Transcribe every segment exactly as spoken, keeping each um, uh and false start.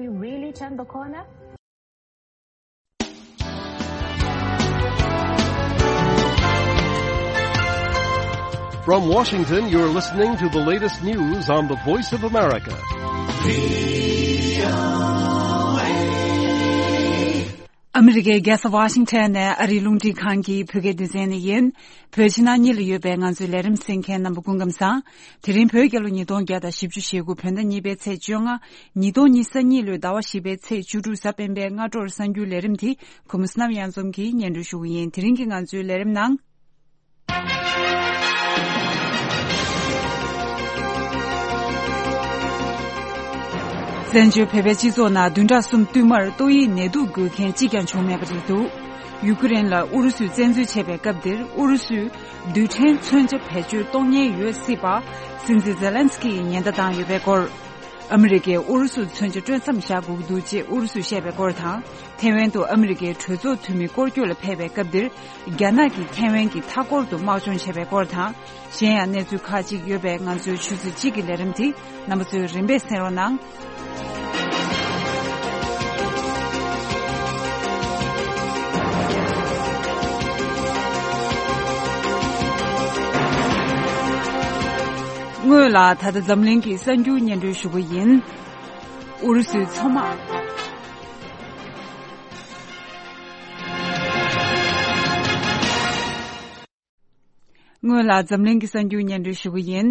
We really turn the corner? From Washington, you're listening to the latest news on the Voice of America. ཨ་མི་རི་ཀའི་རྒྱལ་ས་ཝ་ཤིང་ཊོན་ནས་ཨ་རིའི་རླུང་འཕྲིན་ཁང་གི་བོད་སྐད་སྡེ་ཚན་ནས་ཡིན། བོད་ཕྱི་ནང་གཉིས་ལ་ཡོད་པའི་ང་ཚོའི་ལས་རིམ་གསན་མཁན་རྣམ་པ་སྐུ་ཁམས་བཟང་། དེ་རིང་བོད་རྒྱལ་ལོ་ཉིས་སྟོང་བརྒྱ་དང་བཞི་བཅུ་ཞེ་དགུ་བོད་ཟླ་གཉིས་པའི་ཚེས་བཅོ་ལྔ། ཉིས་སྟོང་ཉི་ཤུ་རྩ་གཉིས་ལོའི་ཟླ་བ་བཞི་པའི་ཚེས་བཅུ་དྲུག་གཟའ་སྤེན་པའི་སྔ་དྲོར་གསར་འགྱུར་ལས་རིམ་དེ་ཁོ་མོ་བསོད་ནམས་གཡང་འཛོམས་ཀྱིས་སྙན་སྒྲོན་ཞུ་གི་ཡིན། དེ་རིང་གི་ང་ཚོའི་ལས་རིམ་ནང་། བཙན་བྱོལ་བོད་པའི་སྤྱི་ཚོགས་ནང་བདུན་ཕྲག་གསུམ་བསྟུད་མར་ཏོག་དབྱིབས་ནད་དུག་འགོས་མཁན་གཅིག་ཀྱང་བྱུང་མེད་པ་རེད་འདུག་ཡུ་ཀེ་རེན་ལ་ཨུ་རུ་སུས་བཙན་འཛུལ་བྱས་པའི་སྐབས་འདིར་ཨུ་རུ་སུས་རྡུལ་ཕྲན་མཚོན་ཆ་བེད་སྤྱོད་གཏོང་ཉེན་ཡོད་སྲིད་པ་སྲིད་འཛིན་ཛེ་ལན་སི་ཀི་ཡིས་ཉེན་བརྡ་བཏང་ཡོད་པའི་སྐོར། ཨ་མི་རི་ཀས་ཨུ་རུ་སུར་མཚོན་ཆ་སྤྲོད་མཚམས་བཞག་དགོས་ཀྱི་འདུག་ཅེས་ཨུ་རུ་སུས་བཤད་པའི་སྐོར་དང་། ཐེ་ཝན་དུ་ཨ་མི་རི་ཀའི་གྲོས་ཚོགས་འཐུས་མི་སྐོར་སྐྱོད་ལ་ཕེབས་པའི་སྐབས་འདིར། རྒྱ་ནག་གིས་ཐེ་ཝན་གྱི་མཐའ་འཁོར་དུ་དམག་སྦྱོང་བྱས་པའི་སྐོར་དང་། གཞན་ཡང་གནས་ཚུལ་ཁག་ཅིག་ཡོད་པས། ང་ཚོའི་ཆུ་ཚོད་གཅིག་གི་ལས་རིམ་དེ་རྣམ་པ་ཚོས་རིམ་པས་གསན་རོགས་གནང་། སྔོན་ལ་ད་ལྟ་འཛམ་གླིང་གི་གསར་འགྱུར་སྙན་སྒྲོན་ཞུ་གི་ཡིན། ཨུ་རུ་སུའི་མཚོ་དམག་སྔོན་ལ་འཛམ་གླིང་གི་གསར་འགྱུར་སྙན་སྒྲོན་ཞུ་གི་ཡིན།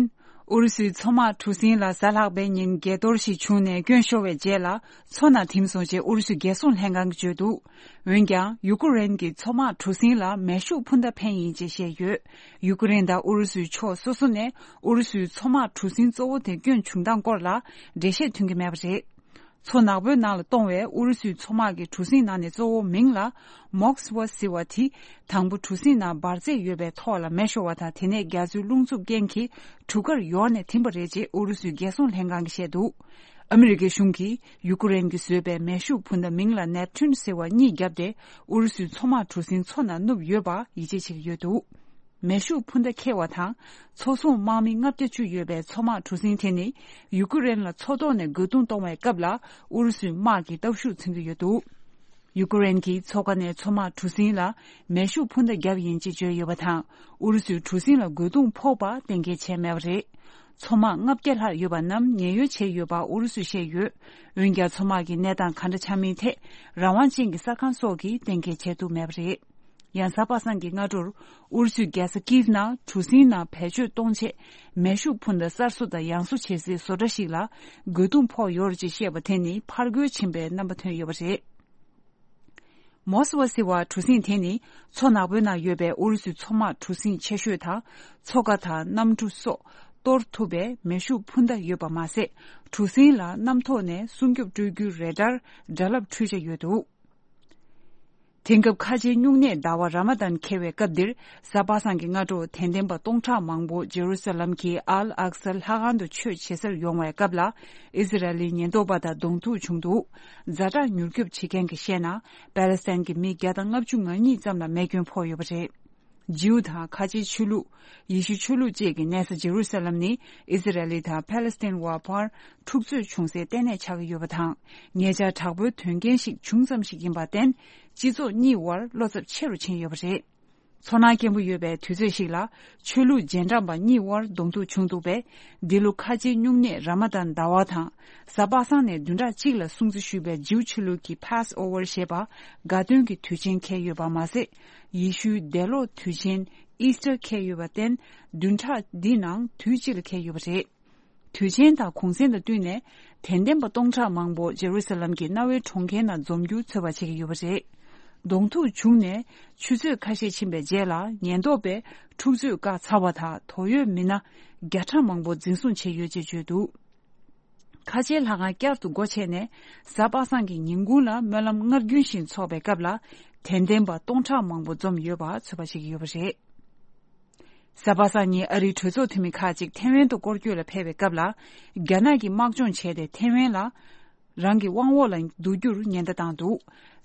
ཨུ་རུ་སུའི་མཚོ་དམག་གྲུ་གཟིངས་ལ་གཟའ་ལྷག་པའི་ཉིན་འགས་གཏོར་ཞིག་བྱུང་ནས་སྐྱོན་ཤོར་བའི་རྗེས་ལ། མཚོ་ནང་ཐིམ་སོང་ཅེས་ཨུ་རུ་སུའི་རྒྱལ་སྲུང་ལྷན་ཁང་གིས་བརྗོད་འདུག་འོན་ཀྱང་། ཡུ་ཀེ་རེན་གྱི་མཚོ་དམག་གྲུ་གཟིངས་ལ་མེ་ཤུགས་འཕུར་མདའ་འཕེན་ཡིན་ཅེས་བཤད་ཡོད། ཡུ་ཀེ་རེན་དང་ཨུ་རུ་སུའི་ཕྱོགས་སོ་སོ་ནས་ཨུ་རུ་སུའི་མཚོ་དམག་གྲུ་གཟིངས་གཙོ་བོ་དེ་སྐྱོན་བྱུང་སྟངས་སྐོར་ལ་འགྲེལ་བཤད་ཐོན་གྱི་མེད་པ་རེད། མཚོ་ནག་པོའི་ནང་ལ་གཏོང་བའི་ཨུ་རུ་སུའི་མཚོ་དམག་གི་གྲུ་གཟིངས་ནང་ནས་གཙོ་བོ་མིང་ལ་མོག་སི་ཝ་ཟེར་བ་དེ། དང་པོ་གྲུ་གཟིངས་ནང་འབར་རྫས་ཡོད་པའི་ཐོག་ལ་མེ་ཤོར་བ་དང་། དེ་ནས་རྒྱ་མཚོའི་རླུང་འཚུབ་རྐྱེན་གྱིས་གྲུ་ཁར་ཡོར་ནས་ཐིམ་པ་རེད་ཅེས་ཨུ་རུ་སུའི་རྒྱལ་སྲུང་ལྷན་ཁང་གིས་བཤད་འདུག་ཨ་མི་རི་ཀའི་གཞུང་གིས་ཡུ་ཀེ་རེན་གྱིས་བཟོས་པའི་མེ་ཤུགས་འཕུར་མདའ་མིང་ལ་ནེབ་ཐུན་ཟེར་བ་གཉིས་བརྒྱབ་སྟེ། ཨུ་རུ་སུའི་མཚོ་དམག་གྲུ་གཟིངས་མཚོ་ནང་བསྣུབས་ཡོད་པ་ཡིད་ཆེས་བྱེད་ཀྱི་ཡོད་འདུག་མེ་ཤུགས་འཕུར་མདའ་འཁྱེར་བ་དང་། མཚོ་སྲུང་དམག་མི་ལྔ་བརྒྱ་བཅུ་ཡོད་པའི་མཚོ་དམག་གྲུ་གཟིངས་དེ་ནི། ཡུ་ཀེ་རེན་ལ་མཚོ་ཐོག་ནས་རྒོལ་རྡུང་གཏོང་བའི་སྐབས་ལ། ཨུ་རུ་སུའི་དམག་གི་སྟོབས་ཤུགས་མཚོན་གྱི་ཡོད་འདུག་ཡུ་ཀེ་རེན་གྱིས་མཚོ་ཁ་ནས་མཚོ་དམག་གྲུ་གཟིངས་ལ་མེ་ཤུགས་འཕུར་མདའ་བརྒྱབ་ཡིན་ཅེས་བརྗོད་ཡོད་པ་དང་། ཨུ་རུ་སུའི་གྲུ་གཟིངས་ལ་རྒོལ་རྡུང་ཕོག་པ་གཏན་འཁེལ་བྱས་མེད་པ་རེད། མཚོ་དམག་ལྔ་བརྒྱ་ལྷག་ཡོད་པ་རྣམས་ཉེན་གཡོལ་བྱས་ཡོད་པ་ཨུ་རུ་སུས་བཤད་ཡོད། འོན་ཀྱང་། མཚོ་དམག་གི་གནས་སྟངས་ག་འདྲ་ཆགས་མིན་ཐད་རང་དབང་ཅན་གྱི་གསར་ཁང་སོགས་ཀྱིས་གཏན་འཁེལ་བྱས་ཐུབ་མེད་པ་རེད། ཡང་། གཟའ་པ་སངས་ཀྱི་སྔ་དྲོར། ཨུ་རུ་སུའི་རྒྱལ་ས་ཀིབ་ནང་གྲུ་གཟིངས་ནང་བེད་སྤྱོད་གཏོང་ཆེད། མེ་ཤུགས་འཕུར་མདའ་གསར་བཟོ་དང་ཡང་བཟོ་བྱེད་སའི་བཟོ་གྲྭ་ཞིག་ལ། རྒོལ་རྡུང་ཕོག་ཡོད་རེད་ཅེས་བཤད་པ་དེ་ནི། ཕར་རྒོལ་ཕྱིན་པའི་རྣམ་པ་ཐོན་ཡོད་པ་རེད། མོ་སི་ཝ་ཟེར་བ་གྲུ་གཟིངས་དེ་ནི། མཚོ་ནག་པོའི་ནང་ཡོད་པའི་ཨུ་རུ་སུའི་མཚོ་དམག་གྲུ་གཟིངས་ཆེ་ཤོས་དང་། མཚོ་ཁ་དང་གནམ་གྲུ་སོགས་གཏོར་ཐུབ་པའི་མེ་ཤུགས་འཕུར་མདའ་ཡོད་པ་མ་ཟད། གྲུ་གཟིངས་ལ་གནམ་ཐོག་ནས་སྲུང་སྐྱོབ་སྤྲོད་རྒྱུའི་རེ་ཌར་སྒྲ་རླབས་འཕྲུལ་ཆས་ཡོད་འདུག་དེང་སྐབས་ཁ་ཆེའི་སྨྱུང་གནས་ཟླ་བ་ར་མ་དན་འཁེལ་བའི་སྐབས་འདིར། གཟའ་པ་སངས་ཀྱི་སྔ་དྲོ། དད་ལྡན་པ་སྟོང་ཕྲག་མང་པོ་ཇེ་རུ་ས་ལམ་གྱི་ཨལ་ཨག་སར་ལྷ་ཁང་དུ་ཆོས་བྱེད་སར་ཡོང་བའི་སྐབས་ལ། ཨི་ཟི་རལ་ལིའི་ཉེན་རྟོག་པ་དང་གདོང་ཐུག་བྱུང་འདུག་ཛ་དྲག་མྱུར་སྐྱོབ་བྱེད་མཁན་གྱིས་བཤད་ན། པེ་ལེ་སི་ཐན་གྱི་མི་བརྒྱ་དང་ལྔ་བཅུ་ང་གཉིས་ཙམ་ལ་རྨས་སྐྱོན་ཕོག་ཡོད་པ་རེད། ཇིའུ་དང་ཁ་ཆེའི་ཆོས་ལུགས། ཡེ་ཤུ་ཆོས་ལུགས་བཅས་ཀྱི་གནས་ས་ཇེ་རུ་ས་ལམ་ནི། ཨི་ཟི་རལ་ལི་དང་ཕ་ལེ་སི་ཐན་བར་འཕར་འཁྲུག་རྩོད་བྱུང་སའི་ལྟེ་གནས་ཆགས་ཀྱི་ཡོད་པ་དང་། ཉེ་ཆར་དྲག་པོའི་དོན་རྐྱེན་ཞིག་བྱུང་ཙམ་ཞིག་ཡིན་པར་བརྟེན། སྤྱི་ཚོགས་གཉིས་བར་བློ་འཚབ་ཆེ་རུ་ཕྱིན་ཡོད་པ་རེད། མཚོ་ནང་སྐྱེན་པོ་ཡོད་པའི་དུས་ཚོད་ཞིག་ལ། ཆོས་ལུགས་རྗེས་འབྲང་པ་གཉིས་བར་གདོང་ཐུག་བྱུང་འདུག་པས། འདི་ལོ་ཁ་ཆེའི་སྨྱུང་གནས་ར་མ་དན་ཟླ་བ་དང་། གཟའ་པ་སངས་ནས་བདུན་ཕྲག་གཅིག་ལ་སྲུང་བརྩི་ཞུས་པའི་ཇིའུ་ཆོས་ལུགས་ཀྱི་Passover་ཞེས་པ་དགའ་སྟོན་གྱི་དུས་ཆེན་འཁེལ་ཡོད་པ་མ་ཟད། ཡེ་ཤུའི་འདས་ལོག་དུས་ཆེན་Easter་འཁེལ་ཡོད་པར་བརྟེན། བདུན་ཕྲག་འདིའི་ནང་དུས་གཅིག་ལ་འཁེལ་ཡོད་པ་རེད། དུས་ཆེན་དང་གུང་གསེང་དང་བསྟུན་ནས། དད་ལྡན་པ་སྟོང་ཕྲག་མང་པོ་ཇེ་རུ་ས་ལམ་གྱི་གནའ་བོའི་གྲོང་ཁྱེར་ནང་འཛོམས་རྒྱུ་ཚོད་དཔག་བྱེད་ཀྱི་ཡོད་པ་རེད། གདོང་ཐུག་བྱུང་ནས་ཆུ་ཚོད་ཁ་ཤས་ཕྱིན་པའི་རྗེས་ལ། ཉེན་རྟོག་པས་འཁྲུག་རྩོད་བཀག་ཚར་བ་དང་། དོགས་ཡོད་མི་སྣ་བརྒྱ་ཕྲག་མང་པོ་འཛིན་བཟུང་བྱས་ཡོད་ཅེས་བརྗོད་འདུག་ཁ་ཆེའི་ལྷ་ཁང་བསྐྱར་དུ་སྒོ་ཕྱེ་ནས། གཟའ་པ་སངས་ཀྱི་ཉིན་གུང་ལ་སྨོན་ལམ་སྔར་རྒྱུན་བཞིན་འཚོགས་པའི་སྐབས་ལ། དད་ལྡན་པ་སྟོང་ཕྲག་མང་པོ་འཛོམས་ཡོད་པ་ཚོད་དཔག་བྱེད་ཀྱི་ཡོད་པ་རེད། གཟའ་པ་སངས་ཉིན་ཨ་རིའི་གྲོས་ཚོགས་འཐུས་མི་ཁག་ཅིག་ཐེ་ཝན་དུ་སྐོར་སྐྱོད་ལ་ཕེབས་པའི་སྐབས་ལ། རྒྱ་ནག་གིས་དམག་སྦྱོང་བྱས་ཏེ། ཐེ་ཝན་ལ་རང་གི་དབང་འོག་ལ་བསྡུ་རྒྱུར་ཉེན་བརྡ་བཏང་འདུག་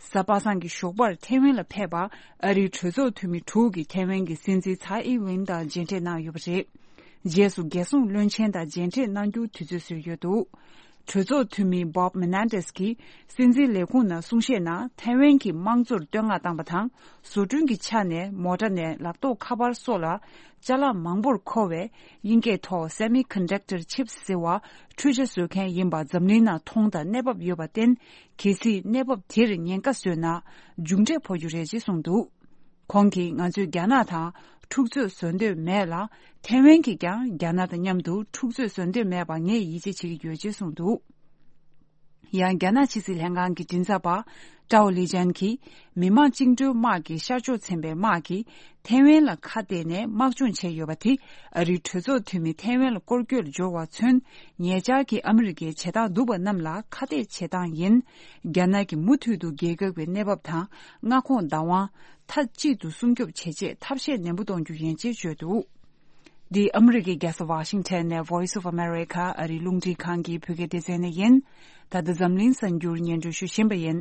གཟའ་པ་སངས་ཀྱི་ཞོགས་པར་ཐེ་ཝན་ལ་ཕེབས་པ། ཨ་རིའི་གྲོས་ཚོགས་འཐུས་མི་དྲུག་གིས་ཐེ་ཝན་གྱི་སྲིད་འཛིན་ཚའེ་ཨིན་ཝེན་དང་མཇལ་འཕྲད་གནང་ཡོད་པ་རེད། རྗེས་སུ་རྒྱལ་སྲུང་བློན་ཆེན་དང་མཇལ་འཕྲད་གནང་རྒྱུའི་དུས་ཚོད་བཟོས་ཡོད་འདུག་གྲོས་ཚོགས་འཐུས་མི་Bob Menendez་གྱིས་སྲིད་འཛིན་ལས་ཁུངས་ནང་གསུང་བཤད་ནང་ཐའེ་ཝན་གྱི་དམངས་གཙོར་བསྟོད་བསྔགས་བཏང་བ་དང་། བཟོ་སྐྲུན་གྱི་ཆ་ནས་མོ་ཊ་ནས་ལག་ཐོགས་ཁ་པར་སོགས་ལ་ཅ་ལག་མང་པོར་མཁོ་བའི་དབྱིན་སྐད་ཐོག་semiconductor chips་ཟེར་བ་འཕྲུལ་ཆས་བཟོ་མཁན་ཡིན་པ་འཛམ་གླིང་ནང་མཐོང་དང་གནས་བབ་ཡོད་པར་བརྟེན། གལ་སྲིད་གནས་བབ་དེར་ཉེན་ཁ་བཟོས་ན་མཇུག་འབྲས་ཕོག་རྒྱུ་རེད་ཅེས་གསུངས་འདུག་ཁོང་གིས་ང་ཚོས་རྒྱ་ནག་དང་འཁྲུག་རྩོད་བཟོ་འདོད་མེད་ལ། ཐའེ་ཝན་གྱིས་ཀྱང་རྒྱ་ནག་དང་མཉམ་དུ་འཁྲུག་རྩོད་བཟོ་འདོད་མེད་པ་ངས་ཡིད་ཆེས་བྱེད་ཀྱི་ཡོད་ཅེས་གསུངས་འདུག་ཡང་རྒྱ་ནག་ཕྱི་སྲིད་ལྷན་ཁང་གི་མགྲིན་ཚབ་པ་ཀྲའོ་ལི་ཅན་གྱིས། མི་དམངས་བཅིངས་འགྲོལ་དམག་གི་ཤར་ཕྱོགས་ཚན་པའི་དམག་གིས་ཐའེ་ཝན་ལ་ཁ་གཏད་ནས་དམག་སྦྱོང་བྱས་ཡོད་པ་དེ། ཨ་རིའི་གྲོས་ཚོགས་འཐུས་མི་ཐའེ་ཝན་ལ་སྐོར་སྐྱོད་ལ་འབྱོར་བ་མཚོན། ཉེ་ཆར་གྱི་ཨ་མི་རི་ཀའི་བྱེད་སྟངས་སྡུག་པ་རྣམས་ལ་ཁ་གཏད་བྱེད་སྟངས་ཡིན། རྒྱ་ནག་གིས་མུ་མཐུད་དུ་རྒྱལ་ཁབ་ཀྱི་གནས་བབ་དང་མངའ་ཁོངས་བདག་དབང་མཐའ་གཅིག་ཏུ་སྲུང་སྐྱོབ་བྱེད་ཆེད་ཐབས་ཤེས་ནན་པོ་གཏོང་རྒྱུ་ཡིན་ཅེས་བརྗོད་འདུག་འདི་ཨ་མི་རི་ཀའི་རྒྱལ་ས་ཝ་ཤིང་ཊོན་ནས་Voice of America་ཨ་རིའི་རླུང་འཕྲིན་ཁང་གི་བོད་སྐད་སྡེ་ཚན་ནས་ཡིན། ད་ལྟ་འཛམ་གླིང་གསར་འགྱུར་སྙན་སྒྲོན་ཞུ་བཞིན་པ་ཡིན།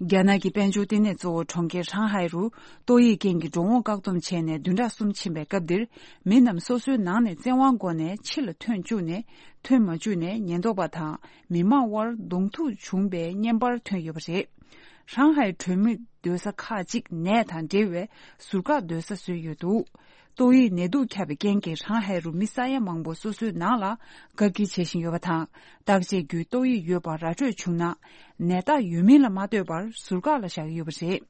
རྒྱ་ནག་གི་དཔལ་འབྱོར་ལྟེ་གནས་གཙོ་བོ་གྲོང་ཁྱེར་ཧྲང་ཧའེ་རུ་ཏོག་དབྱིབས་རྐྱེན་གྱིས་འགྲོ་འོང་བཀག་སྡོམ་བྱས་ནས་བདུན་ཕྲག་གསུམ་ཕྱིན་པའི་སྐབས་འདིར། མི་རྣམས་སོ་སོའི་ནང་ནས་བཙན་དབང་སྒོ་ནས་ཕྱི་ལ་ཐོན་བཅུག་ནས། ཐོན་མ་བཅུག་ནས་ཉེན་རྟོག་པ་དང་མི་མང་དབར་གདོང་ཐུག་བྱུང་པའི་བརྙན་པར་ཐོན་ཡོད་པ་རེད། ཧྲང་ཧའེ་གྲོང་མི་སྡོད་ས་ཁག་ཅིག་ནད་དང་འབྲེལ་བའི་ཟུར་བཀག་སྡོད་ས་བཟོས་ཡོད་འདུག་ཏོག་དབྱིབས་ནད་དུག་ཁྱབ་པའི་རྐྱེན་གྱིས་ཧྲང་ཧའེ་རུ་མི་ས་ཡ་མང་པོ་སོ་སོའི་ནང་ལ་བཀག་སྐྱིལ་བྱེད་བཞིན་ཡོད་པ་དང་། བརྟག་དཔྱད་བརྒྱུད་ཏོག་དབྱིབས་ཡོད་པ་ར་སྤྲོད་བྱུང་ན། ནད་རྟགས་ཡོད་མིན་ལ་མ་ལྟོས་པར་ཟུར་བཀག་ལ་བཞག་གི་ཡོད་པ་རེད།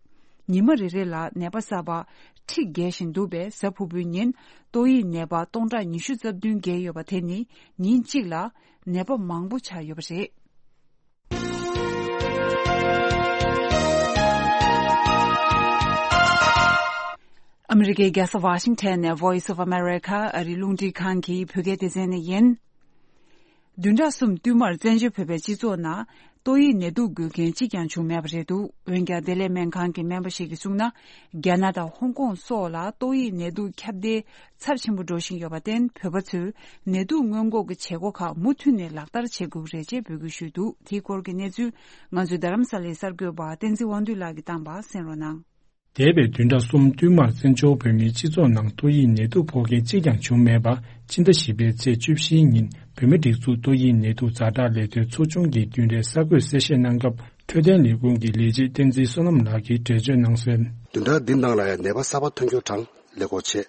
ཉི་མ་རེ་རེ་ལ་ནད་པ་གསར་པ་ཁྲི་བརྒལ་བཞིན་འདུག་པས། གཟའ་ཕུར་བུའི་ཉིན་ཏོག་དབྱིབས་ནད་པ་སྟོང་ཕྲག་ཉི་ཤུ་རྩ་བདུན་བརྒལ་ཡོད་པ་དེ་ནི་ཉིན་གཅིག་ལ་ནད་པ་མང་པོ་ཆགས་ཡོད་པ་རེད། ཨ་མི་རི་ཀའི་རྒྱལ་ས་ཝ་ཤིང་ཊོན་ནས་Voice of America་ཨ་རིའི་རླུང་འཕྲིན་ཁང་གི་བོད་སྐད་སྡེ་ཚན་ནས་ཡིན། བདུན་ཕྲག་གསུམ་བསྟུད་མར་བཙན་བྱོལ་བོད་པའི་སྤྱི་ཚོགས་ནང་ཏོག་དབྱིབས་ནད་དུག་འགོས་མཁན་གཅིག་ཀྱང་བྱུང་མེད་པ་རེད་འདུག་འོན་ཀྱང་བདེ་ལེགས་སྨན་ཁང་གི་སྨན་པ་ཞིག་གིས་གསུངས་ན། རྒྱ་ནག་དང་ཧོང་ཀོང་སོགས་ལ་ཏོག་དབྱིབས་ནད་དུག་ཁྱབ་གདལ་ཚབས་ཆེན་པོ་འགྲོ་བཞིན་ཡོད་པར་བརྟེན། བོད་པ་ཚོས་ནད་དུག་སྔོན་འགོག་གི་བྱེད་སྒོ་ཁག་མུ་མཐུད་ནས་ལག་བསྟར་བྱེད་དགོས་ཀྱི་རེད་ཅེས་འབོད་སྐུལ་ཞུས་འདུག་དེའི་སྐོར་གྱི་གནས་ཚུལ་ང་ཚོའི་རྡ་རམ་ས་ལའི་གསར་འགོད་པ་བསྟན་འཛིན་དབང་འདུས་ལགས་ཀྱིས་བཏང་པ་གསན་རོགས་གནང་། འདས་པའི་བདུན་ཕྲག་གསུམ་བསྟུད་མར་བཙན་བྱོལ་བོད་མིའི་སྤྱི་ཚོགས་ནང་ཏོག་དབྱིབས་ནད་དུག་ཕོག་མཁན་གཅིག་ཀྱང་བྱུང་མེད་པ། སྤྱི་ཟླ་བཞི་པའི་ཚེས་བཅུ་བཞིའི་ཉིན་བོད་མིའི་སྒྲིག་འཛུགས་ཏོག་དབྱིབས་ནད་དུག་ཛ་དྲག་ལས་དོན་ཚོགས་ཆུང་གི་བདུན་རེའི་གསར་འགོད་གསལ་བཤད་གནང་སྐབས། འཕྲོད་བསྟེན་ལས་ཁུངས་ཀྱི་ལས་བྱེད་བསྟན་འཛིན་བསོད་ནམས་ལགས་ཀྱིས་འགྲེལ་བརྗོད་གནང་གསལ། བདུན་ཕྲག་འདི་ནང་ལ་ཡང་ནད་པ་གསར་པ་ཐོན་རྒྱུ་གྲངས་ལེགས་པོ་བྱས།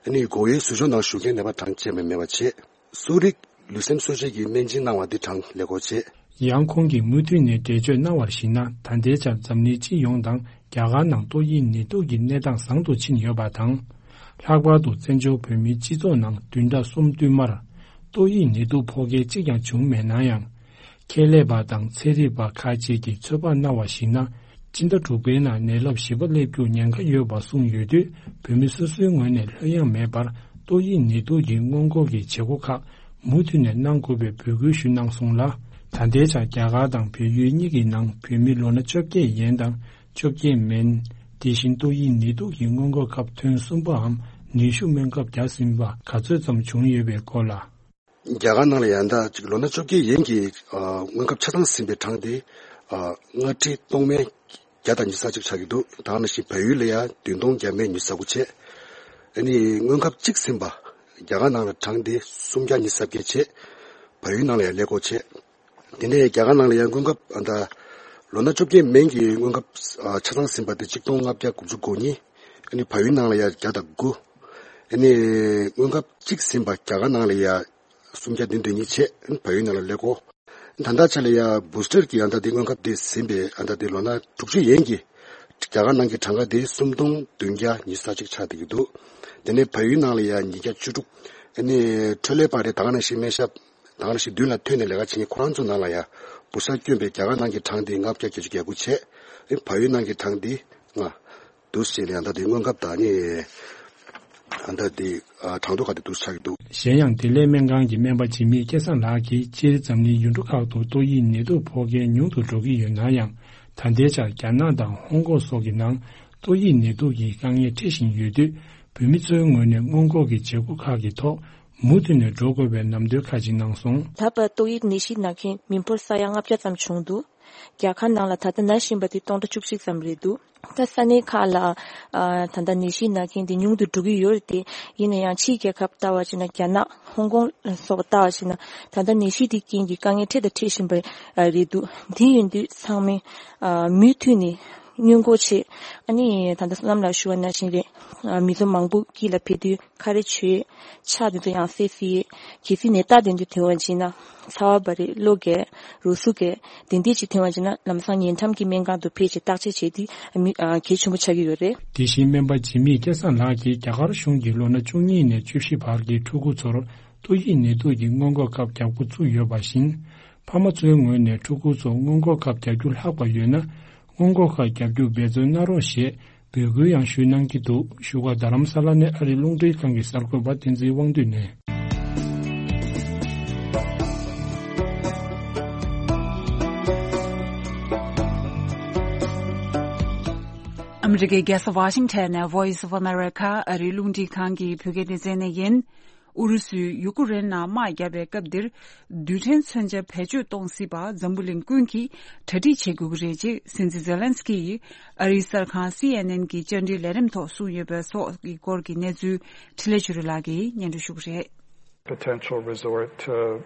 ཨ་ནི་སྒོ་དབྱེའི་ཟུར་ཞོག་ནང་ཞུགས་མཁན་ནད་པ་གྲངས་ཅན་མ་མེད་པ་བྱས། གསོ་རིག་ལུས་སེམས་གསོ་བྱེད་ཀྱི་སྨན་སྦྱིན་གནང་བ་འདི་གྲངས་ལེགས་པོ་བྱས། ཡང་ཁོང་གིས་མུ་མཐུད་ནས་འགྲེལ་བརྗོད་གནང་བར་གཞིགས་ན། ད་ལྟའི་ཆར་འཛམ་གླིང་སྤྱི་ཡོངས་དང་རྒྱ་གར་ནང་ཏོག་དབྱིབས་ནད་དུག་གི་གནས་སྟངས་བཟང་དུ་ཕྱིན་ཡོད་པ་དང་། ལྷག་པར་དུ་བཙན་བྱོལ་བོད་མིའི་སྤྱི་ཚོགས་ནང་བདུན་ཕྲག་གསུམ་བསྟུད་མར་ཏོག་དབྱིབས་ནད་དུག་ཕོག་མཁན་གཅིག་ཀྱང་བྱུང་མེད་ན་ཡང་། ཁྱད་ལས་པ་དང་ཚན་རིག་པ་ཁག་ཅིག་གིས་ཚོད་དཔག་གནང་བར་གཞིགས་ན། སྤྱི་ཟླ་དྲུག་པའི་ནང་ནད་རླབས་བཞི་པ་སླེབས་རྒྱུར་ཉེན་ཁ་ཡོད་པ་གསུངས་ཡོད་དུས། བོད་མི་སོ་སོའི་ངོས་ནས་ལྷོད་ཡངས་མེད་པར་ཏོག་དབྱིབས་ནད་དུག་གི་སྔོན་འགོག་གི་བྱེད་སྒོ་ཁག་མུ་མཐུད་ནས་གནང་དགོས་པའི་འབོད་སྐུལ་ཞུས་གནང་སོང་ལ། ད་ལྟའི་ཆར་རྒྱ་གར་དང་བལ་ཡུལ་གཉིས་ཀྱི་ནང་བོད་མི་ལོ་ན་བཅོ་བརྒྱད་ཡན་དང་བཅོ་བརྒྱད་མན། དེ་བཞིན་ཏོག་དབྱིབས་ནད་དུག་གི་སྔོན་འགོག་སྐབས་ཐོན་གསུམ་པའམ་ནུས་ཤུགས་སྨན་ཁབ་བརྒྱབ་ཟིན་པ་ག་ཚོད་ཙམ་བྱུང་ཡོད་པའི་སྐོར་ལ། རྒྱ་གར་ནང་ལ་ཡང་ད་ཅིག་ལོ་ན་བཅོ་བརྒྱད་ཡན་གྱི་ཨ་སྔོན་ཁབ་ཆ་ཚང་ཟིན་པའི་གྲངས་དེ་ཨ་ལྔ་ཁྲི་སྟོང་མན་བརྒྱ་དང་ཉི་ཤུ་རྩ་གཅིག་ཆགས་ཀྱི་འདུག་ད་ག་ནང་བཞིན་བལ་ཡུལ་ལ་ཡང་བདུན་སྟོང་བརྒྱ་མན་ཉི་ཤུ་རྩ་དགུ་བྱས། ཨ་ནི་སྔོན་ཁབ་གཅིག་ཟིན་པ་རྒྱ་གར་ནང་ལ་གྲངས་དེ་སུམ་བརྒྱ་ཉི་ཤུ་རྩ་བརྒྱད་བྱས། བལ་ཡུལ་ནང་ལ་ཡང་ཀླད་ཀོར་བྱས། དེ་ནས་རྒྱ་གར་ནང་ལ་ཡང་སྔོན་ཁབ་ཨ་ད་ལོ་ན་བཅོ་བརྒྱད་མན་གྱི་སྔོན་ཁབ་ཨ་ཆ་ཚང་ཟིན་པ་དེ་ཆིག་སྟོང་ལྔ་བརྒྱ་དགུ་བཅུ་གོ་གཉིས། ཨ་ནི་བལ་ཡུལ་ནང་ལ་ཡང་བརྒྱ་དང་དགུ། ཨ་ནི་སྔོན་ཁབ་གཅིག་ཟིན་པ་རྒྱ་གར་ནང་ལ་ཡང་སུམ་བརྒྱ་བདུན་དོན་གཉིས་བྱས། ཨ་ནི་བལ་ཡུལ་ནང་ལ་ཀླད་ཀོར། ད་ལྟ་ཆ་ལ་ཡང་བུ་སི་ཊར་གྱི་ཨ་ད་དེ་སྔོན་ཁབ་དེ་ཟིན་པའི་ཨ་ད་དེ་ལོ་ན་དྲུག་ཅུ་ཡན་གྱི་རྒྱ་གར་ནང་གི་གྲངས་ཀ་དེ་སུམ་སྟོང་བདུན་བརྒྱ་ཉི་ཤུ་རྩ་གཅིག་ཆགས་བསྡད་ཀྱི་འདུག་དེ་ནས་བལ་ཡུལ་ནང་ལ་ཡང་ཉིས་བརྒྱ་བཅུ་དྲུག་ཨ་ནི་འཕྲོད་ལས་པ་རེད། ད་ག་ནང་བཞིན་སྨན་ཞབས། ད་ག་ནང་བཞིན་མདུན་ལ་ཐོན་ནས་ལས་ཀ་བྱེད་མཁན་ཁོ་རང་ཚོ་ནང་ལ་ཡང་བུ་ཤ་བསྐྱོན་པའི་རྒྱ་གར་ནང་གི་གྲངས་དེ་ལྔ་བརྒྱ་བརྒྱད་ཅུ་གྱ་དགུ་བྱས། ཨེ་བལ་ཡུལ་ནང་གི་གྲངས་དེ་ལྔ། འདུག་ཞེས་ལ་ཡང་ད་དེ་སྔོན་ཁབ་དང་ནི་ཨ་ད་དེ་གྲངས་ཐོ་ག་དེ་འདུག་ཆགས་ཀྱི་འདུག་གཞན་ཡང་བདེ་ལེགས་སྨན་ཁང་གི་སྨན་པ་འཇིགས་མེད་སྐལ་བཟང་ལགས་ཀྱིས་སྤྱིར་འཛམ་གླིང་ཡུལ་གྲུ་ཁག་ཏུ་ཏོག་དབྱིབས་ནད་དུག་ཕོག་མཁན་ཉུང་དུ་འགྲོ་གི་ཡོད་ན་ཡང་། ད་ལྟའི་ཆར་རྒྱ་ནག་དང་ཧོང་ཀོང་སོགས་ཀྱི་ནང་ཏོག་དབྱིབས་ནད་དུག་གི་དཀའ་ངལ་འཕྲད་བཞིན་ཡོད་དུས། བོད་མི་ཚོའི་ངོས་ནས་སྔོན་འགོག་གི་བྱེད་སྒོ་ཁག་གི་ཐོག་ མུ་མཐུད་ནས་འགྲོ་དགོས་པའི་ལམ་སྟོན་ཁག་ཅིག་གནང་སོང་། ད་བར་ཏོག་དབྱིབས་ནད་གཞི་ན་མཁན་མི་འབོར་ས་ཡ་ལྔ་བརྒྱ་ཙམ་བྱུང་འདུག་རྒྱལ་ཁབ་ནང་ལ་ད་ལྟ་ན་བཞིན་པ་དེ་སྟོང་ཕྲག་བཅུ་གཅིག་ཙམ་རེད་འདུག་ད་ས་གནས་ཁག་ལ་ཨ་ད་ལྟ་ནད་གཞི་ན་མཁན་དེ་ཉུང་དུ་འགྲོ་གི་ཡོད་རེད་དེ། ཡིན་ན་ཡང་ཕྱིའི་རྒྱལ་ཁབ་ལྟ་བ་བྱས་ན། རྒྱ་ནག་ཧོང་ཀོང་ལ་སོགས་པ་ལྟ་བ་བྱས་ན། ད་ལྟ་ནད་གཞི་དེའི་རྐྱེན་གྱིས་དཀའ་ངལ་འཕྲད་དང་འཕྲད་བཞིན་པ་རེད་འདུག་དེ་ཡིན་དུས་ཚང་མས་ཨ་མུ་མཐུད་ནས་སྔོན་འགོག་བྱེད། ཨ་ནི་ད་ལྟ་བསོད་ནམས་ལགས་ཞུ་བ་ནང་བཞིན་རེད། ཨ་མི་ཚོ་མང་པོ་དཀྱིལ་ལ་ཕེབས་དུས་ཁ་རས་བྱས། ཕྱག་དེ་ཚོ་ཡང་བསྲེས་བསྲེས། གལ་སྲིད་ནད་རྟགས་དེ་འདྲ་ཐོན་པ་བྱས་ན། ཚ་བ་འབར་རེད། གློ་རྒྱས། རུས་ཟུག་རྒྱས། དེ་འདྲ་ཅིག་ཐོན་པ་བྱས་ན་ལམ་སང་ཉེ་འགྲམ་གྱི་སྨན་ཁང་དུ་ཕེབས་བྱས་བརྟག་དཔྱད་བྱས་དུས་ཨ་མི་ཨ་གལ་ཆེན་པོ་ཆགས་ཀྱི་ཡོད་རེད། དེ་བཞིན་སྨན་པ་འཇིགས་མེད་སྐལ་བཟང་ལགས་ཀྱིས་རྒྱ་གར་གཞུང་གིས་ལོ་ན་བཅུ་གཉིས་ནས་བཅུ་བཞི་བར་གྱི་ཕྲུ་གུ་ཚོར་ཏོག་དབྱིབས་ནད་དུག་གི་སྔོན་འགོག་སྐབས་རྒྱག་འགོ་བཙུགས་ཡོད་པ་བཞིན། ཕ་མ་ཚོའི་ངོས་ནས་ཕྲུ་གུ་ཚོ་སྔོན་འགོག་སྐབས་རྒྱག་རྒྱུ་ལྷག་པ་ཡོད་ན། སྔོན་འགོག་ཁག་རྒྱག་རྒྱུ་འབད་བརྩོན་གནང་རོགས་ཞེས་འབོད་སྐུལ་ཡང་ཞུ་གནང་གི་འདུག་བཞུགས་སྒར་རྡ་རམ་ས་ལ་ནས་ཨ་རིའི་རླུང་འཕྲིན་ཁང་གི་གསར་འགོད་པ་བསྟན་འཛིན་དབང་འདུས་ནས། ཨ་མི་རི་ཀའི་རྒྱལ་ས་ཝ་ཤིང་ཊོན་ནས་Voice of America ཨ་རིའི་རླུང་འཕྲིན་ཁང་གི་བོད་སྐད་སྡེ་ཚན་ནས་ཡིན། ཨུ་རུ་སུས་ཡུ་ཀུ་རེན་ནང་དམག་བརྒྱབ་པའི་སྐབས་འདིར། རྡུལ་ཕྲན་མཚོན་ཆ་བེད་སྤྱོད་གཏོང་སྲིད་པ་འཛམ་བུ་གླིང་ཀུན་གྱིས་གྲ་སྒྲིག་བྱེད་དགོས་ཀྱི་རེད་ཅེས་སྲིད་འཛིན་ཛེ་ལན་སི་ཀི་ཡིས་ཨ་རིའི་གསར་ཁང་སི་ཨེན་ཨེན་གྱི་བཅར་འདྲིའི་ལས་རིམ་ཐོག་གསུངས་ཡོད་པའི་སོགས་ཀྱི་སྐོར་གྱི་གནས་ཚུལ་འཕྲིན་ལས་ཆོས་སྒྲོན་ལགས་ཀྱིས་སྙན་སྒྲོན་ཞུ་གི་རེད། Potential resort to,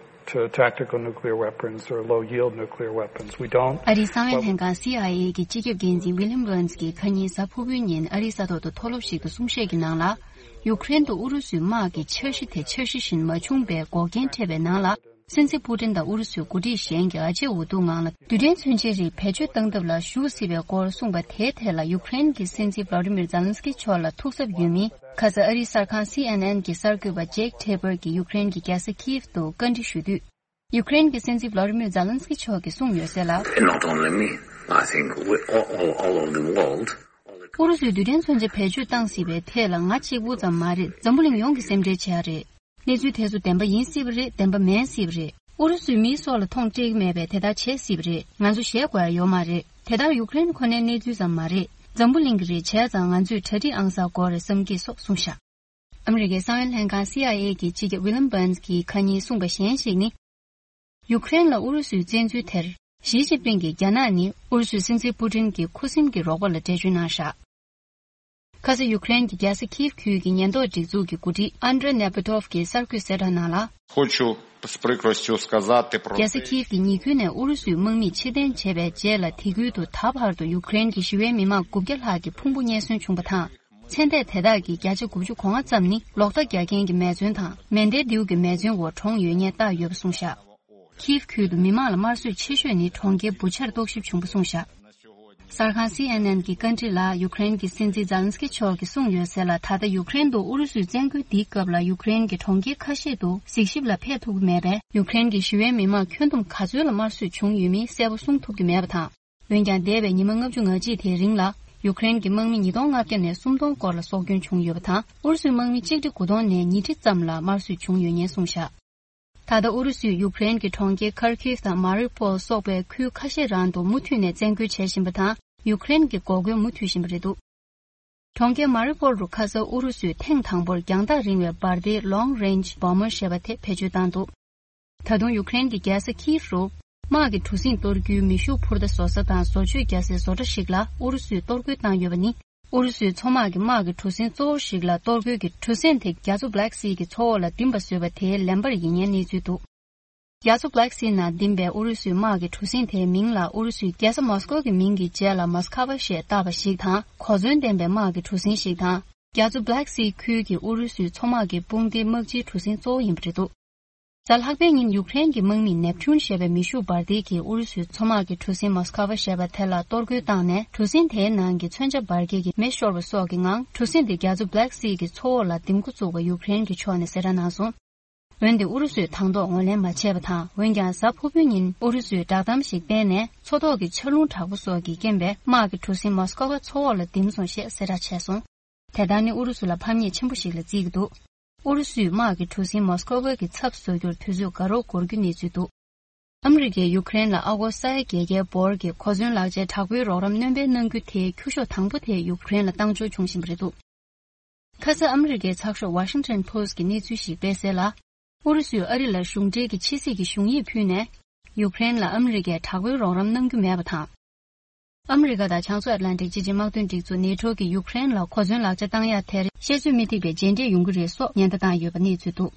to tactical nuclear weapons or low yield nuclear weapons. We don't. ཨ་རིའི་གསང་བའི་ལྷན་ཁང་སི་ཨའི་ཨེ་གི་སྤྱི་ཁྱབ་འགན་འཛིན་ཝི་ལིམ་བྷར་ནས་ཀྱིས་ཁ་ཉིན་གཟའ་ཕུར་བུའི་ཉིན་ཨ་རིའི་ས་ཐོག་ཏུ་མཐོ་སློབ་ཞིག་ཏུ་གསུང་བཤད་ཀྱི་ནང་ལ། ཡུཀ་རེན་དུ་ཨུ་རུ་སུའི་དམག་གི་འཆར་གཞི་དེ་འཆར་གཞི་བཞིན་མ་བྱུང་པའི་འགོག་རྐྱེན་འཕྲད་པའི་ནང་ལ། སྲིད་འཛིན་པུ་ཏིན་དང་ཨུ་རུ་སུའི་འགོ་ཁྲིད་གཞན་གྱི་ཨ་ཅེ་འུ་ཐུག་ངང་ལ་རྡུལ་ཕྲན་མཚོན་ཆའི་རིགས་བེད་སྤྱོད་བཏང་ཐབས་ལ་ཞུགས་སྲིད་པའི་སྐོར་གསུངས་པ་དེའི་ཐད་ལ། ཡུཀ་རེན་གྱི་སྲིད་འཛིན་ཝ་ལ་ཏི་མིར་ཛེ་ལན་སི་ཀི་མཆོག་ལ་ཐུགས་འཚབ་ཡོད་མིན། ཁ་སང་ཨ་རིའི་གསར་ཁང་སི་ཨེན་ཨེན་གྱི་གསར་འགོད་པ་ཇེག་ཐེ་པར་གྱིས་ཡུཀ་རེན་གྱི་རྒྱལ་ས་ཁིབ་ཏུ་བཀའ་འདྲི་ཞུ་དུས། ཡུཀ་རེན་གྱི་སྲིད་འཛིན་ཝ་ལ་ཏི་མིར་ཛེ་ལན་སི་ཀི་མཆོག་གིས་གསུངས་ཡོད་གསལ་ལ། Not only me, I think we all, all, all of the world. ཨུ་རུ་སུས་རྡུལ་ཕྲན་མཚོན་ཆ་བེད་སྤྱོད་བཏང་སྲིད་པའི་ཐད་ལ་ང་གཅིག་པུ་ཙམ་མ་རེད། འཛམ་བུ་གླིང་ཡོངས་ཀྱིས་སེམས་ཁྲལ་བྱེད་ཡ་རེད། གནས་ཚུལ་དེ་ཚོ་བདེན་པ་ཡིན་སྲིད་པ་རེད། བདེན་པ་མིན་སྲིད་པ་རེད། ཨུ་རུ་སུས་མིའི་སྲོག་ལ་མཐོང་སྤྲད་ཀྱི་མེད་པས་དེ་ལྟར་བྱེད་སྲིད་པ་རེད། ང་ཚོ་ཞེད་དགོས་ཡ་ཡོད་མ་རེད། དེ་ལྟར་ཡུཀ་རེན་ཁོ་ནའི་གནས་ཚུལ་ཙམ་མ་རེད། འཛམ་བུ་གླིང་གི་རེད། བྱས་ཙང་ང་ཚོས་གྲ་སྒྲིག་ཨང་གསར་དགོས་རེད་བསམ་གྱི་སོགས་གསུངས་བཞག་ཨ་མི་རི་ཀའི་གསང་བའི་ལྷན་ཁང་སི་ཨའི་ཨེ་གྱི་སྤྱི་ཁྱབ་ཝི་ལམ་བྷར་ནས་ཀྱིས་ཁ་ཉིན་གསུངས་པ་གཞན་ཞིག་ནི། ཡུཀ་རེན་ལ་ཨུ་རུ་སུའི་བཙན་འཛུལ་དེར། ཞི་ཅིན་ཕིང་གིས་རྒྱ་ནག་ནི་ཨུ་རུ་སུའི་སྲིད་འཛིན་པུ་ཏིན་གྱི་ཁུ་སིམ་གྱི་རོགས་པ་ལ་འགྲེལ་བརྗོད་གནང་བཞག་ཁ་སང་ཡུཀ་རེན་གྱི་རྒྱལ་ས་ཁིབ་ཁུལ་གྱི་ཉེན་རྟོག་སྒྲིག་འཛུགས་ཀྱི་འགོ་ཁྲིད་ཨན་ཌྲེ་ནེ་པི་ཏོབ་ཀྱིས་གསར་འགོད་གསལ་བསྒྲགས་ནང་ལ། Хочу з прикростю сказати про རྒྱལ་ས་ཁིབ་ཀྱི་ཉེ་ཁུལ་ནས་ཨུ་རུ་སུའི་དམག་མིས་ཕྱིར་འཐེན་བྱས་པའི་རྗེས་ལ། དེ་ཁུལ་དུ་ད་བར་དུ་ཡུཀ་རེན་གྱི་ཞི་བའི་མི་མང་དགུ་བརྒྱ་ལྷག་གི་ཕུང་པོ་རྙེད་སོན་བྱུང་བ་དང་། ཚེ་འདས་དེ་དག་གི་བརྒྱ་ཆ་དགུ་བཅུ་གོ་ལྔ་ཙམ་ནི་ལོག་ལྟ་རྒྱག་མཁན་གྱི་མེ་མཚོན་དང་མེ་མདའི་མདེའུ་གི་མེ་མཚོན་འོག་གྲོངས་ཡོད་ཉེན་བཏགས་ཡོད་པ་གསུངས་བཞག་ཁིབ་ཁུལ་དུ་མི་མང་ལ་དམར་གསོད་ཆེ་ཤོས་ནི་གྲོང་ཁྱེར་བུ་ཆར་རྟོག་ཞིབ་བྱུང་བ་གསུངས་བཞག་གསར་ཁང་སི་ཨེན་ཨེན་གྱི་བཀའ་འདྲི་ལ་ཡུཀ་རེན་གྱི་སྲིད་འཛིན་ཛེ་ལན་སི་ཀི་མཆོག་གིས་གསུངས་ཡོད་གསལ་ལ། ད་ལྟ་ཡུཀ་རེན་དུ་ཨུ་རུ་སུའི་བཙན་རྒོལ་འདིའི་སྐབས་ལ་ཡུཀ་རེན་གྱི་གྲོང་ཁྱེར་ཁ་ཤས་དུ་གཟིགས་ཞིབ་ལ་ཕེབས་ཐུབ་ཀྱི་མེད་པས། ཡུཀ་རེན་གྱི་ཞི་བའི་མི་མང་ཁྱོན་བསྡོམས་ག་ཚོད་ལ་དམར་གསོད་བྱུང་ཡོད་མིན་གསལ་པོ་གསུང་ཐུབ་ཀྱི་མེད་པ་དང་། འོན་ཀྱང་། འདས་པའི་ཉི་མ་ལྔ་བཅུ་ང་གཅིག་དེའི་རིང་ལ། ཡུཀ་རེན་གྱི་དམག་མི་ཉིས་སྟོང་ལྔ་བརྒྱ་ནས་སུམ་སྟོང་སྐོར་ལ་སྲོག་སྐྱོན་བྱུང་ཡོད་པ་དང་། ཨུ་རུ་སུའི་དམག་མི་གཅིག་ཁྲི་དགུ་སྟོང་ནས་ཉིས་ཁྲི་ཙམ་ལ་དམར་གསོད་བྱུང་ཡོད་ཉེན་གསུངས་བཞག་ད་ལྟ་ཨུ་རུ་སུས་ཡུཀ་རེན་གྱི་གྲོང་ཁྱེར་ཁར་ཁིབ་དང་མ་རི་པོལ་སོགས་པའི་ཁུལ་ཁ་ཤས་རང་དུ་མུ་མཐུད་ནས་བཙན་རྒོལ་བྱེད་བཞིན་པ་དང་། ཡུཀ་རེན་གྱི་འགོག་རྒོལ་མུ་མཐུད་བཞིན་པ་རེད་འདུག་གྲོང་ཁྱེར་མ་རི་པོལ་རུ་ཁ་སང་ཨུ་རུ་སུས་ཐེངས་དང་པོར་རྒྱང་ཐག་རིང་བའི་འབར་མདེལ་Long Range Bomber ཞེས་པ་དེ་བེད་སྤྱོད་བཏང་འདུག་ད་དུང་ཡུཀ་རེན་གྱི་རྒྱལ་ས་ཁིབ་རུ་དམག་གི་གྲུ་གཟིངས་གཏོར་རྒྱུའི་མེ་ཤུགས་འཕུར་མདའ་བཟོ་ས་དང་བཟོ་བཅོས་རྒྱག་སའི་བཟོ་གྲྭ་ཞིག་ལ་ཨུ་རུ་སུས་གཏོར་རྒོལ་བཏང་ཡོད་པ་ནི། ཨུ་རུ་སུའི་མཚོ་དམག་གི་དམག་གི་གྲུ་གཟིངས་གཙོ་བོ་ཞིག་ལ་གཏོར་རྒོལ་གྱིས་གྲུ་གཟིངས་དེ་རྒྱ་མཚོ་Black Sea གི་མཚོ་འོག་ལ་ལྡིང་བ་བཟོས་པ་དེའི་ལན་པར་ཡིན་ཉེན་གནས་ཚུལ་འདུག་རྒྱ་མཚོ་Black Sea ནང་ལྡིང་བའི་ཨུ་རུ་སུའི་དམག་གི་གྲུ་གཟིངས་དེའི་མིང་ལ་ཨུ་རུ་སུའི་རྒྱལ་ས་མོ་སི་ཀོ་གི་མིང་གི་རྗེས་ལ་མོ་སི་ཁ་ཝ་ཞེས་བཏགས་པ་ཞིག་དང་། གོ་མཚོན་ལྡན་པའི་དམག་གི་གྲུ་གཟིངས་ཤིག་དང་། རྒྱ་མཚོ་Black Sea ཁུལ་གྱི་ཨུ་རུ་སུའི་མཚོ་དམག་གི་དཔུང་སྡེའི་དམག་སྤྱིའི་གྲུ་གཟིངས་གཙོ་བོ་ཡིན་པ་རེད་འདུག་གཟའ་ལྷག་པའི་ཉིན་ཡུཀ་རེན་གྱི་དམག་མིས་Neptune ཞེས་པའི་མེ་ཤུགས་འབར་མདེལ་གྱིས་ཨུ་རུ་སུའི་མཚོ་དམག་གི་གྲུ་གཟིངས་མོ་སི་ཁ་ཝ་ཞེས་པ་དེ་ལ་གཏོར་རྒོལ་བཏང་ནས། གྲུ་གཟིངས་དེའི་ནང་གི་མཚོན་ཆ་འབར་གས་ཀྱི་མེ་ཤོར་བ་སོགས་ཀྱི་ངང་། གྲུ་གཟིངས་དེ་རྒྱ་མཚོ་Black Sea གི་མཚོ་འོག་ལ་ལྡིང་འགོ་བཙུགས་པ་ཡུཀ་རེན་གྱི་ཕྱོགས་ནས་གསལ་བསྒྲགས་གནང་སོང་། འོན་ཏེ་ཨུ་རུ་སུས་དང་ཐོག་ངོས་ལེན་མ་བྱས་པ་དང་། འོན་ཀྱང་གཟའ་ཕུར་བུའི་ཉིན་ཨུ་རུ་སུས་བསྒྲགས་གཏམ་ཞིག་སྤེལ་ནས། མཚོ་ཐོག་གི་ཆར་རླུང་དྲག་པོ་སོགས་ཀྱི་རྐྱེན་པས་དམག་གི་གྲུ་གཟིངས་མོ་སི་ཀོ་བ་མཚོ་འོག་ལ་ལྡིམ་སོང་ཞེས་གསལ་བསྒྲགས་བྱས་སོང་། དེ་ལྟར་ནི་ཨུ་རུ་སུ་ལ་ཕམ་ཉེས་ཆེན་པོ་ཞིག་ལ་བརྩི་གི་འདུག་ཨུ་རུ་སུས་དམག་གི་གྲུ་གཟིངས་མོ་སི་ཀོ་བ་གི་ཚབ་བཟོ་རྒྱུར་དུས་ཚོད་འགོར་རོགས་འགོར་རྒྱུ་གནས་ཚུལ་འདུག་ཨ་མི་རི་ཀས་ཡུཀ་རེན་ལ་ཨ་སྒོར་ས་ཡ་བརྒྱད་བརྒྱའི་འབོར་གྱི་གོ་མཚོན་ལག་ཆའི་དྲག་པོའི་རོགས་རམ་སྣོན་སྤེལ་གནང་རྒྱུ་དེའི་ཁྱུ་ཤོག་དང་པོ་དེ་ཡུཀ་རེན་ལ་བཏང་འབྱོར་བྱུང་བཞིན་པ་རེད་འདུག་ཁ་ས་ཨ་མི་རི་ཀའི་ཚགས་ཤོག་Washington Post་གི་གནས་ཚུལ་ཞིག་སྤེལ་གསལ་ལ། ཨུ་རུ་སུས་ཨ་རི་ལ་གཞུང་འབྲེལ་གྱི་ཕྱི་སྲིད་ཀྱི་གཞུང་ཡིག་ཕུལ་ནས། ཡུཀ་རེན་ལ་ཨ་མི་རི་ཀས་དྲག་པོའི་རོགས་རམ་གནང་རྒྱུ་མེད་པ་དང་། ཨ་མི་རི་ཀ་དང་བྱང་ཕྱོགས་ཨ་ཏི་ལན་ཏིག་སྤྱི་ཆིངས་དམག་དོན་སྒྲིག་འཛུགས་ནེ་ཊོ་གིས་ཡུཀ་རེན་ལ་གོ་མཚོན་ལག་ཆ་བཏང་ཡ་དེར་བཤད་ཚོད་མི་ཐིག་པའི་རྗེས་འབྲས་ཡོང་གི་རེད་སོགས་ཉེན་བརྡ་བཏང་ཡོད་པ་གནས་ཚུལ་འདུག།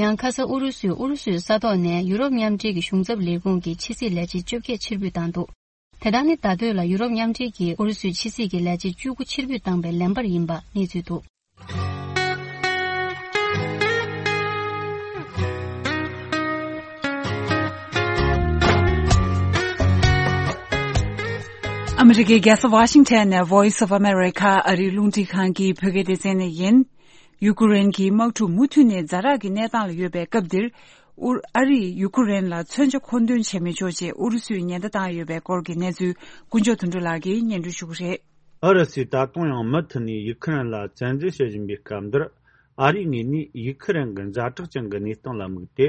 ཡང་ཁ་ས་ཨུ་རུ་སུས་ཨུ་རུ་སུའི་ས་ཐོག་ནས་ཡུ་རོབ་མཉམ་འབྲེལ་གྱི་གཞུང་ཚབ་ལས་ཁུངས་ཀྱི་ཕྱི་སྲིད་ལས་བྱེད་བཅོ་བརྒྱད་ཕྱིར་འབུད་བཏང་འདུག། དེ་དག་ནི་ད་ལྟོས་ལ་ཡུ་རོབ་མཉམ་འབྲེལ་གྱིས་ཨུ་རུ་སུའི་ཕྱི་སྲིད་ཀྱི་ལས་བྱེད་བཅུ་དགུ་ཕྱིར་འབུད་བཏང་པའི་ལན་པར་ཡིན་པ་གནས་ཚུལ་འདུག། ཨ་མི་རི་ཀའི་རྒྱལ་ས་ཝ་ཤིང་ཊོན་ནས་Voice of America་ཨ་རིའི་རླུང་འཕྲིན་ཁང་གི་བོད་སྐད་སྡེ་ཚན་ནས་ཡིན། ཡུ་ཀེ་རེན་གྱི་དམག་འཁྲུག་མུ་མཐུད་ནས་ཛ་དྲག་གི་གནས་སྟངས་ལ་ཡོད་པའི་སྐབས་འདིར། ཨུ་ཨ་རིས་ཡུ་ཀེ་རེན་ལ་མཚོན་ཆ་མཁོ་འདོན་བྱེད་མི་ཆོག་ཅེས་ཨུ་རུ་སུས་ཉེན་བརྡ་བཏང་ཡོད་པའི་སྐོར་གྱི་གནས་ཚུལ་ཀུན་མཆོག་དོན་གྲུབ་ལགས་ཀྱིས་སྙན་སྒྲོན་ཞུ་གི་རེད། ཨུ་རུ་སུས་ད་དུང་ཡང་མུ་མཐུད་ནས་ཡུ་ཁུ་རེན་ལ་བཙན་འཛུལ་བྱེད་བཞིན་པའི་སྐབས་འདིར། ཨ་རིའི་ངོས་ནས་ཡུ་ཁུ་རེན་གྱི་ཛ་དྲག་ཅན་གྱི་གནས་སྟངས་ལ་དམིགས་ཏེ།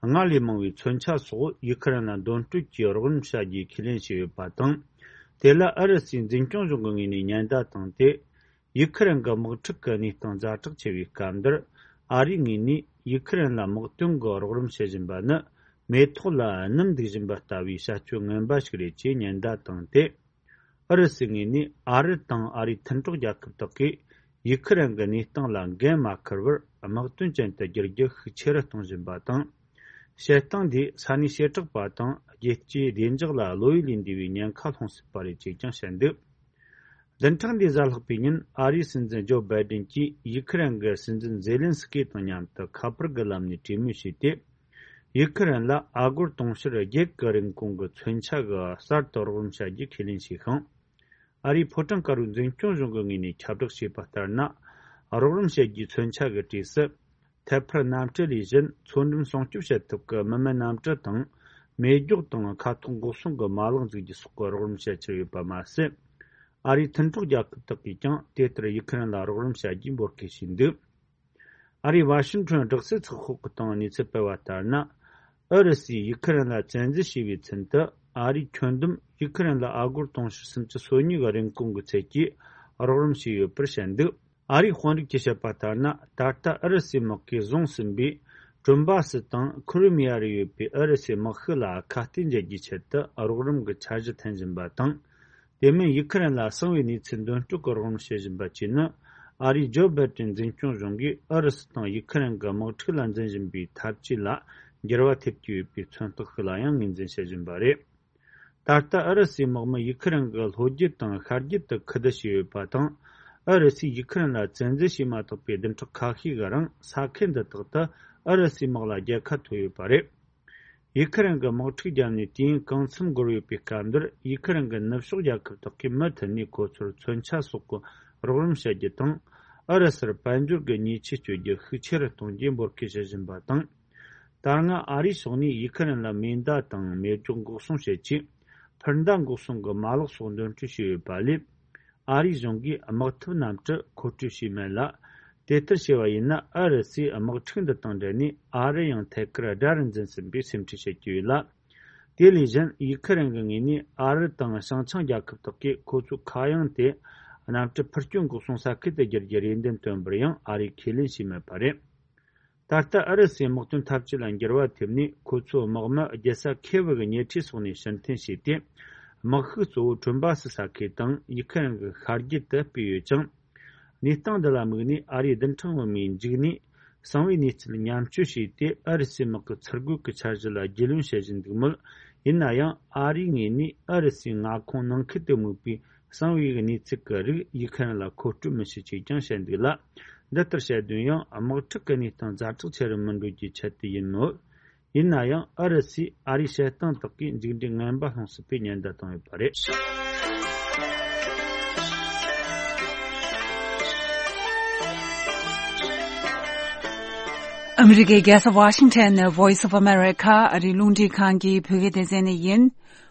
སྔར་ལས་མང་བའི་མཚོན་ཆ་སོགས་ཡུ་ཁུ་རེན་ལ་འདོན་སྤྲོད་ཀྱིས་རོགས་རམ་བྱ་རྒྱུའི་ཁས་ལེན་བྱས་ཡོད་པ་དང་། དེ་ལ་ཨུ་རུ་སུའི་འཛིན་སྐྱོང་གཞུང་གི་ངོས་ནས་ཉེན་བརྡ་བཏང་སྟེ། ཡུ་ཁུ་རེན་གྱི་དམག་འཁྲུག་གི་གནས་སྟངས་ཛ་དྲག་ཆེ་བའི་སྐབས་འདིར། ཨ་རིའི་ངོས་ནས་ཡུ་ཁུ་རེན་ལ་དམག་དོན་གྱི་རོགས་རམ་བྱེད་བཞིན་པ་ནི། མེ་ཏོག་ལ་སྣུམ་འདུག་བཞིན་པ་ལྟ་བུའི་བྱ་སྤྱོད་ངན་པ་ཞིག་རེད་ཅེས་ཉེན་བརྡ་བཏང་སྟེ། ཨུ་རུ་སུའི་ངོས་ནས་ཨ་རི་དང་ཨ་རིའི་མཐུན་གྲོགས་རྒྱལ་ཁབ་དག་གིས་ཡུ་ཁུ་རེན་གྱི་གནས་སྟངས་ལ་འགན་མ་འཁུར་བར་དམག་དོན་ཅན་དུ་བསྒྱུར་རྒྱུ་ཤུགས་ཆེ་རུ་གཏོང་བཞིན་པ་དང་། བྱེད་སྟངས་འདིས་ས་གནས་བྱེ་བྲག་པ་དང་རྒྱལ་སྤྱིའི་བདེ་འཇགས་ལ་བློ་ཡུལ་ལས་འདས་པའི་ཉེན་ཁ་སློང་སྲིད་པ་རེད་ཅེས་ཀྱང་བཤད་འདུག། བདུན་ཕྲག་འདིའི་གཟའ་ལྷག་པའི་ཉིན་ཨ་རིའི་སྲིད་འཛིན་ཇོ་བྷའི་ཌེན་གྱིས་ཡུ་ཁུ་རེན་གྱི་སྲིད་འཛིན་ཛེ་ལན་སི་ཀི་དང་མཉམ་དུ་ཁ་པར་གྱི་ལམ་ནས་གྲོས་མོལ་བྱས་ཏེ། ཡུ་ཁུ་རེན་ལ་ཨ་སྒོར་དུང་ཕྱུར་བརྒྱད་ཀྱི་རིན་གོང་གི་མཚོན་ཆ་གི་གསར་དུ་རོགས་རམ་བྱ་རྒྱུ་ཁས་ལེན་བྱས་ཤིང་། ཨ་རིའི་ཕོ་བྲང་དཀར་པོའི་འཛིན་སྐྱོང་གཞུང་གི་ངོས་ནས་ཁྱབ་བསྒྲགས་བྱས་པ་ལྟར་ན། རོགས་རམ་བྱེད་རྒྱུའི་མཚོན་ཆ་གི་གྲས་སུ། ཐད་འཕར་གནམ་གྲུ་ལས་གཞན་མཚོ་འགྲམ་སྲུང་སྐྱོབ་བྱེད་ཐབས་ཀྱི་མི་མེད་གནམ་གྲུ་དང་། མེ་སྒྱོགས་དང་མཁའ་ཐོག་འགོག་སྲུང་གི་མ་ལག་འཛུགས་རྒྱུ་སོགས་ཀྱི་རོགས་རམ་བྱེད་ཀྱི་ཡོད་པ་མ་ཟད། ཨ་རིའི་མཐུན་གྲོགས་རྒྱལ་ཁབ་དག་གིས་ཀྱང་དེ་ལྟར་ཡུ་ཁུ་རེན་ལ་རོགས་རམ་བྱ་རྒྱུའི་འབོད་སྐུལ་བྱས་འདུག། ཨ་རིའི་ཝ་ཤིང་ཊོན་སྦྲག་སྲིད་ཚགས་ཤོག་གི་སྟེང་གནས་ཚུལ་སྤེལ་བ་ལྟར་ན། ཨུ་རུ་སུས་ཡུ་ཁུ་རེན་ལ་བཙན་འཛུལ་བྱས་པའི་ཚུན་དུ་ཨ་རིས་ཁྱོན་བསྡོམས་ཡུ་ཁུ་རེན་ལ་ཨ་སྒོར་དུང་ཕྱུར་སུམ་ཅུ་སོ་གཉིས་ཀྱི་རིན་གོང་གི་ཚད་ཀྱིས་རོགས་རམ་བྱས་ཡོད་པར་བཤད་འདུག། ཨ་རིའི་དཔོན་རིགས་ཀྱིས་བཤད་པ་ལྟར་ན། ད་ལྟ་ཨུ་རུ་སུའི་དམག་གིས་བཟུང་ཟིན་པའི་ཀྲུམ་བ་སི་དང་ཁུ་རུ་མི་ཡ་རུ་ཡོད་པའི་ཨུ་རུ་སུའི་དམག་ཤུགས་ལ་ཁ་གཏད་འཇལ་རྒྱུའི་ཆེད་དུ་རོགས་རམ་གྱི་འཆར་གཞི་འཐེན་བཞིན་པ་དང་། དེ་མིན་ཡུ་ཁུ་རེན་ལ་གསང་བའི་གནས་ཚུལ་འདོན་སྤྲོད་ཀྱི་རོགས་རམ་བྱེད་བཞིན་པ་བཅས་ནི། ཨ་རིའི་ཇོ་བྷའི་ཏྲིན་འཛིན་སྐྱོང་གཞུང་གིས་ཨུ་རུ་སུ་དང་ཡུ་ཁུ་རེན་གྱི་དམག་འཁྲུག་ལ་འཛིན་བཞིན་པའི་འཐབ་ཇུས་ལ་འགྱུར་བ་ཐེབས་ཀྱི་ཡོད་པའི་མཚོན་རྟགས་ཤིག་ལ་ཡང་ངོས་འཛིན་བྱེད་བཞིན་པ་རེད། ད་ལྟ་ཨུ་རུ་སུའི་དམག་མི་ཡུ་ཁུ་རེན་གྱི་ལྷོ་རྒྱུད་དང་ཤར་རྒྱུད་དུ་ཁུ་བསྡུ་བྱས་ཡོད་པ་དང་། ཨུ་རུ་སུས་ཡུ་ཁུ་རེན་ལ་བཙན་འཛུལ་བྱས་མ་ཐག་པའི་བདུན་ཕྲག་ཁ་ཤས་ཀྱི་རིང་ས་ཁུལ་འདི་དག་ཏུ་ཨུ་རུ་སུའི་དམག་ལ་རྒྱལ་ཁ་ཐོབ་ཡོད་པ་རེད། ཡུ་ཁུ་རེན་གྱི་དམག་འཁྲུག་བརྒྱབ་ནས་དུས་ཡུན་གང་འཚམ་འགོར་ཡོད་པའི་སྐབས་འདིར། ཡུ་ཁུ་རེན་གྱི་ནུབ་ཕྱོགས་རྒྱལ་ཁབ་དག་གིས་མུ་མཐུད་ནས་ཁོ་ཚོར་མཚོན་ཆ་སོགས་ཀྱི་རོགས་རམ་བྱ་རྒྱུ་དང་། ཨུ་རུ་སུར་དཔལ་འབྱོར་གྱི་ཉེས་ཆད་གཅོད་རྒྱུ་ཤུགས་ཆེ་རུ་གཏོང་རྒྱུའི་འབོད་སྐུལ་བྱེད་བཞིན་པ་དང་། ད་སྔ་ཨ་རིའི་ཕྱོགས་ནས་ཡུ་ཁུ་རེན་ལ་མེ་མདའ་དང་མེ་སྒྱོགས་འགོག་སྲུང་བྱེད་ཆས། འཕུར་མདའ་འགོག་སྲུང་གི་མ་ལག་སོགས་འདོན་སྤྲོད་བྱས་ཡོད་པ་ལས། ཨ་རིའི་གཞུང་གིས་དམག་འཐབ་གནམ་གྲུ་མཁོ་སྤྲོད་བྱས་མེད་ལ། དེ་ལྟར་བྱས་པ་ཡིན་ན། ཨུ་རུ་སུའི་དམག་འཁྲུག་འདི་དང་འབྲེལ་ནས་ཨ་རི་ཡང་ཐད་ཀར་དགྲ་རུ་འཛིན་ཟིན་པའི་སེམས་ཁྲལ་བྱེད་ཀྱི་ཡོད་ལ། དེ་ལས་གཞན། ཡུ་ཁུ་རེན་གྱི་ངོས་ནས་ཨ་རི་དང་བྱང་ཆིངས་རྒྱལ་ཁབ་དག་གིས་ཁོ་ཚོའི་མཁའ་དབྱིངས་དེ་གནམ་གྲུ་འཕུར་སྐྱོད་འགོག་སྲུང་ས་ཁུལ་དུ་བསྒྱུར་རྒྱུའི་རེ་འདུན་བཏོན་པར་ཡང་ཨ་རིས་ཁས་ལེན་བྱས་མེད་པ་རེད། ད་ལྟ་ཨུ་རུ་སུའི་དམག་དོན་འཐབ་ཇུས་ལ་འགྱུར་བ་ཐེབས་ནས། ཁོ་ཚོའི་དམག་མི་རྒྱལ་ས་ཁེ་བི་གི་ཉེ་འཁྲིས་སོགས་ནས་ཕྱིར་འཐེན་བྱས་ཏེ། དམག་ཤུགས་གཙོ་བོ་ཁྲོན་པ་སི་ས་ཁུལ་དང་ཡུ་ཁུ་རེན་གྱི་ཤར་རྒྱུད་དུ་སྤོས་ཡོད་ཅིང་། གནས་སྟངས་འདི་ལ་དམིགས་ནས་ཨ་རིའི་བདུན་ཕྲག་སྔོན་མའི་མཇུག་ནས་གསང་བའི་གནས་ཚུལ་ཉམས་བཅོས་བྱས་ཏེ། ཨུ་རུ་སུའི་དམག་གི་ཚུར་རྒོལ་གྱི་འཆར་གཞི་ལ་རྒྱུས་ལོན་བྱེད་བཞིན་འདུག་མོད། ཡིན་ན་ཡང་ཨ་རིའི་ངོས་ནས་ཨུ་རུ་སུའི་མངའ་ཁོངས་ནང་ཁུལ་དུ་དམིགས་པའི་གསང་བའི་གནས་ཚུལ་གྱི་རིགས་ཡུ་ཁུ་རེན་ལ་མཁོ་སྤྲོད་མི་བྱེད་ཅེས་ཀྱང་བཤད་འདུག་ལ། འདི་ལྟར་བཤད་དོན་ཡང་དམག་འཁྲུག་གི་གནས་སྟངས་ཛ་དྲག་ཆེ་རུ་མི་འགྲོ་རྒྱུའི་ཆེད་དུ་ཡིན་མོད། ཡིན་ན་ཡང་ཨུ་རུ་སུས་ཨ་རིའི་བྱེད་སྟངས་དག་གིས་མཇུག་འབྲས་ངན་པ་སློང་སྲིད་པའི་ཉེན་བརྡ་བཏང་ཡོད་པ་རེད། ཨ་མི་རི་ཀའི་རྒྱལ་ས་ཝ་ཤིང་ཊོན་ནས་Voice of America་ཨ་རིའི་རླུང་འཕྲིན་ཁང་གི་བོད་སྐད་སྡེ་ཚན་ནས་ཡིན།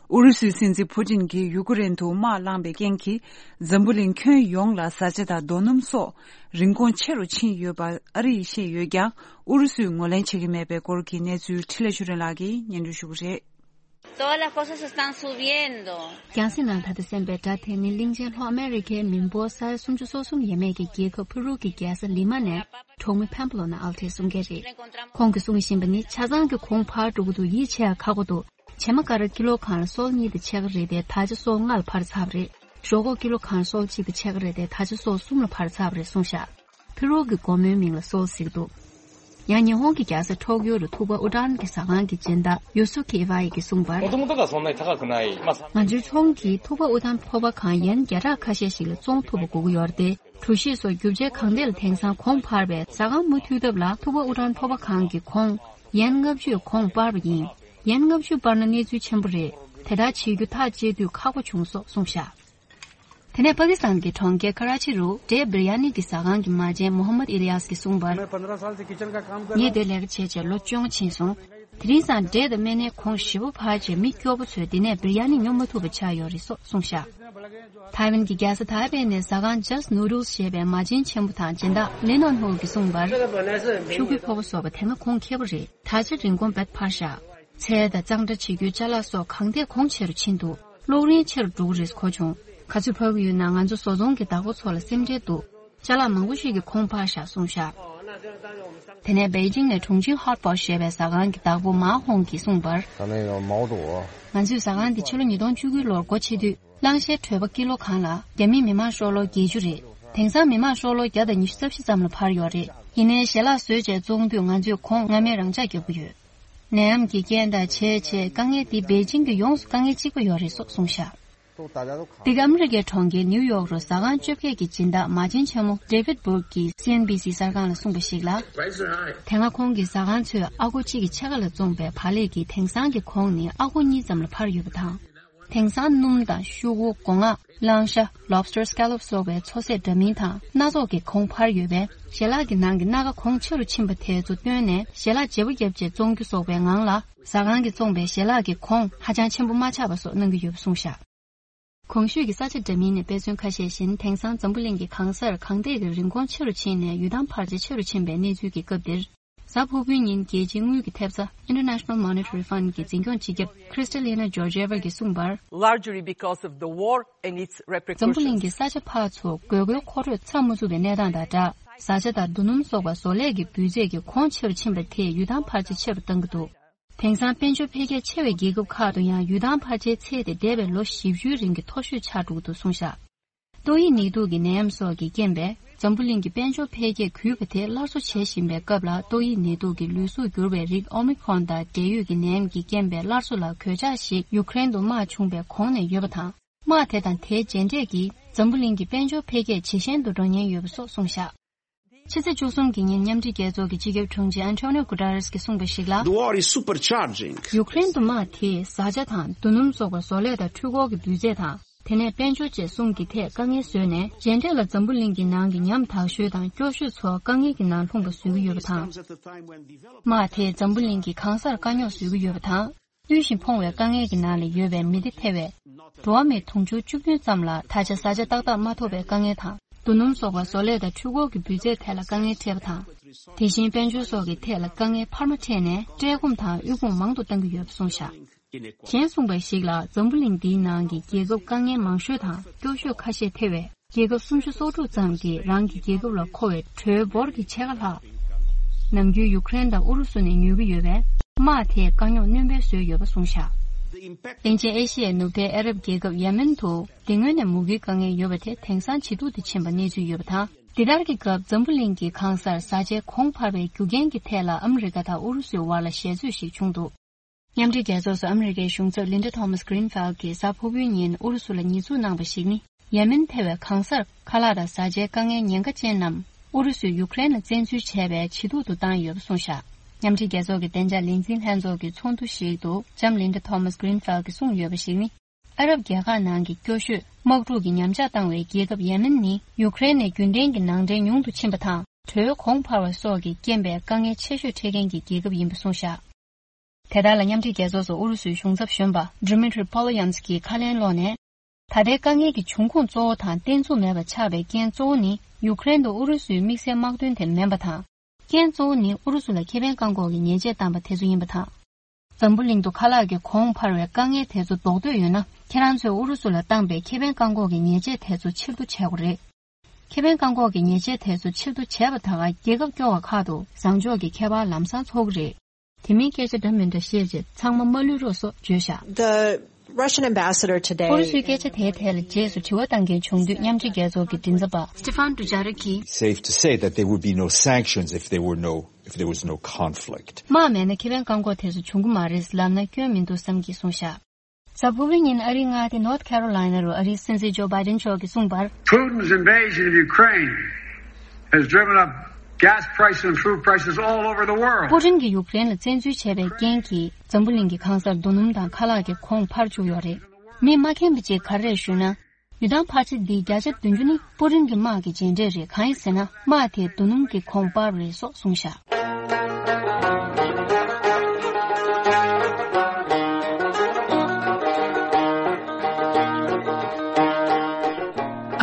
ཨུ་རུ་སུའི་སྲིད་འཛིན་ཕུ་ཏིན་གྱིས་ཡུ་ཀེ་རེན་དུ་དམག་བསླངས་པའི་རྐྱེན་གྱིས། འཛམ་བུ་གླིང་ཁྱོན་ཡོངས་ལ་བཟའ་བཅའ་དང་རྡོ་སྣུམ་སོགས་རིན་གོང་ཆེ་རུ་ཕྱིན་ཡོད་པ་ཨ་རིས་ཤེས་ཡོད་ཀྱང་། ཨུ་རུ་སུས་ངོས་ལེན་བྱེད་ཀྱི་མེད་པའི་སྐོར་གྱི་གནས་ཚུལ་འཕྲིན་ལས་ཆོས་སྒྲོན་ལགས་ཀྱིས་སྙན་སྒྲོན་ཞུ་གི་རེད། Todas las cosas están subiendo. རྒྱང་སྲིང་ནང་ད་ལྟ་གསན་པའི་སྒྲ་དེ་ནི་གླིང་ཆེན་ལྷོ་ཨ་མེ་རི་ཁའི་མི་འབོར་ས་ཡ་སུམ་ཅུ་སོ་གསུམ་ཡས་མས་ཀྱི་རྒྱལ་ཁབ་ཕུ་རུ་གི་རྒྱལ་ས་ལི་མ་ནས་གྲོགས་མོ་ཕན་པ་ལོ་ན་ཨལ་ཐེས་གསུང་མཁན་རེད། ཁོང་གིས་གསུང་བཞིན་པ་ནི་ཆ་ཚང་གི་གོང་འཕར་འགྲོ་གི་འདུག་ཡིད་ཆེས་ཁག་པོ་འདུག་བྱེ་མ་ཀ་ར་ཀི་ལོ་གང་ལ་སོལ་གཉིས་དང་ཕྱེད་ཀ་རེད་དེ། ད་ཆ་སོལ་ལྔ་ལ་འཕར་ཚར་བ་རེད། ཞོག་ཁོག་ཀི་ལོ་གང་སོལ་གཅིག་དང་ཕྱེད་ཀ་རེད་དེ། ད་ཆ་སོལ་གསུམ་ལ་འཕར་ཚར་བ་རེད་གསུངས་ཤག་ཕི་རོ་གི་སྒོ་མོའི་མིང་ལ་སོལ་ཟེར་གྱི་འདུག་ཡང་ཉི་ཧོང་གི་རྒྱལ་ས་ཊོག་ཡོ་རུ་ཐུག་པ་ཨུ་ཏྲན་གྱི་ཟ་ཁང་གི་སྦྱིན་བདག་ཡོ་སུ་ཁི་ཨི་ཝ་ཡི་གིས་གསུངས་པར། もともとがそんなに高くない。まあ、 ང་ཚོའི་ཚོང་གིས་ཐུག་པ་ཨུ་ཏྲན་ཕོར་པ་གང་ཡན་བརྒྱ་ཕྲག་ཁ་ཤས་ཤིག་ལ་བཙོང་ཐུབ་པ་དགོས་ཀྱི་ཡོད་རེད་དེ། གྲུ་བཞི་སོགས་རྒྱུ་ཆའི་གང་དེ་ལ་དེང་སང་གོང་འཕར་བས་ཟ་ཁང་མུ་མཐུད་ཐབས་ལ་ཐུག་པ་ཨུ་ཏྲན་ཕོར་པ་གང་གི་གོང་ཡན་ལྔ་བཅུས་གོང་སྤར་བ་ཡིན། ཡན་ལྔ་བཅུ་སྤར་ན་གནས་ཚུལ་ཆེན་པོ་རེད། དེ་ལྟར་བྱེད་རྒྱུ་ཐག་བཅད་དུས་ཁག་པོ་བྱུང་སོགས་གསུངས་ཤག་དེ་ནས་པ་ཀི་སི་ཐན་གྱི་གྲོང་ཁྱེར་ཁ་ར་ཆི་རུ་འབྲས་བིར་ཡ་ནི་གི་ཟ་ཁང་གི་མ་བྱན་མོ་ཧམ་མད་ཨི་ལི་ཡཱས་ཀྱིས་གསུངས་པར། ངས་དེར་ལས་ཀ་བྱས་བྱས་ལོ་བཅོ་ལྔ་ཕྱིན་སོང་། དེ་རིང་སང་འབྲས་དང་སྨན་སྣའི་གོང་ཞེ་པོ་འཕར་བྱས་མི་སྐྱོ་པོ་ཚོས་འདི་ནས་བིར་ཡ་ནི་ཉོ་མ་ཐུབ་པ་ཆགས་ཡོད་རེད་སོགས་གསུངས་ཤག་ཐའེ་ཝན་གྱི་རྒྱལ་ས་ཐའེ་པེ་ནས་ཟ་ཁང་Just Noodles ཞེས་པའི་མ་བྱན་ཆེན་པོ་དང་སྦྱིན་བདག་ལི་ནོན་ཧུ་གིས་གསུངས་པར། ཤོག་གུའི་ཕོར་པ་སོགས་པ་དེ་སྔ་གོང་ཁེ་པོ་རེད། ད་ཆ་རིན་གོང་རྦད་འཕར་ཤག་ཚལ་དང་གཙང་སྦྲ་བྱེད་རྒྱུའི་ཅ་ལག་སོགས་གང་ཐད་གོང་ཆེ་རུ་ཕྱིན་འདུག་གློག་རིན་ཆེ་རུ་འགྲོ་གི་རེད་གོ་བྱུང་། ག་ཚོད་འཕར་གྱི་ཡོད་ན་ང་ཚོ་བཟོ་ཚོང་གི་བདག་པོ་ཚོ་ལ་སེམས་ཁྲལ་འདུག་ཅ་ལག་མང་པོ་ཞིག་གི་གོང་འཕར་ཤག་གསུངས་ཤག་དེ་ནས་པེ་ཅིང་ནས་ཁྲུང་ཆིང་ཧོཊ་པོ་ཞེས་པའི་ཟ་ཁང་གི་བདག་པོ་མཱ་ཧོང་གིས་གསུངས་པར། 咱们也有毛肚。 ང་ཚོས་ཟ་ཁང་འདི་ཕྱི་ལོ་ཉིས་སྟོང་བཅུ་དགུ་ལོར་སྒོ་ཕྱེ་དུས། གླང་ཤའི་གྲོད་པ་ཀི་ལོ་གང་ལ་རྒྱ་མིའི་མི་དམངས་ཤོག་ལོ་བརྒྱད་ཅུ་རེད། དེང་སང་མི་དམངས་ཤོག་ལོ་བརྒྱ་དང་ཉི་ཤུ་རྩ་བཞི་ཙམ་ལ་འཕར་ཡོད་རེད། ཡིན་ནའི་ཞལ་ལག་བཟོས་བྱས་བཙོང་དུས་ང་ཚོས་གོང་སྔ་མའི་རང་འཇགས་རྒྱག་གི་ཡོད། ནད་ཡམས་ཀྱི་རྐྱེན་དང་བྱས་བྱས་དཀའ་ངལ་འདི་པེ་ཅིང་གི་ཡོངས་སུ་དཀའ་ངལ་གཅིག་པ་ཡོད་རེད་སོགས་གསུངས་ཤག་འདི་ག་ཨ་མི་རི་ཀའི་གྲོང་ཁྱེར་ནིའུ་ཡོག་རུ་ཟ་ཁང་བཅོ་བརྒྱད་ཀྱི་སྦྱིན་བདག་མ་བྱན་ཆེན་མོ་David Burke གིས་སི་ཨེན་བྷི་སི་གསར་ཁང་ལ་གསུངས་པ་ཞིག་ལ། དེ་སྔ་ཁོང་གིས་ཟ་ཁང་ཚོས་ཨ་སྒོར་གཅིག་གི་ཕྱེད་ཀ་ལ་བཙོངས་པའི་བག་ལེབ་ཀྱི་དེང་སང་གི་གོང་ནི་ཨ་སྒོར་གཉིས་ཙམ་ལ་འཕར་ཡོད་པ་དང་། དེང་སང་སྣུམ་དང་ཤོག་གུ། སྒོ་ང་། གླང་ཤ། Lobster Scallop སོགས་པའི་མཚོ་ཟས་འདྲ་མིན་དང་སྣ་ཚོགས་ཀྱི་གོང་འཕར་ཡོད་པས། ཞལ་ལག་གི་ནང་གི་སྣ་ཁ་གོང་ཆེ་རུ་ཕྱིན་པ་དེ་ཚོ་བཏོན་ནས་ཞལ་ལག་བརྗེ་པོ་བརྒྱབ་རྗེས་བཙོང་རྒྱུ་སོགས་པའི་ངང་ལ། ཟ་ཁང་གིས་བཙོངས་པའི་ཞལ་ལག་གི་གོང་ཧ་ཅང་ཆེན་པོ་མ་ཆགས་པ་སོགས་གནང་གི་ཡོད་པ་གསུངས་ཤག་གོང་ཞུས་ཀྱི་ས་ཆ་འདྲ་མིན་ནས་དཔེ་མཚོན་ཁ་ཤས་བཞིན། དེང་སང་འཛམ་བུ་གླིང་གི་གང་སར་གངས་འདེད་ཀྱི་རིན་གོང་ཆེ་རུ་ཕྱིན་ནས་ཡུལ་ཐང་འཕར་ཆ་ཆེ་རུ་ཕྱིན་པའི་གནས་ཚུལ་གྱི་སྐབས་འདིར། གཟའ་ཕུར་བུའི་ཉིན་རྒྱལ་སྤྱིའི་དངུལ་གྱི་ཐེབས་རྩ་International Monetary Fund གྱི་འཛིན་སྐྱོང་སྤྱི་ཁྱབ་Kristalina Georgieva གིས་གསུངས་པར། Largely because of the war and its repercussions. འཛམ་བུ་གླིང་གི་ས་ཆ་ཕར་ཚུར་དགོས་མཁོའི་མཁོ་སྤྲོད་ཚང་མ་ཚུགས་པའི་གནས་སྟངས་དང་སྦྲགས། བཟའ་བཅའ་དང་རྡོ་སྣུམ་སོགས་པ་བཟོ་ལས་ཀྱི་སྤུས་ཚད་ཀྱི་གོང་ཆེ་རུ་ཕྱིན་པ་དེས་ཡུལ་ཐང་འཕར་ཆ་ཆེ་རུ་བཏང་གི་འདུག་དེང་སང་དཔལ་འབྱོར་འཕེལ་རྒྱས་ཆེ་བའི་རྒྱལ་ཁབ་ཁག་ཏུ་ཡང་ཡུལ་ཐང་འཕར་ཆའི་ཚད་དེ་འདས་པའི་ལོ་བཞི་བཅུའི་རིང་གི་མཐོ་ཤོས་ཆགས་འགྲོ་གི་འདུག་གསུངས་ཤག་ཏོག་དབྱིབས་ནད་དུག་གི་ནད་ཡམས་སོགས་ཀྱི་རྐྱེན་པས་འཛམ་བུ་གླིང་གི་དཔལ་འབྱོར་འཕེལ་རྒྱས་གུད་པ་དེ་སླར་གསོ་བྱེད་བཞིན་པའི་སྐབས་ལ། ཏོག་དབྱིབས་ནད་དུག་གི་ལུས་གཟུགས་འགྱུར་བའི་རིགས་ཨོ་མི་ཁོན་དང་འབྲེལ་ཡོད་ཀྱི་ནད་ཡམས་ཀྱི་རྐྱེན་པས་སླར་གསོ་ལ་གོད་ཆག་ཞིག་ཡུ་ཀེ་རེན་དུ་དམག་བྱུང་བའི་གོང་ནས་ཡོད་པ་དང་། དམག་དེ་དང་དེའི་རྗེས་འབྲས་ཀྱིས་འཛམ་བུ་གླིང་གི་དཔལ་འབྱོར་འཕེལ་རྒྱས་ཇེ་ཞན་དུ་འགྲོ་ཉེན་ཡོད་པ་སོགས་གསུངས་ཤག་ཕྱི་ཚེས་བཅུ་གསུམ་གྱི་ཉིན་མཉམ་འབྲེལ་རྒྱལ་ཚོགས་ཀྱི་སྤྱི་ཁྱབ་དྲུང་ཆེ་ཨན་ཊོ་ནིའོ་གུ་ཏ་རེས་ཀྱིས་གསུངས་པ་ཞིག་ལ། The war is supercharging. ཡུ་ཀེ་རེན་དུ་དམག་དེས་བཟའ་བཅའ་དང་རྡོ་སྣུམ་སོགས་པ་བཟོ་ལས་དང་འཕྲུལ་འཁོར་གྱི་སྤུས་ཚད་དང་། དེ་ནས་དཔལ་འབྱོར་བཅས་གསུམ་གྱི་ཐད་དཀའ་ངལ་བཟོས་ནས། རྗེས་འབྲས་ལ་འཛམ་བུ་གླིང་གི་ནང་གི་ཉམ་ཐག་ཤོས་དང་སྐྱོ་ཤོས་ཚོ་དཀའ་ངལ་གྱི་ནང་ལྷུང་བ་བཟོ་གི་ཡོད་པ་དང་། དམག་དེས་འཛམ་བུ་གླིང་གི་གང་སར་དཀའ་རྙོག་བཟོ་གི་ཡོད་པ་དང་། བསྟུན་ཞིང་ཕོངས་པའི་དཀའ་ངལ་གྱི་ནང་ལ་ཡོད་པའི་མི་སྡེ་ཐེ་བའི་འགྲོ་བ་མི་དུང་ཕྱུར་བཅུ་བདུན་ཙམ་ལ་ད་ཆ་བཟའ་བཅའ་ཏག་ཏག་མ་ཐོབ་པའི་དཀའ་ངལ་དང་། རྡོ་སྣུམ་སོགས་པ་བཟོ་ལས་དང་འཕྲུལ་འཁོར་གྱི་སྤུས་ཚད་ཐད་ལ་དཀའ་ངལ་འཕྲད་པ་དང་། དེ་བཞིན་དཔལ་འབྱོར་སོགས་ཀྱི་ཐད་ལ་དཀའ་ངལ་འཕར་མ་འཕྲད་ནས། བཀྲེས་སྐོམ་དང་དབུལ་ཕོངས་མང་དུ་གཏང་གི་ཡོད་པ་གསུངས་བཞག་གཞན་གསུངས་པ་ཞིག་ལ། འཛམ་བུ་གླིང་འདིའི་ནང་གི་རྒྱལ་ཁབ་དཀའ་ངལ་མང་ཤོས་དང་སྐྱོ་ཤོས་ཁ་ཤས་ཐེ་བའི་རྒྱལ་ཁབ་སུམ་ཅུ་སོ་དྲུག་ཙམ་གྱིས་རང་གི་རྒྱལ་ཁབ་ལ་མཁོ་བའི་གྲོའི་འབོར་གྱི་ཕྱེད་ཀ་ལྷག་ནམ་རྒྱུན་ཡུ་ཀེ་རེན་དང་ཨུ་རུ་སུ་ནས་ཉོ་གི་ཡོད་པས། དམག་དེས་དཀའ་རྙོག་སྣོན་སྤེལ་བཟོས་ཡོད་པ་གསུངས་བཞག་གླིང་ཆེན་ཨེ་ཤི་ཡའི་ནུབ་མཐའི་ཨ་རབ་རྒྱལ་ཁབ་ཡེ་མེན་དུ། འདི་སྔོན་ནས་མུ་གེའི་དཀའ་ངལ་ཡོད་པ་དེ་དེང་སང་ཇེ་སྡུག་ཏུ་ཕྱིན་པ་གནས་ཚུལ་ཡོད་པ་དང་། འདི་ལྟར་གྱི་སྐབས་འཛམ་བུ་གླིང་གི་གང་སར་བཟའ་བཅའི་གོང་འཕར་བའི་རྒྱུ་རྐྱེན་གྱི་ཐད་ལ་ཨ་མི་རི་ཀ་དང་ཨུ་རུ་སུའི་བར་ལ་ཞལ་རྩོད་ཞིག་བྱུང་འདུག་མཉམ་འབྲེལ་རྒྱལ་ཚོགས་སུ་ཨ་མི་རི་ཀའི་གཞུང་ཚབ་ལིན་ཌ་ཐོ་མཱས་གྷི་རིན་ཕེལ་གྱིས་གཟའ་ཕུར་བུའི་ཉིན་ཨུ་རུ་སུ་ལ་ཉེས་འཛུགས་གནང་བ་ཞིག་ནི། ཡེ་མེན་ཐེ་བའི་གང་སར་ཁ་ལག་དང་བཟའ་བཅའི་དཀའ་ངལ་ཉེན་ཁ་ཅན་རྣམས་ཨུ་རུ་སུས་ཡུ་ཀེ་རེན་ལ་བཙན་འཛུལ་བྱས་པས་ཇེ་སྡུག་ཏུ་བཏང་ཡོད་པ་གསུངས་བཞག་མཉམ་འབྲེལ་རྒྱལ་ཚོགས་ཀྱི་བདེ་འཇགས་ལས་འཛིན་ལྷན་ཚོགས་ཀྱི་ཚོགས་འདུ་ཞིག་ཏུ་ལྕམ་ལིན་ཌ་ཐོ་མཱས་གྷི་རིན་ཕེལ་གྱིས་གསུངས་ཡོད་པ་ཞིག་ནི། ཨ་རབ་རྒྱལ་ཁག་ནང་གི་སྐྱོ་ཤོས་དམག་འཁྲུག་གི་ཉམས་ཆག་བཏང་བའི་རྒྱལ་ཁབ་ཡེ་མེན་ནི་ཡུ་ཀེ་རེན་ནས་རྒྱུན་ལྡན་གྱི་ནང་འདྲེན་ཉུང་དུ་ཕྱིན་པ་དང་། དྲོད་གོང་འཕར་བ་སོགས་ཀྱི་རྐྱེན་པས་དཀའ་ངལ་ཆེ་ཤོས་འཕྲད་མཁན་གྱི་རྒྱལ་ཁབ་ཡིན་པ་གསུངས་བཞག་དེ་དག་ལ་མཉམ་འབྲེལ་རྒྱལ་ཚོགས་སུ་ཨུ་རུ་སུའི་གཞུང་ཚབ་གཞོན་པ་Dmitry Polyansk གིས་ཁ་ལན་སློག་ནས། ད་ལྟའི་དཀའ་ངལ་གྱི་འབྱུང་ཁུངས་གཙོ་བོ་དང་བརྟན་ཚུགས་མེད་པ་ཆགས་པའི་རྐྱེན་གཙོ་བོ་ནི་ཡུ་ཀེ་རེན་དུ་ཨུ་རུ་སུའི་དམིགས་བསལ་དམག་དོན་དེ་མིན་པ་དང་། རྐྱེན་གཙོ་བོ་ནི་ཨུ་རུ་སུ་ལ་ཁེ་ཕན་བཀག་འགོག་གི་ཉེས་ཆད་བཏང་པ་དེ་ཚོ་ཡིན་པ་དང་། འཛམ་བུ་གླིང་དུ་ཁ་ལག་གི་གོང་འཕར་བའི་དཀའ་ངལ་དེ་ཚོ་ཟློག་འདོད་ཡོད་ན། ཁྱེད་རང་ཚོས་ཨུ་རུ་སུ་ལ་བཏང་པའི་ཁེ་ཕན་བཀག་འགོག་གི་ཉེས་ཆད་དེ་ཚོ་ཕྱིར་བསྡུ་བྱེད་དགོས་རེད། ཁེ་ཕན་བཀག་འགོག་གི་ཉེས་ཆད་དེ་ཚོ་ཕྱིར་བསྡུ་བྱས་པ་དང་། རྒྱལ་ཁབ་སྐྱོ་བ་ཁག་ཏུ་བཟང་ཕྱོགས་ཀྱི་ཁྱད་པར་ལམ་སང་ཚོགས་ཀྱི་རེད། དེ་མིན་སྐད་ཆ་འདྲ་མི་འདྲ་བཤད་རྗེས་ཚང་མ་མ་ལུས་རོགས་སོགས་བརྗོད་བཞག The Russian ambassador today ཨུ་རུ་སུའི་སྐད་ཆ་དེའི་ཐད་ལ་རྗེས་སུ་དྲི་བ་བཏང་མཁན་བྱུང་དུས། མཉམ་འབྲེལ་རྒྱལ་ཚོགས་ཀྱི་མགྲིན་ཚབ་པ་Stefan Dujarric གིས། Safe to say that there would be no sanctions if there were no, if there was no conflict. དམག་མེད་ན་ཁེ་ཕན་བཀག་འགོག་དེ་ཚོ་བྱུང་གི་མ་རེད་ལབ་ན་སྐྱོན་མི་འདུག་བསམ་གྱིས་གསུངས་བཞག་གཟའ་ཕུར་བུའི་ཉིན་ཨ་རིའི་མངའ་སྡེ་North Carolina རུ་ཨ་རིའི་སྲིད་འཛིན་ཇོ་བྷའི་ཌེན་མཆོག་གིས་གསུངས་པར། Putin's invasion of Ukraine has driven up gas prices and food prices all over the world. པུ་ཏིན་གྱིས་ཡུཀ་རེན་ལ་བཙན་འཛུལ་བྱས་པའི་རྐྱེན་གྱིས། འཛམ་བུ་གླིང་གི་གང་སར་རྡོ་སྣུམ་དང་ཁ་ལག་གི་གོང་འཕར་བཅུག་ཡོད་རེད། མི་མ་མཁྱེན་པ་ཅིག་ག་རེ་རེད་ཞུས་ན། ཡུལ་ཐང་འཕར་ཆ་འདིའི་བརྒྱ་ཆ་བདུན་ཅུ་ནི་པུ་ཏིན་གྱི་དམག་གི་རྗེས་འབྲས་རེད། གང་ཡིན་ཟེར་ན། དམག་དེས་རྡོ་སྣུམ་གྱི་གོང་སྤར་རེད་སོགས་གསུངས་བཞག་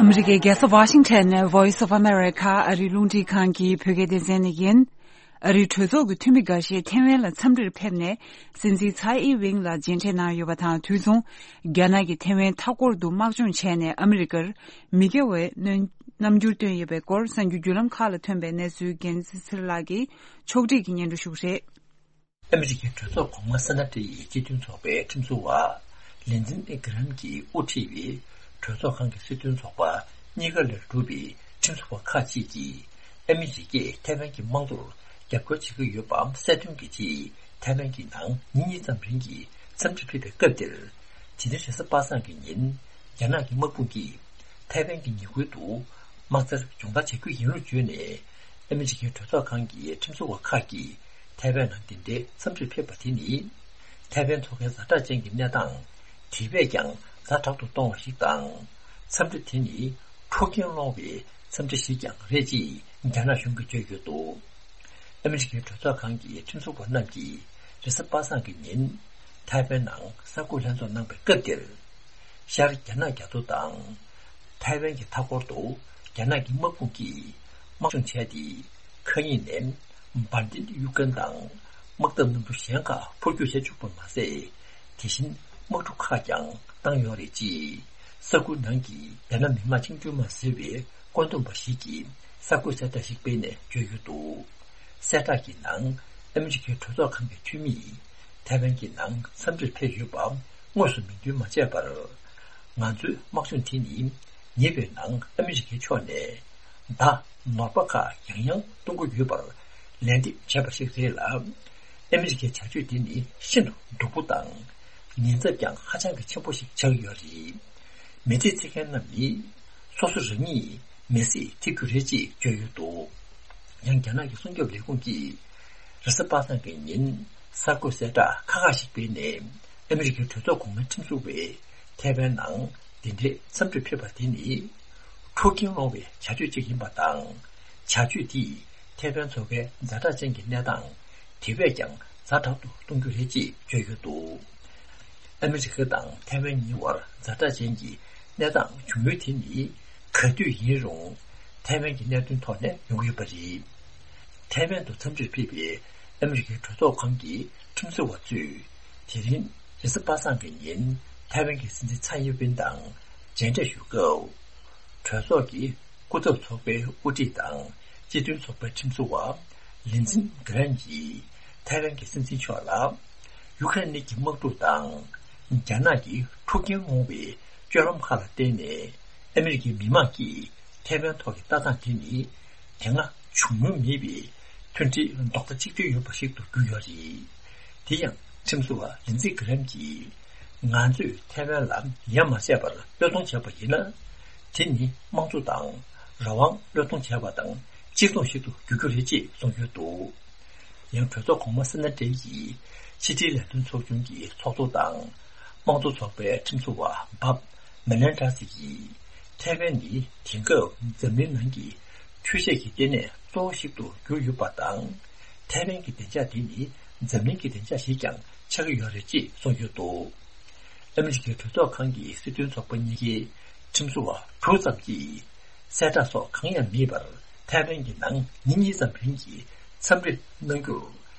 ཨ་མི་རི་ཀའི་རྒྱལ་ས་ཝ་ཤིང་ཊོན་ནས་Voice of America ཨ་རིའི་རླུང་འཕྲིན་ཁང་གི་བོད་སྐད་སྡེ་ཚན་ནས་ཡིན། ཨ་རིའི་གྲོས་ཚོགས་ཀྱི་འཐུས་མི་འགའ་ཤས་ཐེ་ཝན་ལ་འཚམས་འདྲིར་ཕེབས་ནས། སྲིད་འཛིན་ཚའེ་ཨིན་ཝེན་ལ་མཇལ་འཕྲད་གནང་ཡོད་པ་དང་། དུས་མཚུངས། རྒྱ་ནག་གིས་ཐེ་ཝན་མཐའ་འཁོར་དུ་དམག་སྦྱོང་བྱས་ནས། ཨ་མི་རི་ཀར་མི་དགེ་བའི་རྣམ་འགྱུར་བཏོན་ཡོད་པའི་སྐོར། གསར་འགྱུར་བརྒྱུད་ལམ་ཁག་ལ་ཐོན་པའི་གནས་ཚུལ། རྒྱལ་མཚན་ཚེ་རིང་ལགས་ཀྱིས་ཕྱོགས་སྒྲིག་གིས་སྙན་སྒྲོན་ཞུ་གི་རེད། ཨ་མི་རི་ཀའི་གྲོས་ཚོགས་གོང་མ་སེ་ན་ཏི་ཡི་སྤྱི་མཐུན་ཚོགས་པའི་ཁྲིམས་བཟོ་བ་ལིན་ཛིན་ཨི་གྷི་རམ་གྱིས་དབུ་ཁྲིད་པའི་གྲོས་ཚོགས་ཁང་གི་སྲིད་དོན་ཚོགས་པ་གཉིས་ཀ་ལས་གྲུབ་པའི་ཁྲིམས་བཟོ་བ་ཁག་ཅིག་གིས། ཨ་མི་རི་ཀས་ཐའེ་ཝན་གྱི་དམངས་གཙོར་རྒྱབ་སྐྱོར་བྱེད་ཀྱི་ཡོད་པ་གསལ་སྟོན་གྱི་ཆེད། ཐའེ་ཝན་གྱི་ནང་ཉིན་གཉིས་ཙམ་རིང་གི་འཚམས་འདྲིར་ཕེབས་པའི་སྐབས་དེར། དེ་རིང་རེས་གཟའ་པ་སངས་ཀྱི་ཉིན། རྒྱ་ནག་གི་དམག་དཔུང་གིས་ཐའེ་ཝན་གྱི་ཉེ་ཁུལ་དུ་དམག་རྩལ་སྦྱོང་བརྡར་བྱ་རྒྱུ་ཡིན་ལུགས་བརྗོད་ནས། ཨ་མི་རི་ཀའི་གྲོས་ཚོགས་ཁང་གི་ཁྲིམས་བཟོ་བ་ཁག་གིས་ཐའེ་ཝན་ནང་འདི་འདྲའི་འཚམས་འདྲིར་ཕེབས་པ་དེ་ནི། ཐའེ་ཝན་མཚོ་ཁའི་ཛ་དྲག་ཅན་གྱི་གནས་སྟངས་དེ་བས་ཀྱང་ཛ་དྲག་ཏུ་གཏོང་བ་ཞིག་དང་། འཚམས་འདྲི་དེ་ནི་འཁྲུག་རྐྱེན་སློང་བའི་འཚམས་འདྲི་ཞིག་ཀྱང་རེད་ཅེས་རྒྱ་ནག་གཞུང་གིས་བརྗོད་ཡོད་འདུག་ཨ་མི་རི་ཀའི་གྲོས་ཚོགས་ཁང་གི་ཁྲིམས་བཟོ་བ་རྣམས་ཀྱིས་རེས་གཟའ་པ་སངས་ཀྱི་ཉིན་ཐའེ་ཝན་ནང་གསར་འགོད་ལྷན་ཚོགས་གནང་བའི་སྐབས་དེར། ཤར་རྒྱ་ནག་རྒྱ་མཚོ་དང་། ཐའེ་ཝན་གྱི་མཐའ་འཁོར་དུ་རྒྱ་ནག་གི་དམག་དཔུང་གིས་དམག་སྦྱོང་བྱས་ཏེ། མཁའ་དབྱིངས་ནས་འབར་མདེལ་གཡུག་མཁན་དང་དམག་འཐབ་གནམ་གྲུ་གཞན་ཁག་འཕུར་སྐྱོད་བྱེད་བཅུག་པ་མ་ཟད། དེ་བཞིན་དམག་གྲུ་ཁག་ཀྱང་བཏང་ཡོད་རེད་ཅེས། ས་ཁུལ་ནང་གི་རྒྱ་ནག་མི་དམངས་བཅིངས་འགྲོལ་དམག་ཟེར་བའི་བཀོད་འདོམས་པ་ཞིག་གིས་གསར་འགོད་གསལ་བསྒྲགས་ཤིག་སྤེལ་ནས་བརྗོད་ཡོད་འདུག་གསལ་བསྒྲགས་ཀྱི་ནང་། ཨ་མི་རི་ཀའི་གྲོས་ཚོགས་ཁང་གི་འཐུས་མིས་ཐའེ་ཝན་གྱི་ནང་འཚམས་འདྲིར་ཕེབས་ཡོད་པ་དངོས་སུ་མིང་འདོན་མ་བྱས་པར། ང་ཚོའི་དམག་སྦྱོང་དེ་ནི་ཉེ་བའི་ནང་ཨ་མི་རི་ཀའི་ཕྱོགས་ནས་མདའ་ནོར་བ་ཁག་ཡང་ཡང་གཏོང་གི་ཡོད་པར་ལན་འདེབས་བྱས་པ་ཞིག་རེད་ལ། ཨ་མི་རི་ཀའི་བྱ་སྤྱོད་དེ་ནི་ཤིན་ཏུ་སྡུག་པོ་དང་། ཉེན་ཚབས་ཀྱང་ཧ་ཅང་གི་ཆེན་པོ་ཞིག་ཆགས་ཀྱི་ཡོད་རེད། མི་ཚེ་འཚོལ་མཁན་རྣམས་ནི་སོ་སོ་རང་ཉིད་མི་ཚེ་འཚོལ་རྒྱུ་རེད་ཅེས་བརྗོད་ཡོད་འདུག་ཡང་རྒྱ་ནག་གི་སྲུང་སྐྱོབ་ལས་ཁུངས་ཀྱིས་རེས་གཟའ་པ་སངས་ཀྱི་ཉིན་གསར་འགོད་གསལ་བསྒྲགས་ཁག་ཁག་ཞིག་སྤེལ་ནས། ཨ་མི་རི་ཀའི་གྲོས་ཚོགས་གོང་མའི་ཁྲིམས་བཟོ་བས་ཐའེ་ཝན་ནང་འདི་འདྲའི་འཚམས་འདྲིར་ཕེབས་པ་དེ་ནི་འཁྲུག་རྐྱེན་སློང་བའི་བྱ་སྤྱོད་ཅིག་ཡིན་པ་དང་། བྱ་སྤྱོད་དེས་ཐའེ་ཝན་མཚོ་ཁའི་ཛ་དྲག་ཅན་གྱི་གནས་སྟངས་དེ་བས་ཀྱང་ཛ་དྲག་ཏུ་གཏོང་རྒྱུ་རེད་ཅེས་བརྗོད་ཡོད་འདུག་ཨ་མི་རི་ཀ་དང་ཐའེ་ཝན་གཉིས་བར་ཛ་དྲག་ཅན་གྱི་གནས་སྟངས་བྱུང་ཡུལ་དེ་ནི་ག་དུས་ཡིན་རུང་ཐའེ་ཝན་གྱི་གནད་དོན་ཐོག་ནས་ཡོང་གི་ཡོད་པ་རེད། ཐའེ་ཝན་དུ་འཚམས་འདྲིར་ཕེབས་པའི་ཨ་མི་རི་ཀའི་གྲོས་ཚོགས་ཁང་གི་ཁྲིམས་བཟོ་བ་ཚོས་དེ་རིང་རེས་གཟའ་པ་སངས་ཀྱི་ཉིན་ཐའེ་ཝན་གྱི་སྲིད་འཛིན་ཚའེ་ཡིན་ཝེན་དང་མཇལ་འཕྲད་ཞུ་སྐབས། གྲོས་ཚོགས་ཀྱི་སྐུ་ཚབ་ཚོགས་པའི་དབུ་ཁྲིད་དང་སྤྱི་མཐུན་ཚོགས་པའི་ཁྲིམས་བཟོ་བ་ལིན་ཛིན་གྷི་རན་གྱིས་ཐའེ་ཝན་གྱི་སྲིད་འཛིན་མཆོག་ལ། ཡུ་ཁ་རེན་གྱི་དམག་འཁྲུག་དང་རྒྱ་ནག་གི་འཁྲུག་རྐྱེན་སློང་བའི་སྤྱོད་ལམ་ཁག་ལ་བརྟེན་ནས་ཨ་མི་རི་ཀའི་མི་དམངས་ཀྱིས་ཐའེ་ཝན་ཐོག་གི་ལྟ་སྟངས་དེ་ནི་དེ་སྔ་བྱུང་མྱོང་མེད་པའི་མཐུན་སྒྲིལ་རྡོག་རྩ་གཅིག་སྒྲིལ་ཡོད་པ་ཞིག་ཏུ་གྱུར་ཡོད་རེད། དེ་ཡང་ཁྲིམས་བཟོ་བ་ལིན་ཛི་གྷི་རེམ་གྱིས། ང་ཚོས་ཐའེ་ཝན་ལ་ཡ་མ་བྱས་པར་བློས་གཏོང་བྱས་པ་ཡིན་ན། དེ་ནི་དམངས་གཙོ་དང་རང་དབང་བློས་གཏོང་བྱས་པ་དང་གཅིག་མཚུངས་ཤིག་ཏུ་འགྱུར་རྒྱུ་རེད་ཅེས་གསུངས་ཡོད་འདུག་ཡང་གྲོས་ཚོགས་གོང་མ་སེ་ན་ཏྲེ་ཡིས་ཕྱི་དྲིལ་ལས་དོན་ཚོགས་ཆུང་གི་ཚོགས་གཙོ་དང་། དམངས་གཙོ་ཚོགས་པའི་ཁྲིམས་བཟོ་བ་འབབ་མེ་ལན་ཏྲ་སི་ཡིས། ཐའེ་ཝན་ནི་དེང་སྐབས་འཛམ་གླིང་ནང་གི་འཕྲུལ་ཆས་ཀྱི་ལྟེ་གནས་གཙོ་བོ་ཞིག་ཏུ་གྱུར་ཡོད་པ་དང་། ཐའེ་ཝན་གྱི་བདེ་འཇགས་དེ་ནི་འཛམ་གླིང་གི་བདེ་འཇགས་ཤིག་ཀྱང་ཆགས་ཀྱི་ཡོད་རེད་ཅེས་གསུངས་ཡོད་འདུག་ཨ་མི་རི་ཀའི་གྲོས་ཚོགས་ཁང་གི་སྲིད་དོན་ཚོགས་པ་གཉིས་ཀའི་ཁྲིམས་བཟོ་བ་དྲུག་ཙམ་གྱིས། གསལ་བསྒྲགས་སོགས་གང་ཡང་མེད་པར་ཐའེ་ཝན་གྱི་ནང་ཉིན་གཉིས་ཙམ་རིང་གི་འཚམས་འདྲི་གནང་རྒྱུར།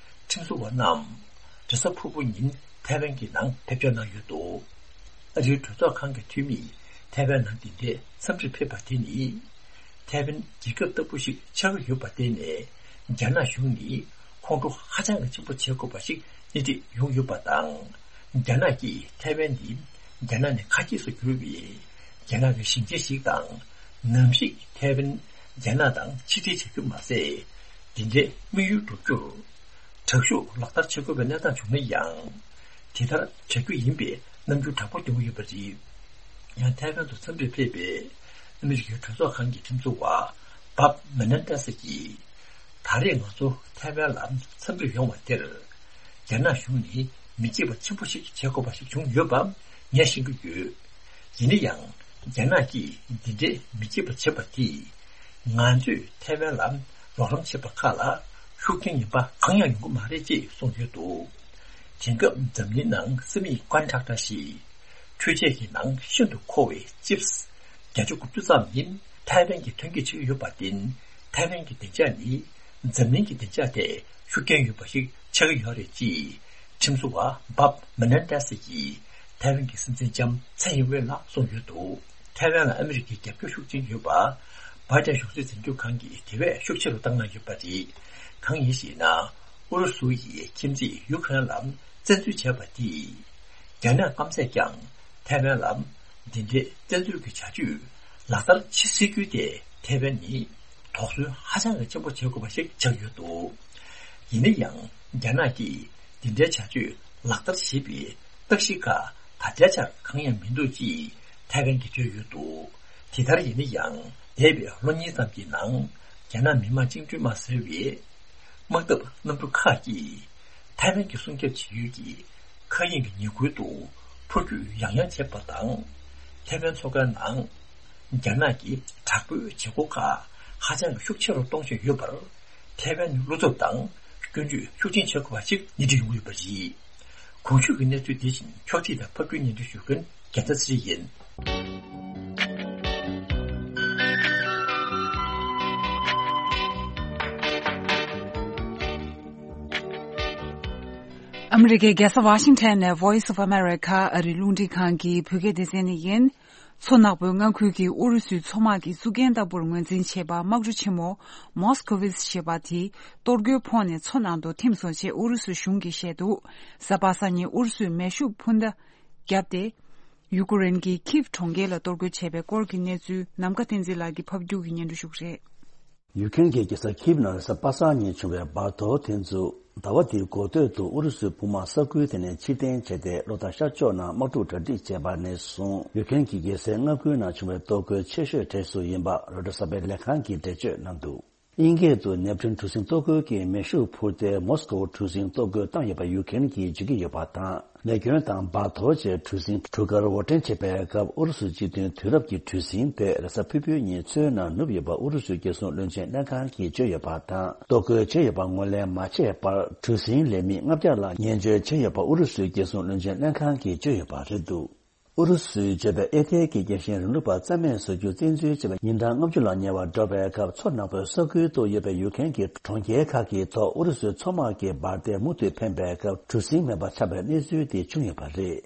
ཁྲིམས་བཟོ་བ་རྣམས། རེས་གཟའ་ཕུར་བུ་ཉིན་ཐའེ་ཝན་གྱི་ནང་ཕེབས་འབྱོར་གནང་ཡོད་འདུག་ཨ་རིའི་གྲོས་ཚོགས་ཁང་གི་འཐུས་མིས་ཐའེ་ཝན་ནང་འདི་འདྲའི་འཚམས་འདྲིར་ཕེབས་པ་དེ་ནི། ཐའེ་ཝན་རྒྱལ་ཁབ་ལྟ་བུ་ཞིག་ཆགས་ཀྱི་ཡོད་པར་བརྟེན་ནས། རྒྱ་ནག་གཞུང་ནི་ཁོང་ཁྲོ་ཧ་ཅང་གི་ཆེན་པོ་བྱེད་དགོས་པ་ཞིག་སྣེ་ཁྲིད་ཡོང་ཡོད་པ་དང་། རྒྱ་ནག་གིས་ཐའེ་ཝན་ནི་རྒྱ་ནག་ནས་ཁ་གྱེས་སུ་གྱུར་བའི་རྒྱ་ནག་གི་ཞིང་ཆེན་ཞིག་དང་། ནམ་ཞིག་ཐའེ་ཝན་རྒྱ་ནག་དང་ཕྱིར་འབྲེལ་བྱ་རྒྱུ་མ་ཟད། འདི་འདྲའི་དམིགས་ཡུལ་འགྲུབ་རྒྱུར། དྲག་ཤུགས་ལག་བསྟར་བྱེད་དགོས་པའི་གནས་སྟངས་བྱུང་ན་ཡང་། དེ་ལྟར་བྱ་རྒྱུ་ཡིན་པའི་རྣམ་འགྱུར་དྲག་པོ་བསྟན་ཡོད་པ་རེད། ཡང་ཐའེ་ཝན་དུ་འཚམས་འདྲིར་ཕེབས་པའི་ཨ་མི་རི་ཀའི་གྲོས་ཚོགས་ཁང་གི་ཁྲིམས་བཟོ་བ་བབ་མེ་ནན་ཏེ་སི་གིས། ད་རེས་ང་ཚོ་ཐའེ་ཝན་ལ་འཚམས་འདྲིར་ཡོང་བ་དེར། རྒྱ་ནག་གཞུང་ནས་མི་སྐྱིད་པ་ཆེན་པོ་ཞིག་བྱེད་དགོས་པ་ཞིག་བྱུང་ཡོད་པ་ངས་ཤེས་ཀྱི་ཡོད། ཡིན་ན་ཡང་། རྒྱ་ནག་གིས་འདི་འདྲའི་མི་སྐྱིད་པ་བྱེད་པ་དེས། ང་ཚོས་ཐའེ་ཝན་ལ་རོགས་རམ་བྱེད་པ་ཁག་ལ་ཤུགས་རྐྱེན་ངན་པ་གང་ཡང་ཡོང་གི་མ་རེད་ཅེས་གསུངས་ཡོད་འདུག་དེང་སྐབས་འཛམ་གླིང་ནང་སེ་མི་ཀོན་ཌག་ཊར་ཞེས་འཕྲུལ་ཆས་ཀྱི་ནང་ཤིན་ཏུ་མཁོ་བའི་ཅིབས་བརྒྱད་ཅུ་དགུ་བཅུ་ཙམ་ནི་ཐའེ་ཝན་གྱིས་ཐོན་སྐྱེད་བྱེད་ཀྱི་ཡོད་པར་བརྟེན། ཐའེ་ཝན་གྱི་བདེ་འཇགས་ནི་འཛམ་གླིང་གི་བདེ་འཇགས་ཐད་ཤུགས་རྐྱེན་ཡོད་པ་ཞིག་ཆགས་ཀྱི་ཡོད་རེད་ཅེས་ཁྲིམས་བཟོ་བ་བབ་མེ་ནན་ཏེ་སི་ཡིས་ཐའེ་ཝན་གྱི་སྲིད་འཛིན་ལྕམ་ཚའེ་ཡིན་ཝེ་ལ་གསུངས་ཡོད་འདུག་ཐའེ་ཝན་ལ་ཨ་མི་རི་ཀའི་རྒྱབ་སྐྱོར་ཤུགས་ཆེན་ཡོད་པ། བྷའི་ཏན་གཞུང་སྲིད་འཛིན་སྐྱོང་ཁང་གིས་དེ་བས་ཤུགས་ཆེ་རུ་བཏང་གནང་ཡོད་པ་རེད། གང་ཡིན་ཞེ་ན། ཨུ་རུ་སུ་ཡིས་ཁྱིམ་མཚེས་ཡུ་ཁུ་རེན་ལ་བཙན་འཛུལ་བྱས་པ་དེས། རྒྱ་ནག་སྐམ་སས་ཀྱང་ཐའེ་ཝན་ལ་འདི་འདྲའི་བཙན་འཛུལ་གྱི་བྱ་སྤྱོད་ལག་བསྟར་བྱེད་སྲིད་རྒྱུ་དེ་ཐའེ་ཝན་ནི་དོགས་ཟོན་ཧ་ཅང་གི་ཆེན་པོ་བྱེད་དགོས་པ་ཞིག་ཆགས་ཡོད་འདུག་ཡིན་ན་ཡང་རྒྱ་ནག་གིས་འདི་འདྲའི་བྱ་སྤྱོད་ལག་བསྟར་བྱེད་པའི་རྟགས་གཞི་ཁག་ད་ལྟའི་ཆར་གང་ཡང་མི་འདུག་ཅེས་ཐའེ་ཝན་གྱིས་བརྗོད་ཡོད་འདུག་དེ་ལྟར་ཡིན་ན་ཡང་འདས་པའི་ལོ་གཉིས་ཙམ་གྱི་ནང་རྒྱ་ནག་མི་དམངས་བཅིངས་འགྲོལ་དམག་ཟེར་བའི་དམག་འཐབ་གནམ་གྲུ་ཁག་གིས་ཐའེ་ཝན་གྱི་སྲུང་སྐྱོབ་བྱེད་ཡུལ་གྱི་མཁའ་དབྱིངས་ཀྱི་ཉེ་ཁུལ་དུ་འཕུར་སྐྱོད་ཡང་ཡང་བྱས་པ་དང་། ཐའེ་ཝན་མཚོ་ཁའི་ནང་རྒྱ་ནག་གི་དྲག་པོའི་བྱེད་སྒོ་ཁག་ཧ་ཅང་གི་ཤུགས་ཆེ་རུ་གཏོང་བཞིན་ཡོད་པར། ཐའེ་ཝན་ནི་བློ་འཚབ་དང་སྐྱོན་བརྗོད་ཤུགས་ཆེན་བྱེད་དགོས་པ་ཞིག་སྣེ་ཁྲིད་ཡོང་གི་ཡོད་པ་རེད། གོང་ཞུས་ཀྱི་གནས་ཚུལ་དེ་བཞིན་ཕྱོགས་སྒྲིག་དང་ཕབ་སྒྱུར་སྙན་སྒྲོན་ཞུ་མཁན་རྒྱལ་མཚན་ཚེ་རིང་ཡིན། ཨ་མི་རི་ཀའི་རྒྱལ་ས་ཝ་ཤིང་ཊོན་ནས་Voice of America ཨ་རིའི་རླུང་འཕྲིན་ཁང་གི་བོད་སྐད་སྡེ་ཚན་ནས་ཡིན། མཚོ་ནག་པོའི་མངའ་ཁུལ་གྱི་ཨུ་རུ་སུའི་མཚོ་དམག་གི་བཙུགས་རྒྱན་ལྟ་བུར་ངོས་འཛིན་བྱས་པ་དམག་གྲུ་ཆེན་མོ་Moskovets ཞེས་པ་དེ་གཏོར་རྒོལ་ཕོག་ནས་མཚོ་ནང་དུ་ཐིམ་སོང་ཞེས་ཨུ་རུ་སུ་གཞུང་གིས་བཤད་འདུག་གཟའ་པ་སངས་ཉིན་ཨུ་རུ་སུས་མེ་ཤུགས་འཕུར་མདའ་བརྒྱབ་སྟེ། ཡུ་ཀེ་རེན་གྱི་ཁིབ་གྲོང་ཁྱེར་ལ་གཏོར་རྒོལ་བྱས་པའི་སྐོར་གྱི་གནས་ཚུལ་ནམ་མཁའ་བསྟན་འཛིན་ལགས་ཀྱིས་ཕབ་སྒྱུར་གྱིས་སྙན་སྒྲོན་ཞུ་གི་རེད། ཡུ་ཀེ་རེན་གྱི་རྒྱལ་ས་ཁིབ་ནང་རེས་གཟའ་པ་སངས་ཉིན་བྱུང་བའི་འབར་གཏོར་དེ་ཚོ་ཟླ་བ་འདིའི་འགོ་སྟོད་དུ་ཨུ་རུ་སུའི་དཔུང་དམག་ས་ཁུལ་དེ་ནས་ཕྱིར་འཐེན་བྱས་ཏེ། ལོ་ལྟར་ཤར་ཕྱོགས་ནང་དམག་འཁྲུག་གྲ་སྒྲིག་བྱས་པ་ནས་བཟུང་ཡུ་ཀེ་རེན་གྱི་རྒྱལ་སའི་མངའ་ཁུལ་ནང་བྱུང་བའི་གཏོར་རྒོལ་ཆེ་ཤོས་གྲས་སུ་ཡིན་པ་རོའི་ཊར་གསར་པའི་ལས་ཁང་གིས་འགྲེལ་བརྗོད་གནང་འདུག་དབྱིན་སྐད་དུ་ནེབ་ཐུན་གྲུ་གཟིངས་གཏོར་རྒོལ་གྱི་མེ་ཤུགས་འཕུར་མདའི་མོ་སི་ཀོ་གྲུ་གཟིངས་གཏོར་རྒོལ་བཏང་ཡོད་པ་ཡུ་ཀེ་རེན་གྱིས་བརྗོད་ཀྱི་ཡོད་པ་དང་། ལས་སྐྱོན་དང་འབར་གཏོར་བཅས་གྲུ་གཟིངས་གྲུ་ཁར་འོར་འདྲེན་བྱེད་པའི་སྐབས་ཨུ་རུ་སུའི་སྤྱི་མཐུན་དུས་རབས་ཀྱི་གྲུ་གཟིངས་དེ་རེས་གཟའ་ཕུར་བུའི་ཉིན་མཚོའི་ནང་ནུབ་ཡོད་པ་ཨུ་རུ་སུའི་རྒྱལ་སྲུང་བློན་ཆེན་ལྷན་ཁང་གིས་བརྗོད་ཡོད་པ་དང་། གཏོར་རྒོལ་བྱས་ཡོད་པ་ངོས་ལེན་མ་བྱས་བར་གྲུ་གཟིངས་ལས་མི་ལྔ་བརྒྱ་ལ་ངན་བྱུས་བྱས་ཡོད་པ་ཨུ་རུ་སུའི་རྒྱལ་སྲུང་བློན་ཆེན་ལྷན་ཁང་གིས་བརྗོད་ཡོད་པ་རེད་འདུག་ཨུ་རུ་སུས་བརྗོད་པའི་ཨེ་ཐེ་གི་རྒྱལ་ཞེན་རིང་ལུགས་པ་རྩ་མེད་བཟོ་རྒྱུ་བཙན་འཛུལ་བྱས་པའི་ཉིན་གྲངས་ལྔ་བཅུ་ལ་ཉེ་བར་འགྲོ་བའི་སྐབས། མཚོ་ནག་པོའི་ས་ཁུལ་དུ་ཡོད་པའི་ཡུ་ཀེ་རེན་གྱི་གྲོང་ཁྱེར་ཁག་གི་ཐོག་ཨུ་རུ་སུའི་མཚོ་དམག་གི་འབར་མདེལ་མུ་མཐུད་འཕེན་པའི་སྐབས། གྲུ་གཟིངས་མེད་པར་ཆགས་པའི་གནས་ཚུལ་དེ་བྱུང་ཡོད་པ་རེད།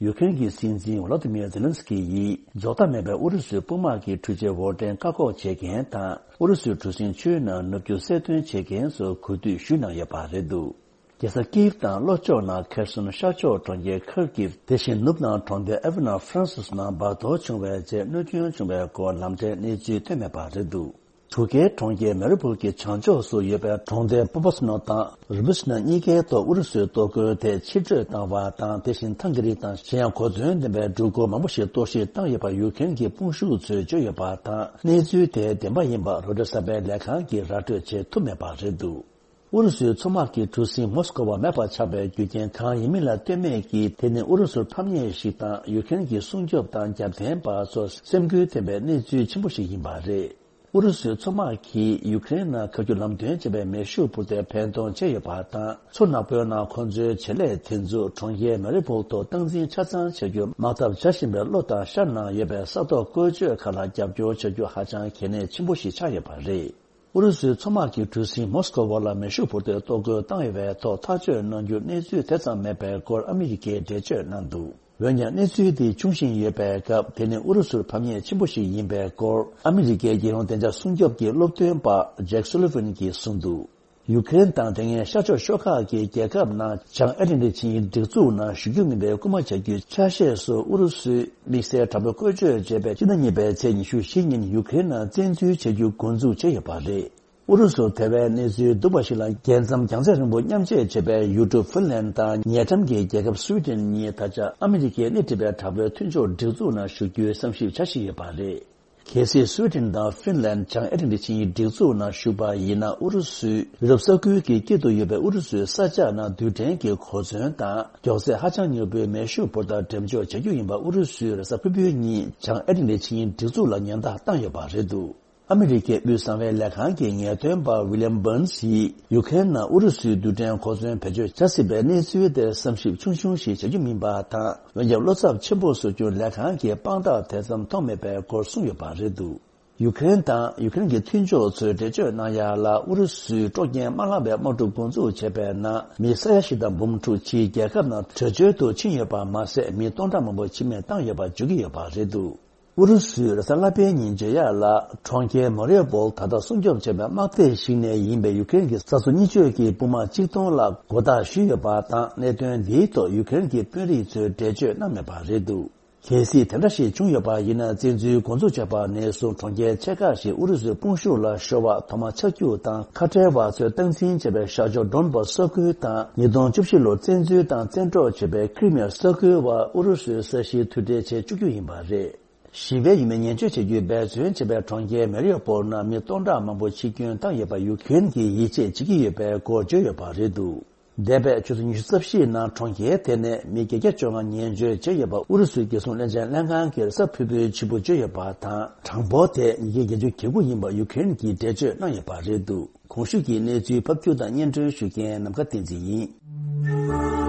ཡུ་ཀེ་རེན་གྱི་སྲིད་འཛིན་ཝོ་ལོ་དི་མིར་ཛེ་ལན་སི་ཀི་ཡིས་རྫོགས་མཐའ་མེད་པའི་ཨུ་རུ་སུའི་དཔུང་དམག་གི་འཕྲུལ་ཆས་འོར་འདྲེན་བཀག་འགོག་བྱེད་མཁན་དང་། ཨུ་རུ་སུའི་གྲུ་གཟིངས་ཆུའི་ནང་ནུབ་རྒྱུ་གསལ་སྟོན་བྱེད་མཁན་སོགས་གོ་བསྡུར་ཞུས་གནང་ཡོད་པ་རེད་འདུག་རྒྱལ་ས་ཀིབ་དང་ལྷོ་ཕྱོགས་ནང་ཁེར་སོན། ཤར་ཕྱོགས་གྲོང་ཁྱེར་ཁར་ཀིབ། དེ་བཞིན་ནུབ་ནང་གྲོང་སྡེ་ཨེ་ཝི་ནོ་ཧྥ་རན་སིས་ནང་འབར་གཏོར་བྱུང་བའི་རྗེས་གནོད་སྐྱོན་བྱུང་བའི་སྐོར་ལམ་འཕྲལ་གནས་ཚུལ་ཐོན་མེད་པ་རེད་འདུག་ཊུར་ཀེའི་གྲོང་ཁྱེར་མེ་རི་པུལ་གྱི་བྱང་ཕྱོགས་སུ་ཡོད་པའི་གྲོང་སྡེ་པོ་པོ་སི་ནོ་དང་རུ་བི་སི་ནོ་གཉིས་ཀའི་ཐོག་ཨུ་རུ་སུའི་གཏོར་རྒོལ་དེ་ཕྱིར་སྤྲོད་བཏང་བ་དང་། དེ་བཞིན་ཐང་གི་རི་དང་གཞན་ཡང་གོ་མཚོན་ལྡན་པའི་འགྲུལ་འཁོར་མང་པོ་ཞིག་གཏོར་བཤིག་བཏང་ཡོད་པ་ཡུ་ཀེ་རེན་གྱི་དཔུང་ཤུགས་ཚོས་བརྗོད་ཡོད་པ་དང་། གནས་ཚུལ་དེ་བདེན་པ་ཡིན་པ་རོའི་ཊར་གསར་པའི་ལས་ཁང་གིས་ར་སྤྲོད་བྱེད་ཐུབ་མེད་པ་རེད་འདུག་ཨུ་རུ་སུའི་མཚོ་དམག་གི་གྲུ་གཟིངས་མོ་སི་ཀོ་བ་མེད་པར་ཆགས་པའི་རྒྱུ་རྐྱེན་གང་ཡིན་མིན་ལ་ལྟོས་མེད་ཀྱིས། དེ་ནི་ཨུ་རུ་སུར་ཕམ་ཉེས་ཤིག་དང་། ཡུ་ཀེ་རེན་གྱི་སྲུང་སྐྱོབ་དང་རྒྱབ་རྟེན་པ་ཚོར་སེམས་འགུལ་ཐེབས་པའི་གནས་ཚུལ་ཆེན་པོ་ཞིག་ཡིན་པ་རེད། ཨུ་རུ་སུའི་མཚོ་དམག་གིས་ཡུ་ཀེ་རེན་ནང་ཁ་རྒྱུ་ལམ་སྟོན་བྱས་པའི་མེ་ཤུགས་འཕུར་མདའི་འཕེན་གཏོང་བྱས་ཡོད་པ་དང་། མཚོ་ནག་པོའི་ནང་ཁོ་ཚོའི་བྱེད་ལས་དེ་ཚོ་གྲོང་ཁྱེར་མེ་རི་པུལ་ཐོག་སྟངས་འཛིན་ཆ་ཚང་བྱ་རྒྱུར་དམག་འཐབ་བྱ་བཞིན་པའི་ལྷོ་དང་ཤར་ནང་ཡོད་པའི་ས་ཐོག་བཀོལ་སྤྱོད་ཁག་ལ་རྒྱབ་སྐྱོར་བྱ་རྒྱུ་ཧ་ཅང་གལ་གནད་ཆེན་པོ་ཞིག་ཆགས་ཡོད་པ་རེད། ཨུ་རུ་སུའི་མཚོ་དམག་གི་གྲུ་གཟིངས་མོ་སི་ཀོ་བར་ལ་མེ་ཤུགས་འཕུར་མདེལ་གཏོར་རྒོལ་བཏང་ཡོད་པའི་ཐོག་ཐག་གཅོད་གནང་རྒྱུ་གནས་ཚུལ་དེ་ཙམ་མེད་པའི་སྐོར་ཨ་མི་རི་ཀས་འགྲེལ་བརྗོད་གནང་འདུག་འོན་ཀྱང་གནས་ཚུལ་འདི་འབྱུང་བཞིན་ཡོད་པའི་སྐབས། དེ་ནི་ཨུ་རུ་སུར་ཕམ་ཉེས་ཆེན་པོ་ཞིག་ཡིན་པའི་སྐོར་ཨ་མི་རི་ཀའི་རྒྱལ་ཡོངས་བདེ་འཇགས་སྲུང་སྐྱོབ་ཀྱི་སློབ་སྟོན་པ་ཇེག་སུ་ལི་ཝན་གྱིས་གསུངས་འདུག་ཡུ་ཀེ་རེན་དང་དེ་སྔའི་ཤར་ཕྱོགས་ཤོག་ཁག་གི་རྒྱལ་ཁབ་ནང་བྱང་ཨེ་ཏི་ལན་ཏིག་ཆིངས་ཡིག་སྒྲིག་འཛུགས་ནང་ཞུགས་རྒྱུ་མིན་པའི་སྐུལ་མ་བྱ་རྒྱུའི་ཆ་ཤས་སུ་ཨུ་རུ་སུས་དམིགས་བསལ་དྲག་པོའི་བཀོལ་སྤྱོད་བྱས་པའི་སྤྱི་ཟླ་གཉིས་པའི་ཚེས་ཉི་ཤུ་བཞི་ཉིན་ཡུ་ཀེ་རེན་ནང་བཙན་འཛུལ་བྱ་རྒྱུ་འགོ་འཛུགས་བྱས་ཡོད་པ་རེད། ཨུ་རུ་སུར་དེ་བས་གནས་ཚུལ་སྡུག་པ་ཞིག་ལ། རྒྱལ་མཚམས་རྒྱང་ཚད་རིང་པོ་མཉམ་བཅད་བྱེད་པའི་ཡུལ་གྲུ་ཧྥིན་ལན་དང་ཉེ་འགྲམ་གྱི་རྒྱལ་ཁབ་སུའི་ཏན་གཉིས་ད་ཆ་ཨ་མི་རི་ཀས་སྣེ་ཁྲིད་པའི་དྲག་པོའི་མཐུན་ཕྱོགས་སྒྲིག་འཛུགས་ནང་ཞུགས་རྒྱུའི་བསམ་ཞིབ་བྱ་བཞིན་ཡོད་པ་རེད། གལ་སྲིད་སུའི་ཏན་དང་ཧྥིན་ལན་བྱང་ཨེ་ཏི་ལན་ཏིག་ཆིངས་ཡིག་སྒྲིག་འཛུགས་ནང་ཞུགས་པ་ཡིན་ན། ཨུ་རུ་སུས་ཡུ་རོབ་ས་ཁུལ་གྱི་དཀྱིལ་དུ་ཡོད་པའི་ཨུ་རུ་སུའི་ས་ཆ་ནང་རྡུལ་ཕྲན་གྱི་གོ་མཚོན་དང་མགྱོགས་ཚད་ཧ་ཅང་མྱུར་པོའི་མེ་ཤུགས་འཕུར་མདའ་འགྲེམས་འཇོག་བྱ་རྒྱུ་ཡིན་པ་ཨུ་རུ་སུའི་རེས་གཟའ་ཕུར་བུའི་ཉིན་བྱང་ཨེ་ཏི་ལན་ཏིག་ཆིངས་ཡིག་སྒྲིག་འཛུགས་ལ་ཉེན་བརྡ་བཏང་ཡོད་པ་རེད་འདུག་ཨ་མི་རི་ཀའི་དབུས་གསང་བའི་ལས་ཁང་གི་ངེས་སྟོན་པ་ཝི་ལི་ཡམ་བྷར་ནས་ཡིས་ཡུ་ཀེ་རེན་ནང་ཨུ་རུ་སུའི་རྡུལ་ཕྲན་གོ་མཚོན་བེད་སྤྱོད་བྱ་སྲིད་པའི་གནས་ཚུལ་དེར་བསམ་ཞིབ་ཆུང་ཆུང་ཞིག་བྱ་རྒྱུ་མིན་པ་དང་། འོན་ཀྱང་བློ་འཚབ་ཆེན་པོ་བཟོ་རྒྱུར་ལས་ཁང་གིས་དཔང་རྟགས་དེ་ཙམ་མཐོང་མེད་པའི་སྐོར་གསུངས་ཡོད་པ་རེད་འདུག་ཡུ་ཀེ་རེན་དང་ཡུ་ཀེ་རེན་གྱི་མཐུན་ཕྱོགས་ཚོས་འགྲེལ་བརྗོད་གནང་ཡག་ལ། ཨུ་རུ་སུས་སྲོག་རྒྱན་དམར་ལམ་པའི་དམག་འཁྲུག་འགོ་འཛུགས་བྱས་པའི་ནང་མི་ས་ཡ་བཞི་དང་འབུམ་དྲུག་ཕྱིའི་རྒྱལ་ཁབ་ནང་བྲོས་བྱོལ་དུ་ཕྱིན་ཡོད་པ་མ་ཟད། མི་སྟོང་ཕྲག་མང་པོ་འཆི་རྨས་བཏང་ཡོད་པ་བརྗོད་ཀྱི་ཡོད་པ་རེད་འདུག་ཨུ་རུ་སུས་རེས་གཟའ་ལྷག་པའི་ཉིན་བརྗོད་ཡག་ལ། གྲོང་ཁྱེར་མ་རི་ཡུ་པོལ་ད་ལྟ་སྲུང་སྐྱོབ་བྱས་པའི་དམག་སྡེ་ཞིག་ནས་ཡིན་པའི་ཡུ་ཀེ་རེན་གྱི་ས་མཚོ་གཉིས་ཕྱོགས་ཀྱི་དཔུང་དམག་གཅིག་སྟོང་ལ་མགོ་བཏགས་ཞུས་ཡོད་པ་དང་། གནད་དོན་འདིའི་ཐོག་ཡུ་ཀེ་རེན་གྱི་དཔོན་རིགས་ཚོས་འགྲེལ་བརྗོད་གནང་མེད་པ་རེད་འདུག་གལ་སྲིད་དེ་འདྲ་ཞིག་བྱུང་ཡོད་པ་ཡིན་ན། བཙན་འཛུལ་འགོ་འཛུགས་བྱས་པ་ནས་བཟུང་གྲོང་ཁྱེར་ཆེ་ཁག་ཞིག་ཨུ་རུ་སུའི་དཔུང་ཤུགས་ལ་ཤོར་བ། ཐོག་མར་ཆག་རྒྱུག་དང་ཁ་བྲལ་བ་ཚོས་སྟངས་འཛིན་བྱས་པའི་ཤར་ཕྱོགས་ཌོན་བྷ་སི་ས་ཁུལ་དང་། ཉིས་སྟོང་བཅུ་བཞི་ལོར་བཙན་འཛུལ་དང་བཙན་འཕྲོག་བྱས་པའི་ཁི་རི་མི་ཡ་ས་ཁུལ་བ་ཨུ་རུ་སུའི་ས་གཞིར་མཐུད་སྦྲེལ་བྱེད་བཅུག་རྒྱུ་ཡིན་པ་རེད། ཞི་བའི་ཡུལ་མི་ཉེན་བཅོལ་བྱེད་རྒྱུའི་འབད་བརྩོན་བྱས་པའི་གྲོང་ཁྱེར་མེ་རི་ཡོ་པོལ་ནང་མི་སྟོང་ཕྲག་མང་པོ་འཆི་སྐྱོན་བཏང་ཡོད་པ་ཡུ་ཀེ་རེན་གྱིས་ཡིད་ཆེས་བྱེད་ཀྱི་ཡོད་པའི་སྐོར་བརྗོད་ཡོད་པ་རེད་འདུག་འདས་པའི་ཆུ་ཚོད་ཉི་ཤུ་རྩ་བཞིའི་ནང་གྲོང་ཁྱེར་དེ་ནས་མི་བརྒྱད་བརྒྱ་བཅོ་ལྔ་ཉེན་བཅོལ་བྱས་ཡོད་པ་ཨུ་རུ་སུའི་རྒྱལ་སྲུང་བློན་ཆེན་ལྷན་ཁང་གིས་རེས་གཟའ་ཕུར་བུའི་ཕྱི་པོ་བརྗོད་ཡོད་པ་དང་། གྲངས་འབོར་དེ་ཉིས་བརྒྱ་བརྒྱད་ཅུ་གྱ་དགུ་ཡིན་པ་ཡུ་ཀེ་རེན་གྱིས་འགྲེལ་བརྗོད་གནང་ཡོད་པ་རེད་འདུག་གོང་ཞུས་ཀྱི་གནས་ཚུལ་ཕབ་སྒྱུར་དང་སྙན་སྒྲོན་ཞུ་མཁན་ནམ་མཁའ་བསྟན་འཛིན་ཡིན།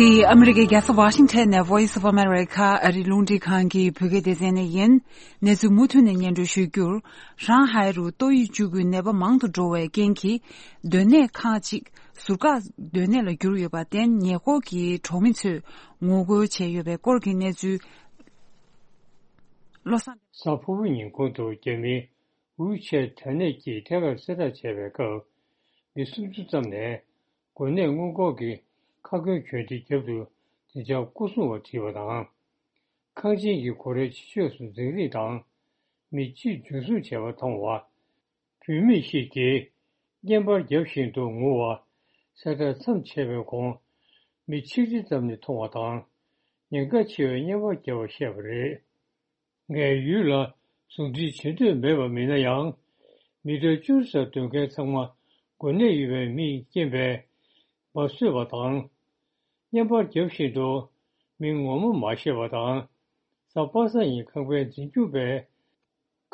འདི་ཨ་མི་རི་ཀའི་རྒྱལ་ས་ཝ་ཤིང་ཊོན་ནས་Voice of America ཨ་རིའི་རླུང་འཕྲིན་ཁང་གི་བོད་སྐད་སྡེ་ཚན་ནས་ཡིན། གནས་ཚུལ་མུ་མཐུད་ནས་སྙན་སྒྲོན་ཞུ་རྒྱུར། ཧྲང་ཧའེ་རུ་ཏོག་དབྱིབས་ཅུ་རྒུད་ནད་པ་མང་དུ་འགྲོ་བའི་རྐྱེན་གྱིས། སྡོད་གནས་ཁག་ཅིག་ཟུར་བཀག་སྡོད་གནས་ལ་གྱུར་ཡོད་པར་བརྟེན། ཉེ་འཁོར་གྱི་གྲོང་མི་ཚོས་ངོ་རྒོལ་བྱས་ཡོད་པའི་སྐོར་གྱི་གནས་ཚུལ། བློ་བཟང་། གཟའ་ཕུར་བུ་ཉིན་གུང་དུ་རྒྱ་མིའི་ཝུའུ་ཆེ་དྲ་གནས་ཀྱིས་ཐད་ཀར་གསལ་བསྒྲགས་བྱས་པའི་སྐབས། མི་སུམ་ཅུ་ཙམ་ནས་འགོས་ནད་སྔོན་འགོག་གི་ཁ་སྐོང་གྱོན་ཆས་རྒྱབ་ཏུ་བདེ་འཇགས་སྐོར་སྲུང་བ་ཁྲིད་པ་དང་། ཁང་ཆེན་གྱི་སྒོ་རའི་ཕྱི་ཕྱོགས་སུ་འཛིང་རེས་དང་། མི་གཅིག་འཛིན་བཟུང་བྱས་པ་མཐོང་བ། བུད་མེད་ཞིག་གིས་བརྙན་པར་རྒྱབ་བཞིན་དུ་ངུ་བ། གསལ་བསྒྲགས་མཚམས་ཆད་པའི་གོང་། མི་ཆིག་ཁྲི་ཙམ་ནས་མཐོང་བ་དང་། ཉེན་ཁ་ཆེ་བའི་བརྙན་པར་བརྒྱབ་པ་བཤད་པ་རེད། ངས་ཡུལ་ལ་ཟུང་འབྲེལ་བྱེད་འདོད་མེད་པ་མིན་ན་ཡང་། མི་ཊར་བཅུ་རྩ་སྡོད་མཁན་ཚང་མ་འགོས་ནད་ཡོད་པའི་མིས་རྐྱེན་པས་འབབ་བཟོས་པ་དང་། བརྙན་པར་རྒྱབ་བཞིན་དུ་མིང་ངོ་མ་མ་བཤད་པ་དང་། གཟའ་པ་སངས་ཉིན་ཁང་པའི་འཛིན་སྐྱོང་པས་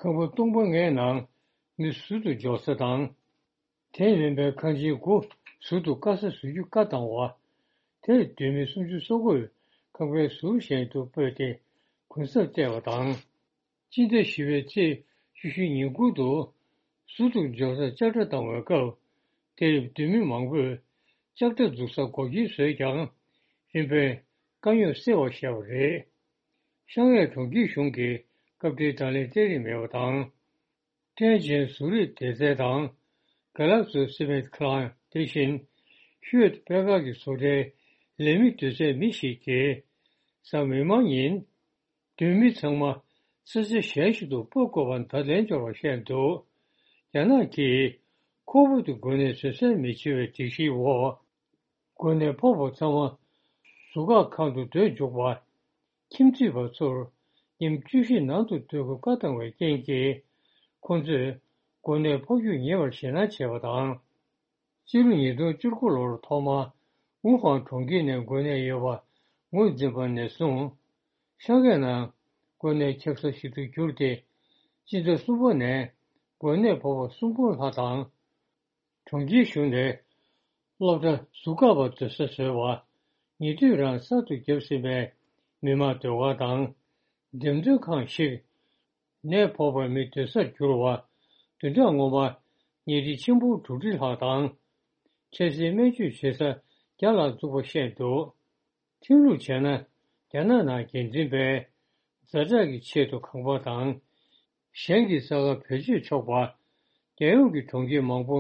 ཁང་པ་སྟོང་པ་ལྔའི་ནང་མི་ཟུར་དུ་འཇོག་ས་དང་། དེ་མིན་པའི་ཁང་ཆེན་དགུ་ཟུར་དུ་དཀའ་ས་བཟོ་རྒྱུ་བཀའ་བཏང་བ། དེར་སྡོད་མི་སུམ་ཅུ་སོ་དགུས་ཁང་པའི་ཟུར་གཞན་དུ་སྤོས་ཏེ་གུན་གསབ་སྤྲད་པ་དང་། སྤྱི་ཟླ་བཞི་པའི་ཚེས་བཅུ་བཞི་ཉིན་གུང་དུ་ཟུར་དུ་འཇོག་སར་ལྕགས་དྲ་བཏང་བའི་སྐབས། དེར་སྡོད་མི་མང་པོས་ལྕགས་དྲ་འཛུགས་སར་སྒོ་ཁྱི་བཟོས་ཀྱང་། རིམ་པས་དཀའ་རྙོག་སེལ་བར་བཞག་པ་རེད། ཤང་ཡས་གྲོང་ཁྱེར་གཞུང་གིས་སྐབས་འཕྲལ་བགྲོ་གླེང་སྤྲད་རིན་མེད་པ་དང་། ཁྲལ་ཅན་བཟོ་རིགས་སྡེ་ཚན་དང་། གྷ་ལ་ཛོ་སི་མེན་ཊི་ཁང་དེ་བཞིན་ཤུའེ་ཏི་པད་དཀར་གྱི་བཟོ་གྲྭའི་ལས་མི་སྡོད་སའི་མི་ཞིག་གིས། གཟའ་མིག་དམར་ཉིན་སྡོད་མི་ཚང་མ་ས་ཆ་གཞན་ཞིག་ཏུ་སྤོ་དགོས་པར་བརྡ་ལན་འབྱོར་བ་བཤད་འདུག་རྒྱ་ནག་གིས་ཁོག་པ་དུ་འགོས་ནད་བཟོད་བསྲན་མི་བྱེད་པའི་སྒྲིག་གཞིའི་འོག་འགོས་ནད་ཕོག་པ་ཚང་མ་ཟུར་བཀག་ཁང་དུ་སྡོད་འཇུག་པ། ཁྱིམ་མཐུད་པ་ཚོར་ཉིན་བཅུ་བཞི་ནང་དུ་སྡོད་དགོས་བཀའ་བཏང་བའི་རྐྱེན་གྱིས། ཁོང་ཚོས་འགོས་ནད་ཕོག་རྒྱུ་ཉེ་བར་ཞེད་སྣང་བྱས་པ་དང་། སྤྱི་ལོ་ཉིས་སྟོང་བཅུ་དགུ་ལོར་ཐོག་མར་ཝུ་ཧན་གྲོང་ཁྱེར་ནས་འགོས་ནད་ཡོད་པ་ངོས་འཛིན་པ་ནས་བཟུང་། ཤང་ཧའེ་ནང་འགོས་ནད་ཁྱབ་ས་ཞིག་ཏུ་གྱུར་ཏེ། སྤྱི་ཟླ་གསུམ་པ་ནས་འགོས་ནད་ཕོག་པ་གསུམ་འབུམ་ལྷག་དང་། གྲོང་ཁྱེར་གཞུང་ནས་སློབ་གྲྭ་ཟུར་བཀག་པ་སྡོད་ས་བཟོས་པ། ཉེ་དུས་རང་གསར་དུ་བརྒྱབ་ཟིན་པའི་མི་མང་སྡོད་སྒར་དང་། འགྲེམས་སྟོན་ཁང་ཞིག་ནད་ཕོག་པའི་མི་སྡོད་སར་གྱུར་བ། བདུན་ཕྲག་སྔོན་མ་ཉལ་ཁྲི་ཆེན་པོ་དྲུག་ཁྲི་ལྷག་དང་། འཕྲལ་སེལ་སྨན་བཅོས་བྱེད་ས་བརྒྱ་ལྷག་བཙུགས་པ་བཤད་འདུག་ཁྲིམས་ལུགས་བྱས་ན། རྒྱ་ནག་ནང་འགན་འཛིན་པས་ཛ་དྲག་གི་ཆེད་དུ་ཁང་པ་དང་། གཞན་གྱི་ས་ཁར་བེད་སྤྱོད་ཆོག་པ། རྒྱལ་ཡོངས་ཀྱི་གྲོང་ཁྱེར་མང་པོ་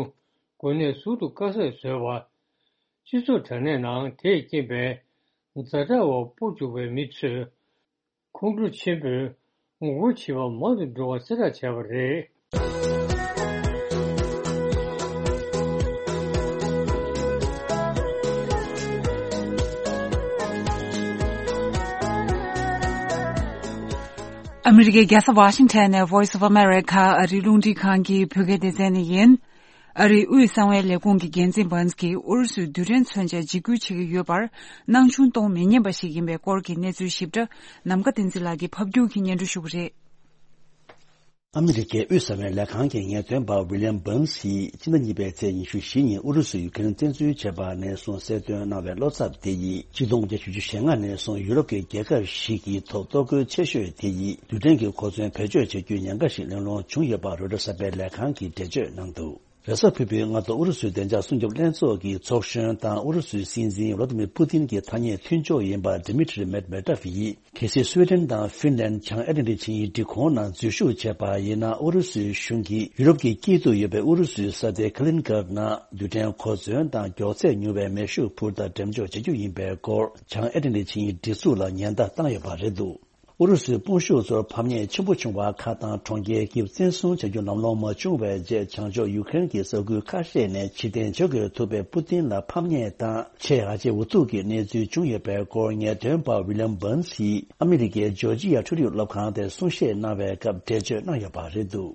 འགོས་ནད་ཟུར་དུ་དཀའ་ཟས་བཟོས་པ། སྤྱི་ཚོགས་དྲ་གནས་ནང་དེས་རྐྱེན་པས་ཛ་དྲག་འོག་སྤོ་བཅུག་པའི་མི་ཚོས། ཁོང་ཁྲོ་ཆེན་པོས་ངོ་རྒོལ་བྱེད་པ་མང་དུ་འགྲོ་བ་གསལ་བསྒྲགས་བྱས་པ་རེད། ཨ་མི་རི་ཀའི་རྒྱལ་ས་ཝ་ཤིང་ཊོན་ནས་Voice of America ཨ་རིའི་རླུང་འཕྲིན་ཁང་གི་བོད་སྐད་སྡེ་ཚན་ནས་ཡིན། ཨ་རིའི་དབུས་གསང་བའི་ལས་ཁུངས་ཀྱི་འགན་འཛིན་བྷན་སི་ཀྱིས་ཨུ་རུ་སུའི་རྡུལ་ཕྲན་མཚོན་ཆ་འཇིགས་སྐུལ་བྱེད་ཀྱི་ཡོད་པར་སྣང་ཆུང་གཏོང་མི་ཉན་པ་ཞིག་ཡིན་པའི་སྐོར་གྱི་གནས་ཚུལ་ཞིབ་ཕྲ་ནམ་མཁའ་བསྟན་འཛིན་ལགས་ཀྱིས་ཕབ་སྒྱུར་གྱིས་སྙན་སྒྲོན་ཞུ་གི་རེད། ཨ་མི་རི་ཀའི་དབུས་གསང་བའི་ལས་ཁང་གི་ངེས་སྟོན་པ་ཝི་ལི་ཡམ་བྷན་སི་ཡིས་ཕྱི་ཟླ་གཉིས་པའི་ཚེས་ཉི་ཤུ་བཞི་ཉིན་ཨུ་རུ་སུས་ཡུ་ཁེ་རེན་བཙན་འཛུལ་བྱས་པ་ནས་བཟུང་གསལ་སྟོན་གནང་བའི་བློ་འཚབ་དེ་ཡིས་ཆིག་སྟོང་དགུ་བརྒྱ་བཞི་བཅུ་ཞེ་ལྔ་ནས་བཟུང་ཡུ་རོབ་ཀྱི་རྒྱལ་ཁབ་ཞིག་གི་ཐོག་གཏོར་རྒོལ་ཆེ་ཤོས་དེ་ཡིས་རྡུལ་ཕྲན་གྱི་གོ་མཚོན་བེད་སྤྱོད་བྱེད་རྒྱུའི་ཉེན་ཁ་ཞིག་གླེང་སློང་བྱུང་ཡོད་པ་རོའི་ཊར་གསར་པའི་ལས་ཁང་གིས་འགྲེལ་བརྗོད་གནང་འདུག་རེས་གཟའ་ཕུར་བུའི་སྔ་དྲོ་ཨུ་རུ་སུའི་བདེ་འཇགས་སྲུང་སྐྱོབ་ལྷན་ཚོགས་ཀྱི་ཚོགས་གཞོན་དང་ཨུ་རུ་སུའི་སྲིད་འཛིན་ཝ་ལ་ཏི་མིར་པུ་ཏིན་གྱི་ཐ་སྙད་མཐུན་ཕྱོགས་ཡིན་པ་ཌི་མི་ཏྲི་མེད་མེད་ཏོབ་ཡིས། གལ་སྲིད་སུའེ་ཏན་དང་ཧྥིན་ལན་བྱང་ཨེ་ཏི་ལན་ཊིག་ཆིངས་ཡིག་སྒྲིག་ཁོངས་ནང་འཛུལ་ཞུགས་བྱས་པ་ཡིན་ན། ཨུ་རུ་སུའི་གཞུང་གིས་ཡུ་རོབ་ཀྱི་དཀྱིལ་དུ་ཡོད་པའི་ཨུ་རུ་སུའི་ས་སྡེ་ཁ་ལིན་གྷར་ནང་རྡུལ་ཕྲན་གོ་མཚོན་དང་མགྱོགས་ཚད་མྱུར་བའི་མེ་ཤུགས་འཕུར་མདའ་འགྲེམས་འཇོག་བྱེད་རྒྱུ་ཡིན་པའི་སྐོར་བྱང་ཨེ་ཏི་ལན་ཊིག་ཆིངས་ཡིག་སྒྲིག་འཛུགས་ལ་ཉེན་བརྡ་བཏང་ཡོད་པ་རེད་འདུག་ཨུ་རུ་སུའི་དཔུང་ཤུགས་ཚོར་ཕམ་ཉེས་ཆེན་པོ་བྱུང་བ་ཁག་དང་གྲོང་ཁྱེར་གྱི་བཙན་བཟུང་བྱ་རྒྱུ་ལམ་ལྷོང་མ་བྱུང་བའི་རྗེས། བྱང་ཕྱོགས་ཡུ་ཁེ་རེན་གྱི་ས་ཁུལ་ཁ་ཤས་ནས་ཕྱིར་འཐེན་བྱེད་དགོས་ཐུག་པའི་པུ་ཏིན་ལ་ཕམ་ཉེས་དང་ཆེས་ཧ་ཅང་འུ་ཐུག་གི་གནས་ཚུལ་བྱུང་ཡོད་པའི་སྐོར་ངེས་སྟོན་པ་ཝི་ལི་ཡམ་བྷན་སིས་ཨ་མི་རི་ཀའི་ཇོར་ཇི་ཡ་འཕྲུལ་རིག་སློབ་ཁང་དེར་གསུང་བཤད་གནང་བའི་སྐབས་འགྲེལ་བརྗོད་གནང་ཡོད་པ་རེད་འདུག་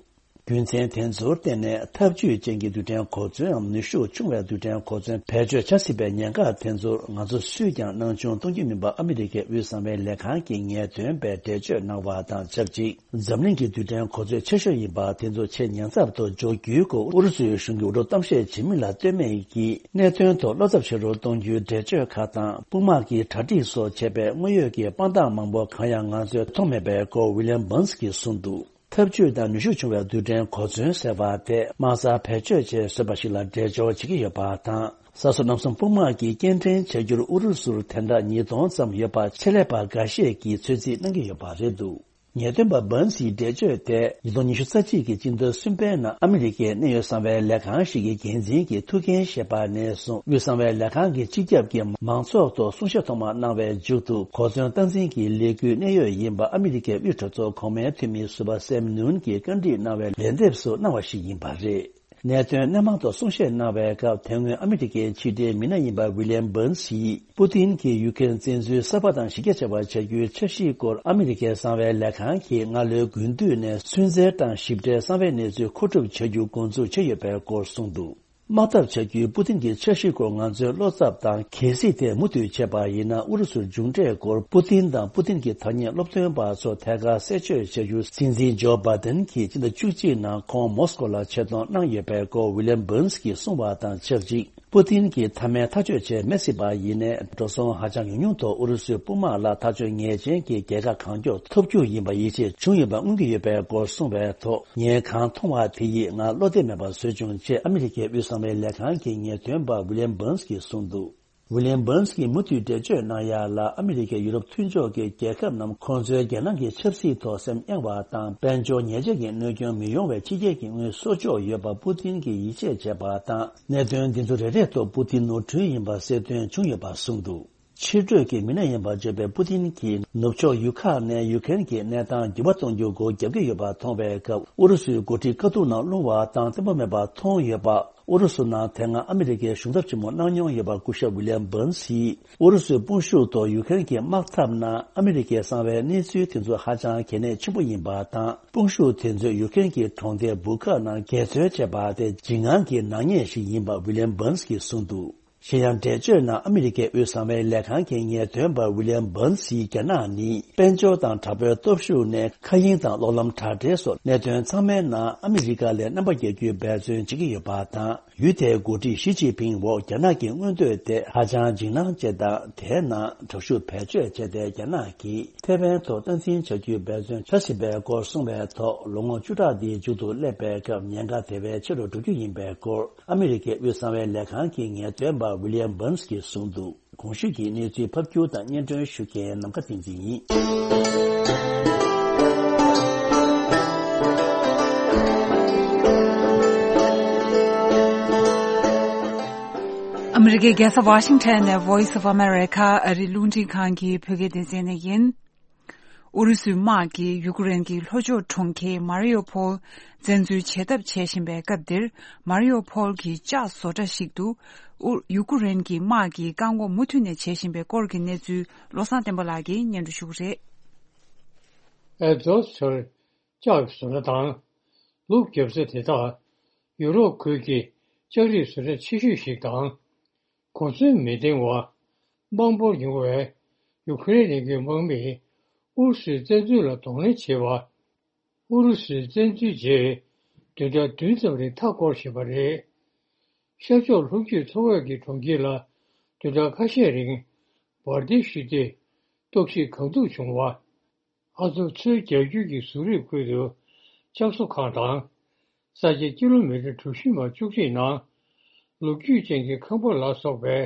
རྒྱུ་མཚན་དེ་ཚོར་བརྟེན་ནས་འཐབ་ཇུས་ཅན་གྱི་རྡུལ་ཕྲན་གོ་མཚོན་ནམ་ནུས་ཤུགས་ཆུང་བའི་རྡུལ་ཕྲན་གོ་མཚོན་བེད་སྤྱོད་བྱ་སྲིད་པའི་ཉེན་ཁ་དེ་ཚོར་ང་ཚོ་སུས་ཀྱང་སྣང་ཆུང་གཏོང་རྒྱུ་མིན་པ་ཨ་མི་རི་ཀའི་དབུས་གསང་བའི་ལས་ཁང་གི་ངེས་སྟོན་པས་འགྲེལ་བརྗོད་གནང་བ་དང་ཆབས་ཅིག་འཛམ་གླིང་གི་རྡུལ་ཕྲན་གོ་མཚོན་ཆེ་ཤོས་ཡིན་པ་དེ་ཚོ་ཆེས་ཉེན་ཚབས་ཐོག་འཇོག་རྒྱུའི་སྐོར་ཨུ་རུ་སུའི་གཞུང་གིས་འུར་སྒྲོག་གཏམ་བཤད་བྱེད་མིན་ལ་ལྟོས་མེད་ཀྱིས་གནད་དོན་ཐོག་བློ་འཚབ་ཆེ་རུ་གཏོང་རྒྱུའི་འགྲེལ་བརྗོད་ཁག་དང་དཔུང་དམག་གི་གྲ་སྒྲིག་སོགས་བྱས་པའི་དངོས་ཡོད་ཀྱི་དཔང་རྟགས་མང་པོ་གང་ཡང་ང་ཚོས་མཐོང་མེད་པའི་སྐོར་ཝི་ལི་ཡམ་བྷན་སི་གིས་གསུངས་འདུག་འཐབ་ཇུས་དང་ནུས་ཤུགས་ཆུང་བའི་རྡུལ་ཕྲན་གོ་མཚོན་ཟེར་བ་དེ་དམག་སར་བེད་སྤྱོད་ཆེད་བཟོས་པ་ཞིག་ལ་འགྲེལ་སྦྱོར་བྱེད་ཀྱི་ཡོད་པ་དང་། ས་སོ་གནམ་གསུམ་དཔུང་དམག་གིས་སྐྱེལ་འདྲེན་བྱ་རྒྱུར་ཨུ་རུ་སུར་དེ་འདྲ་ཉིས་སྟོང་ཙམ་ཡོད་པ་ཆེད་ལས་པ་འགའ་ཤས་ཀྱིས་ཚོད་རྩིས་གནང་གི་ཡོད་པ་རེད་འདུག་ངེས་སྟོན་པ་བྷན་སིའི་འགྲེལ་བརྗོད་དེ་ཉིས་སྟོང་ཉི་ཤུ་རྩ་གཅིག་གི་སྤྱི་ཟླ་གསུམ་པའི་ནང་ཨ་མི་རི་ཀའི་གནད་ཡོད་གསང་བའི་ལས་ཁང་ཞིག་གི་འགན་འཛིན་གྱིས་ཐུགས་འགན་བཞེས་པ་ནས་བཟུང་དབུས་གསང་བའི་ལས་ཁང་གི་སྤྱི་ཁྱབ་ཀྱི་མང་ཚོགས་ཐོག་གསུང་བཤད་ཐོག་མ་གནང་བའི་མཇུག་ཏུ་གོ་མཚོན་སྟངས་འཛིན་གྱི་ལས་འགུལ་གནད་ཡོད་ཡིན་པ་ཨ་མི་རི་ཀའི་དབུས་གྲོས་ཚོགས་གོང་མའི་འཐུས་མི་ཟུར་པ་སེམ་ནུན་གྱིས་བཀའ་འདྲི་གནང་བའི་ལན་འདེབས་སུ་གནང་བ་ཞིག་ཡིན་པ་རེད། གནད་དོན་སྣེ་མང་ཐོག་གསུང་བཤད་གནང་བའི་སྐབས་དེ་སྔོན་ཨ་མི་རི་ཀའི་ཕྱི་འབྲེལ་མི་སྣ་ཡིན་པ་ཝི་ལི་ཡམ་བྷན་སིས་པུ་ཏིན་གྱིས་ཡུ་ཁེ་རེན་བཙན་འཛུལ་གསར་པ་དང་གཞི་རྒྱ་ཆེ་བ་བྱ་རྒྱུའི་འཆར་གཞིའི་སྐོར་ཨ་མི་རི་ཀའི་གསང་བའི་ལས་ཁང་གིས་སྔ་ལོའི་དགུན་དུས་ནས་ཚུན་ཚད་དང་ཞིབ་ཕྲའི་གསང་བའི་གནས་ཚུལ་མཁོ་སྒྲུབ་བྱ་རྒྱུ་འགོ་འཛུགས་བྱས་ཡོད་པའི་སྐོར་གསུངས་འདུག་དམག་འཐབ་བྱ་རྒྱུའི་པུ་ཏིན་གྱི་འཆར་གཞིའི་སྐོར་ང་ཚོའི་བློ་འཚབ་དང་གལ་སྲིད་དེ་མུ་མཐུད་བྱས་པ་ཡིན་ན་ཨུ་རུ་སུར་མཇུག་འབྲས་སྐོར་པུ་ཏིན་དང་པུ་ཏིན་གྱི་ཐ་སྙད་སློབ་སྟོན་པ་ཚོ་ཐད་ཀར་གསལ་བརྗོད་བྱ་རྒྱུ་སྲིད་འཛིན་ཇོ་བྷ་དན་གྱིས་སྤྱི་ཟླ་བཅུ་གཅིག་ནང་ཁོང་མོ་སི་ཀོ་ལ་ཆེད་གཏོང་གནང་ཡོད་པའི་སྐོར་ཝི་ལི་ཡམ་བྷན་སི་གིས་གསུངས་པ་དང་ཆབས་ཅིག་པུ་ཏིན་གྱིས་མཐའ་མའི་ཐག་གཅོད་བྱས་མེད་སྲིད་པ་ཡིན་ནའི་འགྲོ་སོང་ཧ་ཅང་ཉུང་ཉུང་ཐོག་ཨུ་རུ་སུའི་དཔུང་དམག་ལ་ཐག་གཅོད་ངེས་ཅན་གྱི་རྒྱལ་ཁ་གང་མགྱོགས་ཐོབ་རྒྱུ་ཡིན་པ་ཡིད་ཆེས་བྱུང་ཡོད་པ་མངོན་གྱི་ཡོད་པའི་སྐོར་གསུངས་པའི་ཐོག་ངས་གང་མཐོང་བ་དེ་ཡིས་ང་བློ་བདེ་མེད་པ་བཟོས་བྱུང་ཅེས་ཨ་མི་རི་ཀའི་དབུས་གསང་བའི་ལས་ཁང་གི་ངེས་སྟོན་པ་ཝི་ལི་ཡམ་བྷན་སི་གིས་གསུངས་འདུག་ཝི་ལི་ཡམ་བྷན་སི་གིས་མུ་མཐུད་འགྲེལ་བརྗོད་གནང་ཡ་ལ་ཨ་མི་རི་ཀས་ཡུ་རོབ་མཐུན་ཕྱོགས་ཀྱི་རྒྱལ་ཁབ་རྣམས་ཁོང་ཚོའི་རྒྱལ་ནང་གི་ཆབ་སྲིད་ཐོག་སེམས་གཡེང་བ་དང་དཔལ་འབྱོར་ཉེས་ཆད་ཀྱི་གནོད་སྐྱོན་མི་ཡོང་བའི་ཕྱི་རྒྱལ་གྱི་དངུལ་གསོག་འཇོག་ཡོད་པ་པུ་ཏིན་གྱིས་ཡིད་ཆེས་བྱས་པ་དང་གནད་དོན་འདི་ཚོ་རེ་རེ་ཐོག་པུ་ཏིན་ནོར་འཁྲུལ་ཡིན་པ་གསལ་སྟོན་བྱུང་ཡོད་པ་གསུངས་འདུག་ཕྱི་དྲོད་ཀྱི་མི་སྣ་ཡིན་པར་བརྗོད་པའི་པུ་ཏིན་གྱིས་ནུབ་ཕྱོགས་ཡུལ་ཁག་ནས་ཡུ་ཁེ་རེན་གྱི་གནས་སྟངས་འགྱུར་བ་གཏོང་རྒྱུ་སྒོ་བརྒྱབ་ཀྱི་ཡོད་པ་མཐོང་བའི་སྐབས་ཨུ་རུ་སུའི་འགོ་ཁྲིད་དཀའ་སྡུག་ནང་ལྷུང་བ་དང་བརྟན་པོ་མེད་པ་མཐོང་ཡོད་པ། ཨུ་རུ་སུ་ནང་དེ་སྔ་ཨ་མི་རི་ཀའི་གཞུང་ཚབ་ཆེན་མོ་གནང་མྱོང་ཡོད་པ་སྐུ་ཞབས་ཝི་ལི་ཡམ་བྷན་སིས་ཨུ་རུ་སུའི་དཔུང་ཤུགས་ཐོག་ཡུ་ཁེ་རེན་གྱི་དམག་འཐབ་ནང་ཨ་མི་རི་ཀའི་གསང་བའི་གནས་ཚུལ་དེ་ཚོ་ཧ་ཅང་གལ་གནད་ཆེན་པོ་ཡིན་པ་དང་དཔུང་ཤུགས་དེ་ཚོས་ཡུ་ཁེ་རེན་གྱི་གྲོང་སྡེ་བུ་ཁ་ནང་འགལ་འཛོལ་བྱས་པ་དེ་འཇིགས་དངངས་ཀྱི་ནག་ཉེས་ཤིག་ཡིན་པ་ཝི་ལི་ཡམ་བྷན་སི་གིས་གསུངས་འདུག་གཞན་ཡང་འགྲེལ་བརྗོད་ནང་ཨ་མི་རི་ཀའི་དབུས་གསང་བའི་ལས་ཁང་གི་ངེས་སྟོན་པ་ཝི་ལི་ཡམ་བྷན་སིས་རྒྱ་ནག་ནི་དཔལ་འབྱོར་དང་དྲག་པོའི་སྟོབས་ཤུགས་ནས་མཁའ་དབྱིངས་དང་གློག་ལམ་དྲ་སྦྲེལ་སོགས་གནད་དོན་ཚང་མའི་ནང་ཨ་མི་རི་ཀ་ལས་རྣམ་པ་རྒྱལ་རྒྱུའི་འབད་བརྩོན་བྱེད་ཀྱི་ཡོད་པ་དང་ ཡུལ་དེའི་འགོ་ཁྲིད་ཞི་ཅིན་ཕིང་འོག་རྒྱ་ནག་གི་མངོན་འདོད་དེ་ཧ་ཅང་འཇིགས་སྣང་སྐྱེ་སྟངས་དེའི་ནང་དྲག་ཤུགས་བེད་སྤྱོད་བྱས་ཏེ། རྒྱ་ནག་གིས་ཐེ་ཝན་ཐོག་སྟངས་འཛིན་བྱ་རྒྱུའི་འབད་བརྩོན་བྱ་བཞིན་པའི་སྐོར་གསུངས་པའི་ཐོག་ལོ་ངོ་བཅུ་ཕྲག་འདིའི་མཇུག་ཏུ་སླེབས་པའི་སྐབས་ཉེན་ཁ་དེ་བས་ཆེ་རུ་འགྲོ་རྒྱུ་ཡིན་པའི་སྐོར་ཨ་མི་རི་ཀའི་དབུས་གསང་བའི་ལས་ཁང་གི་ངེས་སྟོན་པ་ཝི་ལི་ཡམ་བྷར་ནས་ཀྱིས་གསུངས་འདུག་གོང་ཞུས་ཀྱི་གནས་ཚུལ་ཕབ་སྒྱུར་དང་སྙན་སྒྲོན་ཞུ་མཁན་ནམ་མཁའ་བསྟན་འཛིན་ཡིན། ཨ་མི་རི་ཀའི་རྒྱལ་ས་ཝ་ཤིང་ཊོན་ནས་Voice of America ཨ་རིའི་རླུང་འཕྲིན་ཁང་གི་བོད་སྐད་སྡེ་ཚན་ནས་ཡིན། ཨུ་རུ་སུའི་དམག་གིས་ཡུ་ཀེ་རེན་གྱི་ལྷོ་ཕྱོགས་གྲོང་ཁྱེར་མ་རི་ཡོ་ཕོལ་བཙན་འཛུལ་བྱེད་ཐབས་བྱེད་བཞིན་པའི་སྐབས་འདིར། མ་རི་ཡོ་ཕོལ་གྱི་ལྕགས་བཟོ་གྲྭ་ཞིག་ཏུ་ཨུ་ཡུ་ཀེ་རེན་གྱི་དམག་གིས་བཀག་འགོག་མུ་མཐུད་ནས་བྱེད་བཞིན་པའི་སྐོར་གྱི་གནས་ཚུལ་བློ་བཟང་བསྟན་པ་ལགས་ཀྱིས་སྙན་སྒྲོན་ཞུ་གི་རེད། ཨེ་ཛོ་སི་ཊར་ལྕགས་བཟོ་གྲྭ་དང་ལུག་རྒྱབ་ས་དེ་དག་ཡུ་རོབ་ཁུལ་གྱི་ལྕགས་རིགས་བཟོ་གྲྭ་ཆེ་ཤོས་ཤིག་དང་། གོ་མཚོན་མི་ལྡེང་བ་དམའ་འབོར་ཉུང་བའི་ཡུ་ཀེ་རེན་གྱི་དམག་མིས་ཨུ་རུ་སུའི་བཙན་འཛུལ་ལ་གདོང་ལེན་བྱེད་པ། ཨུ་རུ་སུའི་བཙན་འཛུལ་རྗེས་བདུན་ཕྲག་བདུན་ཙམ་རིང་མཐའ་བསྐོར་བཞིན་པ་རེད། ཤར་ཕྱོགས་ལྷོ་རྒྱུད་མཚོ་བོད་ཀྱི་གྲོང་ཁྱེར་ལ་བདུན་ཕྲག་ཁ་ཤས་རིང་འབར་མདེལ་གཞུས་ཏེ་གཏོར་བཤིག་གང་ཐུབ་བྱུང་བ། ཨ་ཚོ་མཚོའི་རྒྱ་ཁྱོན་གྱི་ཟུར་རིབ་ཁུལ་དུ་ལྕགས་བཟོ་ཁང་དང་། ས་ཆ་ཀི་ལོ་མི་ཊར་གྲུ་བཞི་མ་བཅུ་གཅིག་ནང་ལོ་རྒྱུས་ཅན་གྱི་ཁང་པ་ལ་སོགས་པའི་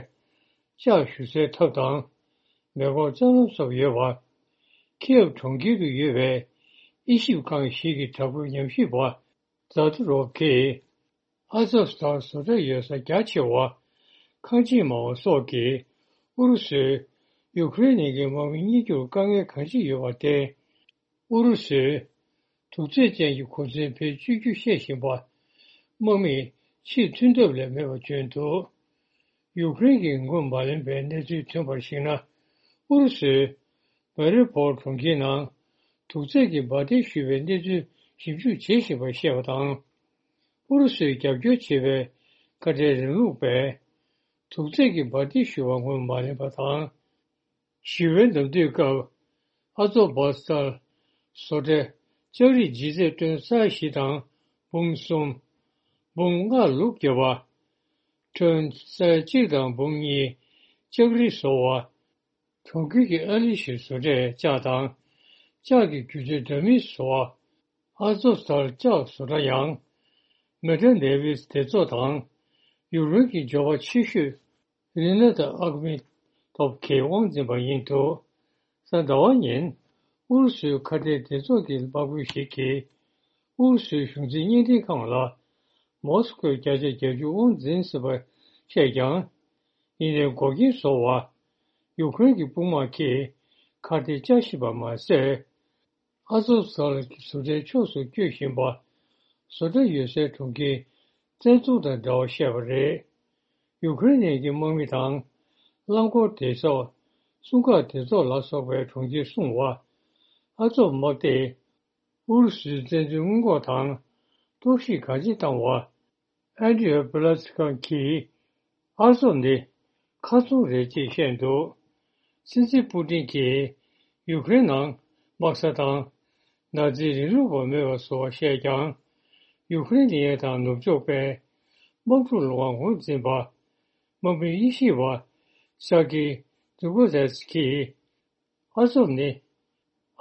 ལྕགས་བཞུ་སའི་ཐབ་དང་། མེ་འཁོར་རྩྭ་ལམ་སོགས་ཡོད་པ། ཁིའེབ་གྲོང་ཁྱེར་དུ་ཡོད་པའི་དབྱེ་ཞིབ་ཁང་ཞིག་གི་དྲ་འབུ་ཉམས་ཞིབ་པ་ཛ་ཏུ་རོབ་ཀྱིས། ཨ་ཛོབ་སི་ཐལ་བཟོ་གྲྭ་ཡོད་ས་རྒྱ་ཆེ་བ་ཁང་ཆེན་མང་བ་སོགས་ཀྱིས་ཨུ་རུ་སུས་ཡུ་ཀེ་རེན་ནས་ཀྱི་དམག་མི་རྙེད་རྒྱུར་དཀའ་ངལ་གང་ཅི་ཡོད་པར་བརྟེན། ཨུ་རུ་སུས་དུག་རྫས་ཅན་གྱི་གོ་མཚོན་བེད་སྤྱོད་རྒྱུ་བཤད་བཞིན་པ། དམག་མིས་ཕྱིར་ཐོན་ཐབས་ལས་མེད་པ་བརྗོད་འདུག་ཡུ་ཀེ་རེན་གྱིས་ངོས་མ་ལེན་པའི་གནས་ཚུལ་ཐོན་པར་གཞིགས་ན། ཨུ་རུ་སུས་མ་རི་ཡུ་པོལ་གྲོང་ཁྱེར་ནང་དུག་རྫས་ཀྱི་འབར་མདེལ་གཞུས་པའི་གནས་ཚུལ་ཞིབ་འཇུག་བྱེད་བཞིན་པར་བཤད་པ་དང་། ཨུ་རུ་སུས་རྒྱབ་སྐྱོར་བྱེད་པའི་ཁ་བྲལ་རིང་ལུགས་པས་དུག་རྫས་ཀྱི་འབར་མདེལ་གཞུ་བ་ངོས་མ་ལེན་པ་དང་། ཞི་བའི་ནམ་དུས་སྐབས་ཨ་ཛོབ་བྷ་སི་ཐལ་བཟོ་གྲྭས་ལྕགས་རིགས་ལྗིད་ཚད་ཏོན་ས་བཞི་དང་འབུམ་གསུམ། འབུམ་ལྔ་ལུག་བརྒྱབ་པ། ཏོན་ས་གཅིག་དང་འབུམ་གཉིས་ལྕགས་རིགས་བཟོ་བ། གྲོང་ཁྱེར་གྱི་ཨ་ལི་ཤི་བཟོ་གྲས་ལྕགས་དང་ལྕགས་ཀྱི་སྒྱུ་རྩལ་འདྲ་མིན་བཟོ་བ། ཨ་ཛོབ་སི་ཐལ་ལྕགས་བཟོ་གྲྭ་ཡང་མེ་ཏྲ་ནེ་ཝིས་སྡེ་ཚོགས་དང་ཡུཀ་རེན་གྱི་འབྱོར་པ་ཆེ་ཤོས་རི་ན་ཏ་ཨག་མི་ཏོབ་ཀྱིས་དབང་འཛིན་པ་ཡིན་འདུག་གཟའ་ཟླ་བ་ཉིན་ཨུ་རུ་སུའི་ཁ་བྲལ་སྡེ་ཚོགས་ཀྱི་དམག་དཔོན་ཞིག་གིས་ཨུ་རུ་སུའི་གཞུང་འཛིན་བརྙན་འཕྲིན་ཁང་ལ་མོ་སི་ཁོས་བརྒྱ་ཆ་བརྒྱད་ཅུ་དབང་འཛིན་ཟིན་པ་བཤད་ཀྱང་། ཡིན་ནའི་འགོག་རྐྱེན་བཟོ་བར་ཡུཀ་རེན་གྱི་དཔུང་དམག་གིས་ཁ་གཏད་བཅའ་བཞིན་པ་མ་ཟད། ཨ་ཛོབ་སི་ཐལ་གྱི་བཟོ་གྲྭའི་ཕྱོགས་སུ་བསྐྱོད་བཞིན་པ། བཟོ་གྲྭ་ཡོད་སའི་གྲོང་ཁྱེར་བཙན་འཛུལ་དང་འབྲེལ་བ་བཤད་པ་རེད། ཡུཀ་རེན་གྱི་དམག་མི་དང་། རླངས་འཁོར་སྡེ་ཚོགས། སྲུང་སྐར་སྡེ་ཚོགས་ལ་སོགས་པའི་གྲོང་ཁྱེར་སྲུང་བ། ཨ་ཛོབ་དམག་སྡེས། ཨུ་རུ་སུའི་བཙན་འཛུལ་སྔོན་འགོག་དང་། གཏོར་བཤིག་གང་ཅི་བཏང་བ། ཨན་ཏྲི་ཨོ་པི་ལ་སི་ཁ་གིས་ཨ་ཛོབ་ནི་མཁར་རྫོང་རེད་ཅེས་བཤད་འདུག་སྲིད་འཛིན་པུ་ཏིན་གྱིས་ཡུཀ་རེན་ནང་དམག་ས་དང་ནཱ་ཛིའི་རིང་ལུགས་པ་མེད་པ་བཟོ་བ་བཤད་ཀྱང་། ཡུཀ་རེན་ལེན་ཡས་དང་ནུབ་ཕྱོགས་པའི་དམག་འཁྲུག་ལ་དབང་ངོས་འཛིན་པ་དམག་མི་དབྱེ་ཞིབ་པ་ས་ཀི་ཏུ་གོ་ཟེ་སི་ཀིས། ཨ་ཛོབ་ནི།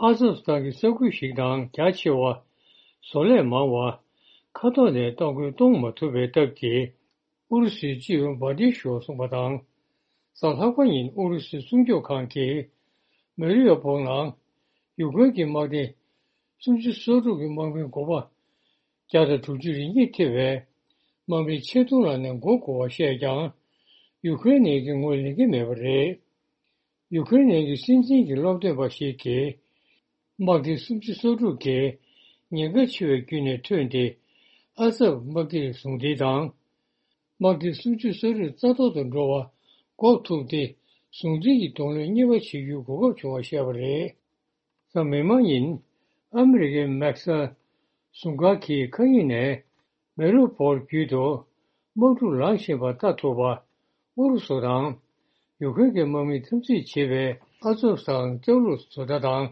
ཨ་ཛོབ་སི་ཐན་གྱི་ས་ཁུལ་ཞིག་དང་རྒྱ་ཆེ་བ། བཟོ་ལས་མང་བ། མཁའ་ཐོག་ནས་གཏོང་རྒོལ་གཏོང་མ་ཐུབ་པའི་སྟབས་ཀྱིས། ཨུ་རུ་སུའི་སྤྱི་ཡོངས་འབར་མདེལ་ཞུ་བར་གསུངས་པ་དང་། གཟའ་ལྷག་པ་ཉིན་ཨུ་རུ་སུའི་སྲུང་སྐྱོབ་ཁང་གིས། མེ་རི་ཡོ་པོལ་ནང་ཡུཀ་རེན་གྱི་དམག་སྡེ་སུམ་ཅུ་སོ་དྲུག་གི་དམག་མི་འགོ་པ། བརྒྱ་དང་དྲུག་ཅུ་རེ་གཉིས་ཐེ་བའི་དམག་མི་ཆེད་གཏོང་ལ་ནས་འགོ་དགོས་པ་བཤད་ཀྱང་། ཡུཀ་རེན་ནས་ཀྱི་ངོས་ལེན་གྱི་མེད་པ་རེད། ཡུ་ཀེ་རེན་ནང་གི་སྲིད་འཛིན་གྱི་སློབ་སྟོན་པ་ཞིག་གིས། དམག་སྡེ་སུམ་ཅུ་སོ་དྲུག་གིས་ཉེན་ཁ་ཆེ་བའི་བརྒྱུད་ནས་ཐོན་ཏེ། ཨ་ཛབ་དམག་སྡེའི་ཟུང་འབྲེལ་དང་། དམག་སྡེ་སུམ་ཅུ་སོ་དྲུག་རྩ་ཐོག་ཏུ་འགྲོ་བ་འགོག་ཐུབ་སྟེ། ཟུང་འབྲེལ་གྱི་གདོང་ལེན་གཉིས་པ་བྱེད་རྒྱུའི་གོ་སྐབས་བྱུང་བ་བཤད་པ་རེད། གཟའ་མིག་དམར་ཉིན། ཨ་མི་རི་ཀའི་མེག་སལ་ཟུང་སྒར་གྱིས་མཁའ་དབྱིངས་ནས། མེ་རུ་བོར་བརྒྱུད་དུ་དམག་འཁྲུག་ལངས་བཞིན་པ་ལྟ་ཐུབ་པ། ཨུ་རུ་སུ་དང་ཡུ་ཀེ་རེན་གྱི་དམག་མིས་འཐབ་འཛིང་བྱེད་པའི་ཨ་ཛོབ་སི་ཐལ་ལྕགས་ལུད་བཟོ་གྲྭ་དང་།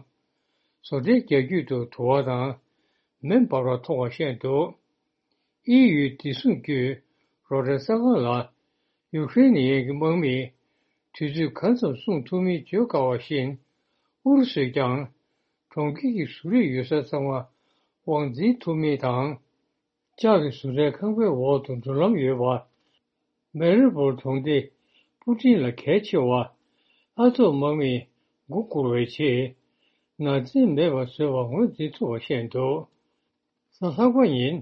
བཟོ་གྲྭའི་རྒྱ་རྒྱུད་དུ་དུ་བ་དང་མེ་འབར་བ་མཐོང་བ་བཤད་འདུག་ཨི་ཡུའི་བདེ་སྲུང་བརྒྱུད། རོ་ཊར་གསར་ཁང་ལ། ཡུ་ཀེ་རེན་ནི་ཡན་གྱི་དམག་མིས་དུས་ཚོད་གང་ཙམ་སྲུང་ཐུབ་མིན་བརྗོད་དཀའ་བ་བཞིན། ཨུ་རུ་སུས་ཀྱང་གྲོང་ཁྱེར་གྱི་བཟོ་རིག་ཡོད་ས་ཚང་མ་དབང་འཛིན་ཐུབ་མིན་དང་། ལྕགས་ཀྱི་བཟོ་གྲྭའི་ཁང་པའི་འོག་ཏུ་འགྲུལ་ལམ་ཡོད་པ། མེ་རི་པོལ་གྲོང་སྡེ་སྤུ་ཊིན་ལ་གལ་ཆེ་བ། ཨ་ཐོབ་དམག་མིས་མགོ་སྒུར་བའི་ཆེད། ནག་རྫས་མེད་པར་བཟོས་པ་ངོས་འཛིན་ཐུབ་པ་བཤད་འདུག། གཟའ་ལྷག་པ་ཉིན།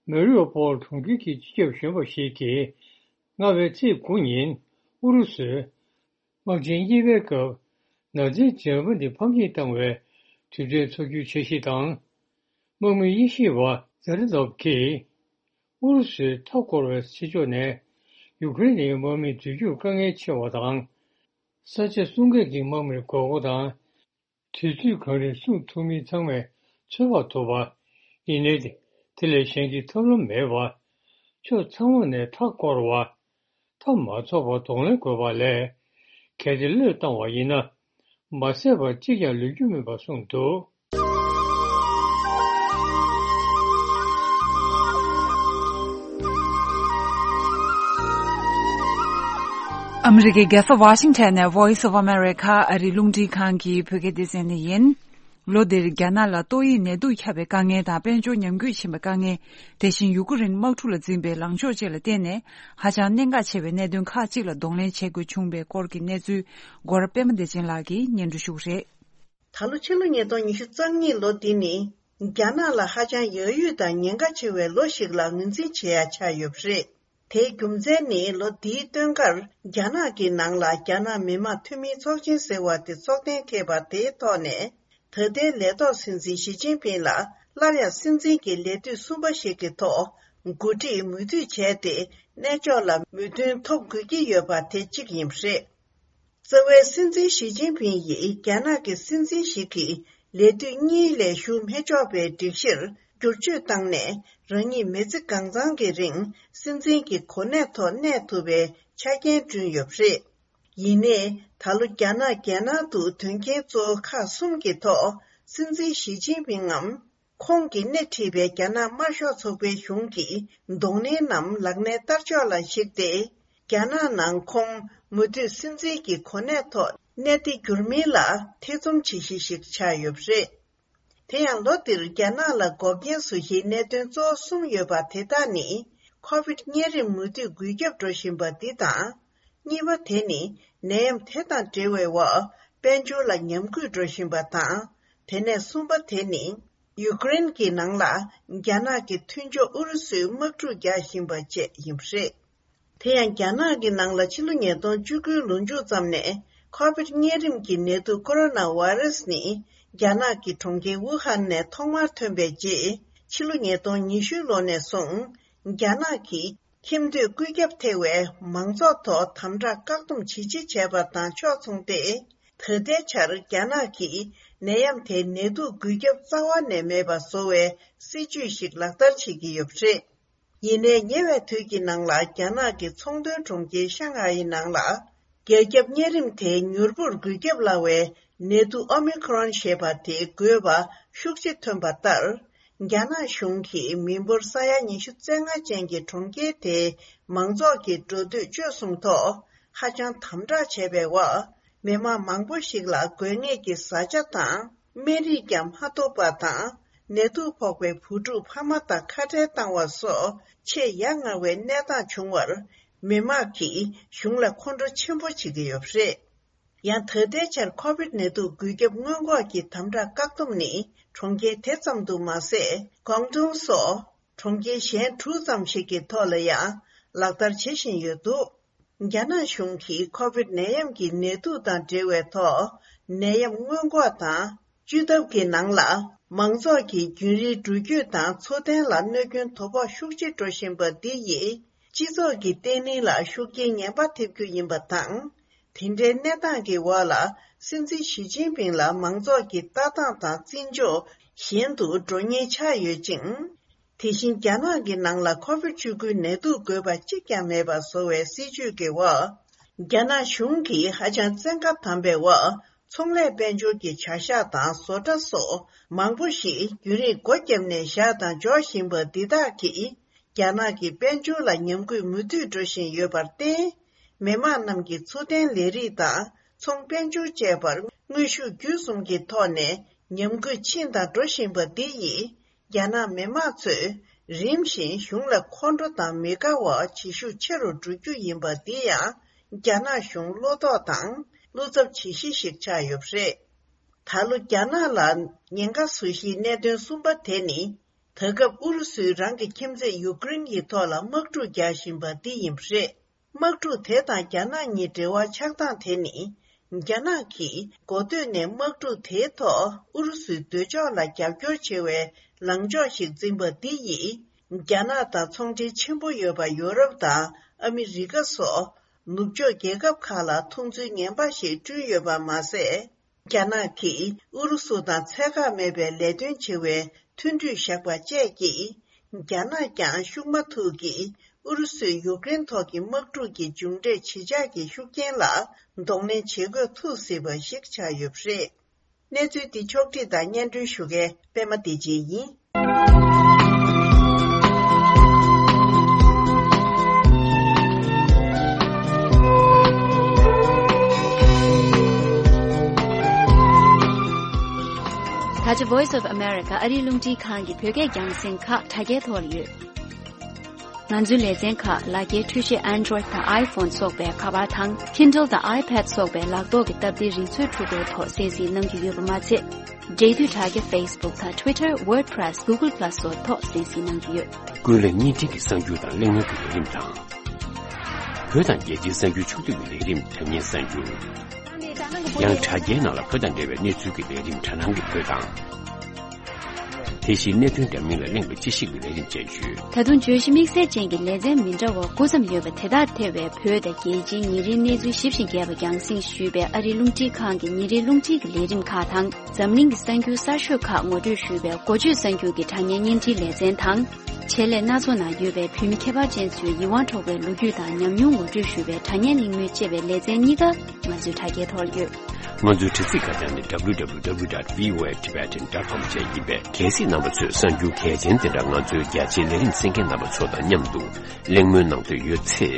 མེ་རི་ཡོ་པོལ་གྲོང་ཁྱེར་གྱི་སྤྱི་ཁྱབ་གཞོན་པ་ཞིག་གིས། སྔ་བའི་ཚེས་དགུ་ཉིན། ཨུ་རུ་སུས། དམག་ཆེན་གཉིས་པའི་སྐབས། ནག་རྫས་འཇམ་པོ་འདི་ཕམ་ཉེས་བཏང་བའི་དུས་དྲན་འཚོགས་རྒྱུའི་འཆར་གཞི་དང་། དམག་མི་དབྱེ་ཞིབ་པ་ཛེ་རེ་ནོབ་ཀྱིས། ཨུ་རུ་སུས་མཐའ་བསྐོར་བའི་ཕྱི་ཕྱོགས་ནས། ཡུ་ཀེ་རེན་ནི་དམག་མི་འཛུལ་རྒྱུར་དཀའ་ངལ་ཆེ་བ་དང་། ས་ཆ་སྲུང་མཁན་གྱི་དམག་མིར་དགོས་མཁོ་དང་། དུས་ཚོད་གང་རིང་སྲུང་ཐུབ་མིན་ཚང་མས་ཚོད་དཔག་ཐུབ་པ། ཡིན་ནའི། དེ་ལས་གཞན་གྱི་ཐབས་ལམ་མེད་པ། ཕྱོགས་ཚང་མ་ནས་མཐའ་བསྐོར་བ། མཐའ་མ་རྫོགས་པར་གདོང་ལེན་དགོས་པ་ལས། གལ་ཏེ་བློས་བཏང་བ་ཡིན་ན། མ་བསད་པ་གཅིག་ཀྱང་ལུས་རྒྱུ་མིན་པ་གསུངས་འདུག། ཨ་མི་རི་ཀའི་རྒྱལ་ས་ཝ་ཤིང་ཊོན་ནས་Voice of America ཨ་རིའི་རླུང་འཕྲིན་ཁང་གི་བོད་སྐད་སྡེ་ཚན་ནས་ཡིན། ལོ་འདིར་རྒྱ་ནག་ལ་ཏོག་དབྱིབས་ནད་དུག་ཁྱབ་པའི་དཀའ་ངལ་དང་དཔལ་འབྱོར་ཉམས་རྒུད་ཕྱིན་པའི་དཀའ་ངལ། དེ་བཞིན་ཡུ་ཀེ་རེན་དམག་འཁྲུག་ལ་འཛིངས་པའི་ལངས་ཕྱོགས་བཅས་ལ་བརྟེན་ནས། ཧ་ཅང་གནད་འགག་ཆེ་བའི་གནད་དོན་ཁག་ཅིག་ལ་གདོང་ལེན་བྱེད་དགོས་བྱུང་བའི་སྐོར་གྱི་གནས་ཚུལ། སྒོ་ར་པད་མ་བདེ་ཆེན་ལགས་ཀྱིས་སྙན་སྒྲོན་ཞུ་གི་རེད། ད་ལོ་ཕྱི་ལོ་ཉིས་སྟོང་ཉི་ཤུ་རྩ་གཉིས་ལོ་འདི་ནི། རྒྱ་ནག་ལ་ཧ་ཅང་ཡག་ཡོད་དང་ཉེན་ཁ་ཆེ་བའི་ལོ་ཞིག་ལ་ངོས་འཛིན་བྱེད་ཡ་ཆགས་ཡོད་པ་རེད། དེའི་རྒྱུ་མཚན་ནི། ལོ་འདིའི་སྟོན་ཁར་རྒྱ་ནག་གི་ནང་ལ་རྒྱ་ནག་མི་དམངས་འཐུས་མིའི་ཚོགས་ཆེན་ཟེར་བ་དེ་འཚོགས་གཏན་འཁེལ་བ་དེའི་ཐོག་ནས། ད་ལྟའི་ལས་ཐོག་སྲིད་འཛིན་ཞི་ཅིན་ཕིང་ལ་སླར་ཡང་སྲིད་འཛིན་གྱི་ལས་དུས་གསུམ་པ་ཞིག་གི་ཐོག་འགོ་ཁྲིད་མོས་མཐུན་བྱས་ཏེ། གནས་མཆོག་ལ་མོས་མཐུན་ཐོབ་དགོས་ཀྱི་ཡོད་པ་དེ་གཅིག་ཡིན་པ་རེད། རྩ་བའི་སྲིད་འཛིན་ཞི་ཅིན་ཕིང་ཡིས་རྒྱ་ནག་གི་སྲིད་འཛིན་ཞིག་གིས་ལས་དུས་གཉིས་ལས་ཞུ་མི་ཆོག་པའི་སྒྲིག་གཞིར་བསྒྱུར་བཅོས་བཏང་ནས། རང་ཉིད་མི་ཚེ་གང་ཚང་གི་རིང་སྲིད་འཛིན་གྱི་གོ་གནས་ཐོག་གནས་ཐུབ་པའི་ཆ་རྐྱེན་བསྐྲུན་ཡོད་པ་རེད། ཡིན་ནའི། ད་ལོ་རྒྱ་ནག་རྒྱལ་ནང་དུ་དོན་རྐྱེན་གཙོ་བོ་ཁག་གསུམ་གྱི་ཐོག་སྲིད་འཛིན་ཞི་ཅིན་ཕིང་ངམ། ཁོང་གིས་སྣེ་ཁྲིད་པའི་རྒྱ་ནག་དམར་ཤོག་ཚོགས་པའི་གཞུང་གི་གདོང་ལེན་ནམ་ལག་ལེན་བསྟར་ཕྱོགས་ལ་གཞིགས་ཏེ། རྒྱ་ནག་ནང་ཁོང་མུ་མཐུད་སྲིད་འཛིན་གྱི་གོ་གནས་ཐོག་གནས་ཏེ་འགྱུར་མིན་ལ་ཐེ་ཚོམ་བྱེད་གཞི་ཞིག་ཆགས་ཡོད་པ་རེད། དེ་ཡང་ལོ་འདིར་རྒྱ་ནག་ལ་འགོག་རྐྱེན་བཟོ་གཞིའི་གནད་དོན་གཙོ་བོ་གསུམ་ཡོད་པ་དེ་དག་ནི། ཁོ་བིད་གཉན་རིམས་མུ་མཐུད་འགོས་ཁྱབ་འགྲོ་བཞིན་པ་འདི་དང་། གཉིས་པ་དེ་ནི་ནད་ཡམས་དེ་དང་འབྲེལ་བའི་འོག་དཔལ་འབྱོར་ལ་ཉམས་རྒུད་འགྲོ་བཞིན་པ་དང་། དེ་ནས་གསུམ་པ་དེ་ནི་ཡུ་ཀེ་རེན་གྱི་ནང་ལ་རྒྱ་ནག་གི་མཐུན་ཕྱོགས་ཨུ་རུ་སུས་དམག་འཁྲུག་རྒྱག་བཞིན་པ་བཅས་ཡིན་པ་རེད། དེ་ཡང་རྒྱ་ནག་གི་ནང་ལ་ཕྱི་ལོ་ཉིས་སྟོང་བཅུ་དགུའི་ལོ་མཇུག་ཙམ་ནས་ཁོ་བིད་གཉན་རིམས་ཀྱི་ནད་དུག་ཀོ་རོ་ན་ཝེ་རུ་སི་ནི་རྒྱ་ནག་གི་གྲོང་ཁྱེར་ཝུ་ཧན་ནས་ཐོག་མར་ཐོན་པའི་རྗེས། ཕྱི་ལོ་ཉིས་སྟོང་ཉི་ཤུ་ལོ་ནས་བཟུང་རྒྱ་ནག་གིས། ཁྱིམ་སྡོད་བཀོད་ཁྱབ་ཐེ་བའི་མང་ཚོགས་ཐོག་དམ་དྲག་བཀག་སྡོམ་ཇི་ཆེ་བྱས་པ་དང་ཕྱོགས་མཚུངས་ཏེ། ད་ལྟའི་ཆར་རྒྱ་ནག་གིས་ནད་ཡམས་དེའི་ནད་དུག་འགོས་ཁྱབ་རྩ་བ་ནས་མེད་པ་བཟོ་བའི་སྲིད་ཇུས་ཤིག་ལག་བསྟར་བྱེད་ཀྱི་ཡོད་པ་རེད། ཡིན་ནའི་ཉེ་བའི་དུས་ཀྱི་ནང་ལ་རྒྱ་ནག་གི་ཚོང་དོན་གྲོང་ཁྱེར་ཤང་ཧའེ་ནང་ལ། རྒྱལ་ཁྱབ་གཉན་རིམས་དེའི་མྱུར་པོར་འགོས་ཁྱབ་སླ་བའི་ནད་དུག་ཨོ་མི་ཁོ་རོན་ཞེས་པ་དེ་འགོས་པ་ཤུགས་ཆེ་ཐོན་པ་ལྟར། རྒྱ་ནག་གཞུང་གིས་མི་འབོར་ས་ཡ་ཉི་ཤུ་རྩ་ལྔ་ཅན་གྱི་གྲོང་ཁྱེར་དེའི་མང་ཚོགས་ཀྱི་འགྲོ་སྡོད་སྤྱོད་གསུམ་ཐོག་ཧ་ཅང་དམ་དྲག་བྱས་པའི་འོག་མི་མང་མང་པོ་ཞིག་ལ་དགོས་ངེས་ཀྱི་བཟའ་བཅའ་དང་སྨན་རིགས་ཀྱང་མ་ཐོབ་པ་དང་། ནད་དུག་ཕོག་པའི་བུ་ཕྲུག་ཕ་མ་དང་ཁ་བྲལ་བཏང་བ་སོགས་ཆེས་ཡ་ང་བའི་གནས་སྟངས་བྱུང་བར། མི་མང་གིས་གཞུང་ལ་ཁོང་ཁྲོ་ཆེན་པོ་བྱེད་ཀྱི་ཡོད་པ་རེད། ཡང་ད་ལྟའི་ཆར་ཁོ་བིད་ནད་དུག་འགོས་ཁྱབ་སྔོན་འགོག་གི་དམ་དྲག་བཀག་སྡོམ་ནི་གྲོང་ཁྱེར་དེ་ཙམ་དུ་མ་ཟད། ཀོང་ཏུང་སོགས་གྲོང་ཁྱེར་གཞན་དྲུག་ཙམ་ཞིག་གི་ཐོག་ལ་ཡང་ལག་བསྟར་བྱེད་བཞིན་ཡོད་འདུག། རྒྱ་ནག་གཞུང་གིས་ཁོ་བིད་ནད་ཡམས་ཀྱི་ནད་དུག་དང་འབྲེལ་བའི་ཐོག་ནད་ཡམས་སྔོན་འགོག་དང་། བཅོས་ཐབས་ཀྱི་ནང་ལ། མང་ཚོགས་ཀྱི་རྒྱུན་རིང་འགྲུལ་སྐྱོད་དང་འཚོ་རྟེན་ལ་གནོད་སྐྱོན་དོ་ཕོག་ཤུགས་ཆེ་འགྲོ་བཞིན་པ་འདི་ཡིས། སྤྱི་ཚོགས་ཀྱི་བརྟན་ལྷིང་ལ་ཤུགས་རྐྱེན་ངན་པ་ཐེབས་རྒྱུ་ཡིན་པ་དང་། དེ་འདྲའི་གནས་སྟངས་ཀྱི་འོག་ལ། སྲིད་འཛིན་ཞི་ཅིན་ཕིང་ལ་མང་ཚོགས་ཀྱི་ལྟ་སྟངས་དང་བརྩི་འཇོག་ཞན་དུ་འགྲོ་ཉེན་ཆགས་ཡོད་ཅིང་། དེ་བཞིན་རྒྱ་ནག་གི་ནང་ལ་ཁོ་བིད་བཅུ་དགུའི་ནད་དུག་འགོས་པ་གཅིག་ཀྱང་མེད་པ་བཟོ་བའི་སྲིད་ཇུས་ཀྱི་འོག་རྒྱ་ནག་གཞུང་གིས་ཧ་ཅང་བཙན་བཀའ་དམ་པའི་འོག་ཚོང་ལས་དཔལ་འབྱོར་གྱི་བྱ་གཞག་དང་བཟོ་གྲྭ་སོགས་མང་པོ་ཞིག་རྒྱུན་རིང་སྒོ་བརྒྱབ་ནས་བཞག་དང་འཇོག་བཞིན་པ་འདི་དག་གིས། རྒྱ་ནག་གི་དཔལ་འབྱོར་ལ་ཉམས་རྒུད་མུ་མཐུད་འགྲོ་བཞིན་ཡོད་པར་བརྟེན། མི་དམངས་རྣམས་ཀྱི་འཚོ་རྟེན་ལས་རིགས་དང་ཚོང་དཔལ་འབྱོར་བཅས་པར་དངོས་ཤུགས་བརྒྱུད་གསུམ་གྱི་ཐོག་ནས་ཉམས་རྒུད་ཕྱིན་དང་འགྲོ་བཞིན་པ་འདི་ཡིས། རྒྱ་ནག་མི་དམངས་ཚོས་རིམ་བཞིན་གཞུང་ལ་ཁོང་ཁྲོ་དང་མི་དགའ་བ་བྱེད་ཤུགས་ཆེ་རུ་འགྲོ་རྒྱུ་ཡིན་པ་འདི་ཡང་རྒྱ་ནག་གཞུང་བློ་དོགས་དང་བློ་འཚབ་བྱེད་གཞི་ཞིག་ཆགས་ཡོད་པ་རེད། ད་ལོ་རྒྱ་ནག་ལ་ཉེན་ཁ་བཟོ་གཞིའི་གནད་དོན་གསུམ་པ་དེ་ནི། ད་སྐབས་ཨུ་རུ་སུས་རང་གི་ཁྱིམ་མཚེས་ཡུ་ཀེ་རེན་གྱི་ཐོག་ལ་དམག་འཁྲུག་རྒྱག་བཞིན་པ་འདི་ཡིན་པ་རེད། དམག་འཁྲུག་དེ་དང་རྒྱ་ནག་གཉིས་འབྲེལ་བ་ཆགས་སྟངས་དེ་ནི། རྒྱ་ནག་གིས་འགོ་སྟོད་ནས་དམག་འཁྲུག་དེའི་ཐོག་ཨུ་རུ་སུའི་འདོད་ཕྱོགས་ལ་རྒྱབ་སྐྱོར་བྱེད་པའི་ལངས་ཕྱོགས་ཤིག་འཛིན་པ་འདི་ཡིས། རྒྱ་ནག་དང་ཚོང་འབྲེལ་ཆེན་པོ་ཡོད་པ་ཡོ་རོབ་དང་ཨ་མི་རི་ཀ་སོགས་ནུབ་ཕྱོགས་རྒྱལ་ཁབ་ཁག་ལ་མཐོང་ཚུལ་ངན་པ་ཞིག་བསྐྲུན་ཡོད་པ་མ་ཟད། རྒྱ་ནག་གིས་ཨུ་རུ་སུ་དང་ཚད་བཀག་མེད་པའི་ལས་དོན་བྱེད་པའི་མཐུན་གྲོས་བཞག་པ་བཅས་ཀྱིས། རྒྱ་ནག་ཀྱང་ཤུགས་མ་ཐུག་གིས་ཨུ་རུ་སུས་ཡུཀ་རེན་ཐོག་གི་དམག་འཁྲུག་གི་མཇུག་འབྲས་ཇེ་ཆག་གི་ཤུགས་རྐྱེན་ལ་གདོང་ལེན་བྱེད་དགོས་ཐུག་སྲིད་པ་ཞིག་ཆགས་ཡོད་པ་རེད། གནས་ཚུལ་འདི་ཕྱོགས་བསྒྲིགས་དང་སྙན་སྒྲོན་ཞུ་མཁན་པད་མ་བདེ་ཆེན་ཡིན། ད་ཆ་Voice of America ཨ་རིའི་རླུང་འཕྲིན་ཁང་གི་བོད་སྐད་རྒྱང་སྲིང་ཁག་དྲ་རྒྱའི་ཐོག་ལ་ཡོད། ང་ཚོའི་ལེ་ཚན་ཁག་ལག་འཁྱེར་འཕྲུལ་ཆས་Android དང་iPhone སོགས་པའི་ཁ་པར་དང་Kindle དང་iPad སོགས་པའི་ལག་ཐོག་གི་སྟབས་བདེའི་རིག་མཛོད་ཕྲུ་གུའི་ཐོག་གསན་གཟིགས་གནང་རྒྱུ་ཡོད་པ་མ་ཚད། འབྲེལ་མཐུད་དྲ་རྒྱ་Facebook དང་Twitter, WordPress, Google Plus སོགས་ཐོག་གསན་གཟིགས་གནང་རྒྱུ་ཡོད། ཀུན་གླེང་བརྙན་འཕྲིན་གྱི་གསར་འགྱུར་དང་གླེང་མོལ་གྱི་ལས་རིམ་དང་། བོད་དང་རྒྱལ་སྤྱིའི་གསར་འགྱུར་ཕྱོགས་བསྡུས་ཀྱི་ལས་རིམ་དྲ་བརྙན་གསར་འགྱུར། ཡང་དྲ་རྒྱའི་ནང་ལ་བོད་དང་འབྲེལ་བའི་གནས་ཚུལ་གྱི་ལས་རིམ་དྲ་སྣང་གི་བོད་དང་། དེ་བཞིན་གནད་དོན་འདྲ་མིན་ལ་གླེང་བའི་དཔྱད་ཞིབ་ཀྱི་ལས་རིམ་བཅས་ཡོད། ད་དུང་བརྗོད་གཞི་དམིགས་བསལ་ཅན་གྱི་ལེ་ཚན་མི་འདྲ་བ་དགུ་ཙམ་ཡོད་པ་དེ་དག་ཐེ་བའི་བོད་དང་རྒྱལ་སྤྱིའི་ཉིན་རེའི་གནས་ཚུལ་ཞིབ་ཅིང་རྒྱས་པ་རྒྱང་སྲིང་ཞུས་པའི་ཨ་རིའི་རླུང་འཕྲིན་ཁང་གི་ཉིན་རེའི་རླུང་འཕྲིན་གྱི་ལས་རིམ་ཁག་དང་། འཛམ་གླིང་གི་གསར་འགྱུར་གསར་ཤོས་ཁག་ངོ་སྤྲོད་ཞུས་པའི་འགོ་བརྗོད་གསར་འགྱུར་གྱི་དྲ་བརྙན་བརྙན་འཕྲིན་ལེ་ཚན་དང་། ཆེད་ལས་སྣ་ཚོགས་ནང་ཡོད་པའི་བོད་མི་ཁྱད་པར་ཅན་ཚོའི་ཡིད་དབང་འཕྲོག་པའི་ལོ་རྒྱུས་དང་ཉམས་མྱོང་ངོ་སྤྲོད་ཞུས་པའི་དྲ་བརྙན་གླེང་མོལ་བཅས་པའི་ལེ་ཚན་གཉིས་ཀ་ང་ཚོའི་དྲ་རྒྱའི་ཐོག་ལ་ཡོད། ང་ཚོའི་དྲ་ཚིགས་ཁ་བྱང་ནི་W W W dot V O A Tibetan dot com བཅས་ཡིན་པས། གལ་སྲིད་རྣམ་པ་ཚོས་གསར་འགྱུར་གལ་ཆེན་དེ་འདྲ་ང་ཚོའི་རྒྱ་ཆེའི་ལས་རིམ་གསན་མཁན་རྣམ་པ་ཚོ་དང་མཉམ་དུ་གླེང་མོལ་གནང་འདོད་ཡོད་ཚེ།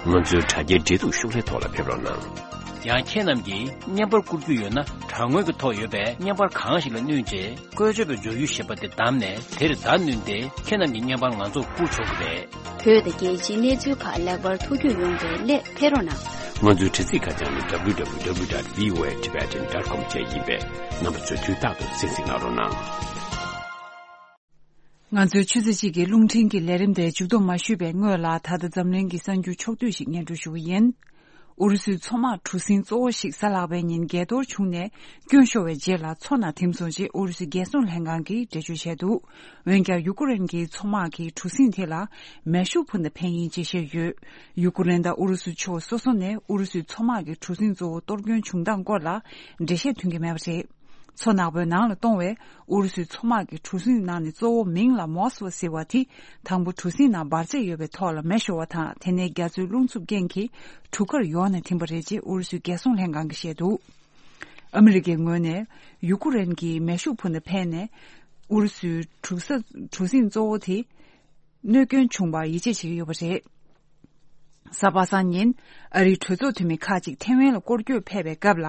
ང་ཚོའི་དྲ་རྒྱའི་འབྲེལ་གཏུག་ཤོག་ལྷེ་ཐོག་ལ་ཕེབས་རོགས་གནང་། ཡང་ཁྱེད་རྣམས་ཀྱིས་བརྙན་པར་བསྐུར་རྒྱུ་ཡོད་ན། དྲ་ངོས་ཀྱི་ཐོག་ཡོད་པའི་བརྙན་པར་གང་ཞིག་ལ་བསྣུན་རྗེས། བཀོལ་སྤྱོད་པའི་འཇོག་ཡུལ་ཞེས་པ་དེ་བདམས་ནས། དེར་བརྡ་བསྣུན་ཏེ། ཁྱེད་རྣམས་ཀྱི་བརྙན་པར་ང་ཚོར་བསྐུར་ཆོག་གི་རེད། བོད་དང་རྒྱལ་སྤྱིའི་གནས་ཚུལ་ཁག་ལེགས་པར་ཐུགས་རྒྱུས་ཡོང་བའི་སླད་ཕེབས་རོགས་གནང་། ང་ཚོའི་དྲ་ཚིགས་ཁ་བྱང་ནི་W W W dot V O A Tibetan dot com བཅས་ཡིན་པས། རྣམ་པ་ཚོས་དུས་རྟག་ཏུ་གསན་གཟིགས་གནང་རོགས་གནང་། ང་ཚོའི་ཆུ་ཚོད་གཅིག་གི་རླུང་འཕྲིན་གྱི་ལས་རིམ་དེ་མཇུག་སྡོམ་མ་ཞུས་པའི་སྔོན་ལ། ད་ལྟ་འཛམ་གླིང་གི་གསར་འགྱུར་ཕྱོགས་བསྡུས་ཤིག་སྙན་སྒྲོན་ཞུ་གི་ཡིན། ཨུ་རུ་སུའི་མཚོ་དམག་གྲུ་གཟིངས་གཙོ་བོ་ཞིག་གཟའ་ལྷག་པའི་ཉིན་འགས་གཏོར་བྱུང་ནས་སྐྱོན་ཤོར་བའི་རྗེས་ལ། མཚོ་ནང་ཐིམ་སོང་ཞེས་ཨུ་རུ་སུའི་རྒྱལ་སྲུང་ལྷན་ཁང་གིས་འགྲེལ་བརྗོད་བྱས་འདུག། འོན་ཀྱང་། ཡུ་ཀེ་རེན་གྱི་མཚོ་དམག་གིས་གྲུ་གཟིངས་དེ་ལ་མེ་ཤུགས་འཕུར་མདའ་འཕེན་ཡིན་ཅེས་བཤད་ཡོད། ཡུ་ཀེ་རེན་དང་ཨུ་རུ་སུ་ཕྱོགས་སོ་སོ་ནས་ཨུ་རུ་སུའི་མཚོ་དམག་གི་གྲུ་གཟིངས་གཙོ་བོ་གཏོར་སྐྱོན་བྱུང་སྟངས་སྐོར་ལ་འགྲེལ་བཤད་ཐོན་གྱི་མེད་པ་རེད། མཚོ་ནག་པོའི་ནང་ལ་གཏོང་བའི་ཨུ་རུ་སུའི་མཚོ་དམག་གི་གྲུ་གཟིངས་ནང་ནས་གཙོ་བོ་མིང་ལ་མོ་སི་ཝ་ཟེར་བ་དེ། དང་པོ་གྲུ་གཟིངས་ནང་འབར་རྫས་ཡོད་པའི་ཐོག་ལ་མེ་ཤོར་བ་དང་། དེ་ནས་རྒྱ་མཚོའི་རླུང་འཚུབ་རྐྱེན་གྱིས་གྲུ་ཁར་ཡོང་ནས་ཐིམ་པ་རེད་ཅེས་ཨུ་རུ་སུའི་རྒྱལ་སྲུང་ལྷན་ཁང་གིས་བཤད་འདུག། ཨ་མི་རི་ཀའི་ངོས་ནས་ཡུ་ཀེ་རེན་གྱིས་མེ་ཤུགས་འཕུར་མདའ་འཕེན་ནས་ཨུ་རུ་སུའི་གྲུ་ས་གྲུ་གཟིངས་གཙོ་བོ་དེ་གནོད་སྐྱོན་བྱུང་བར་ཡིད་ཆེས་བྱེད་ཀྱི་ཡོད་པ་རེད། གཟའ་པ་སངས་ཉིན་ཨ་རིའི་གྲོས་ཚོགས་འཐུས་མི་ཁག་ཅིག་ཐེ་ཝན་ལ་སྐོར་སྐྱོད་ཕེབས་པའི་སྐབས་ལ།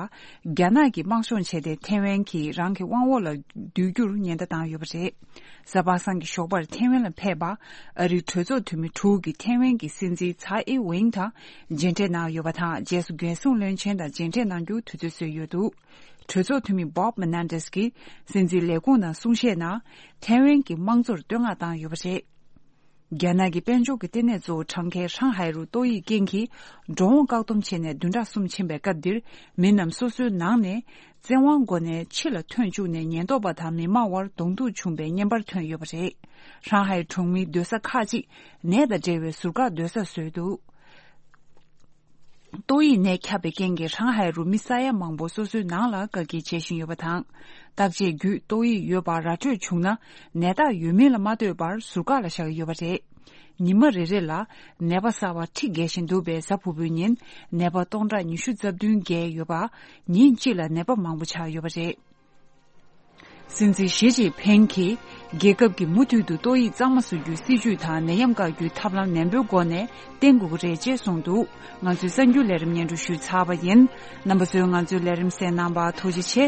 རྒྱ་ནག་གིས་དམག་སྦྱོང་བྱས་ཏེ། ཐེ་ཝན་གྱིས་རང་གི་དབང་འོག་ལ་བསྡུ་རྒྱུར་ཉེན་བརྡ་བཏང་ཡོད་པ་རེད། གཟའ་པ་སངས་ཀྱི་ཞོགས་པར་ཐེ་ཝན་ལ་ཕེབས་པ་ཨ་རིའི་གྲོས་ཚོགས་འཐུས་མི་དྲུག་གིས་ཐེ་ཝན་གྱི་སྲིད་འཛིན་ཚའེ་ཨིན་ཝེང་དང་མཇལ་འཕྲད་གནང་ཡོད་པ་དང་། རྗེས་སུ་རྒྱལ་སྲུང་བློན་ཆེན་དང་མཇལ་འཕྲད་གནང་རྒྱུ་དུས་ཚོད་བཟོས་ཡོད་འདུག། གྲོས་ཚོགས་འཐུས་མི་Bob Menendez གྱིས་སྲིད་འཛིན་ལས་ཁུངས་ནང་གསུང་བཤད་ནང་། ཐེ་ཝན་གྱི་དམངས་གཙོར་བསྟོད་བསྔགས་བཏང་ཡོད་པ་རེད། རྒྱ་ནག་གི་དཔལ་འབྱོར་གྱི་ལྟེ་གནས་གཙོ་བོ་གྲངས་ཀའི་ཧྲང་ཧའེ་རུ་ཏོག་དབྱིབས་རྐྱེན་གྱིས་འགྲོ་འོང་བཀག་སྡོམ་བྱས་ནས་བདུན་ཕྲག་གསུམ་ཕྱིན་པའི་སྐབས་འདིར། མི་རྣམས་སོ་སོའི་ནང་ནས་བཙན་དབང་སྒོ་ནས་ཕྱི་ལ་ཐོན་བཅུག་ནས། ཉེན་རྟོག་པ་དང་མི་མང་དབར་གདོང་ཐུག་བྱུང་བའི་བརྙན་པར་ཐོན་ཡོད་པ་རེད། ཧྲང་ཧའེ་གྲོང་མིའི་སྡོད་ས་ཁག་ཅིག་ནས་དང་འབྲེལ་བའི་ཟུར་བཀག་སྡོད་ས་བཟོས་འདུག། ཏོག་དབྱིབས་ནད་ཁྱབ་པའི་རྐྱེན་གྱིས་ཧྲང་ཧའེ་རུ་མི་ས་ཡ་མང་པོ་སོ་སོའི་ནང་ལ་བཀག་སྐྱིལ་བྱེད་བཞིན་ཡོད་པ་དང་། བརྟག་དཔྱད་བརྒྱུད་ཏོག་དབྱིབས་ཡོད་པ་ར་སྤྲོད་བྱུང་ན། ནད་རྟགས་ཡོད་མིན་ལ་མ་ལྟོས་པར་ཟུར་བཀག་ལ་བཞག་གི་ཡོད་པ་རེད། ཉི་མ་རེ་རེ་ལ་ནད་པ་གསར་བ་ཁྲི་བརྒལ་བཞིན་འདུག་པས། གཟའ་ཕུར་བུའི་ཉིན་ནད་པ་སྟོང་ཕྲག་ཉི་ཤུ་རྩ་བདུན་བརྒལ་ཡོད་པ། ཉིན་གཅིག་ལ་ནད་པ་མང་པོ་ཆགས་ཡོད་པ་རེད། སྲིད་འཛིན་ཞི་ཅིན་ཕིང་གིས། རྒྱལ་ཁབ་ཀྱིས་མུ་མཐུད་དུ་ཏོག་དབྱིབས་གཙང་མ་བཟོ་རྒྱུའི་སྲིད་ཇུས་དང་ནད་ཡམས་བཀག་རྒྱུའི་ཐབས་ལམ་ནན་པོའི་སྒོ་ནས་བསྟེན་དགོས་ཀྱི་རེད་ཅེས་གསུངས་འདུག་ང་ཚོའི་གསར་འགྱུར་ལས་རིམ་སྙན་སྒྲོན་ཞུས་ཚར་བ་ཡིན། རྣམ་པ་ཚོས་ང་ཚོའི་ལས་རིམ་གསན་གནང་བར་ཐུགས་རྗེ་ཆེ།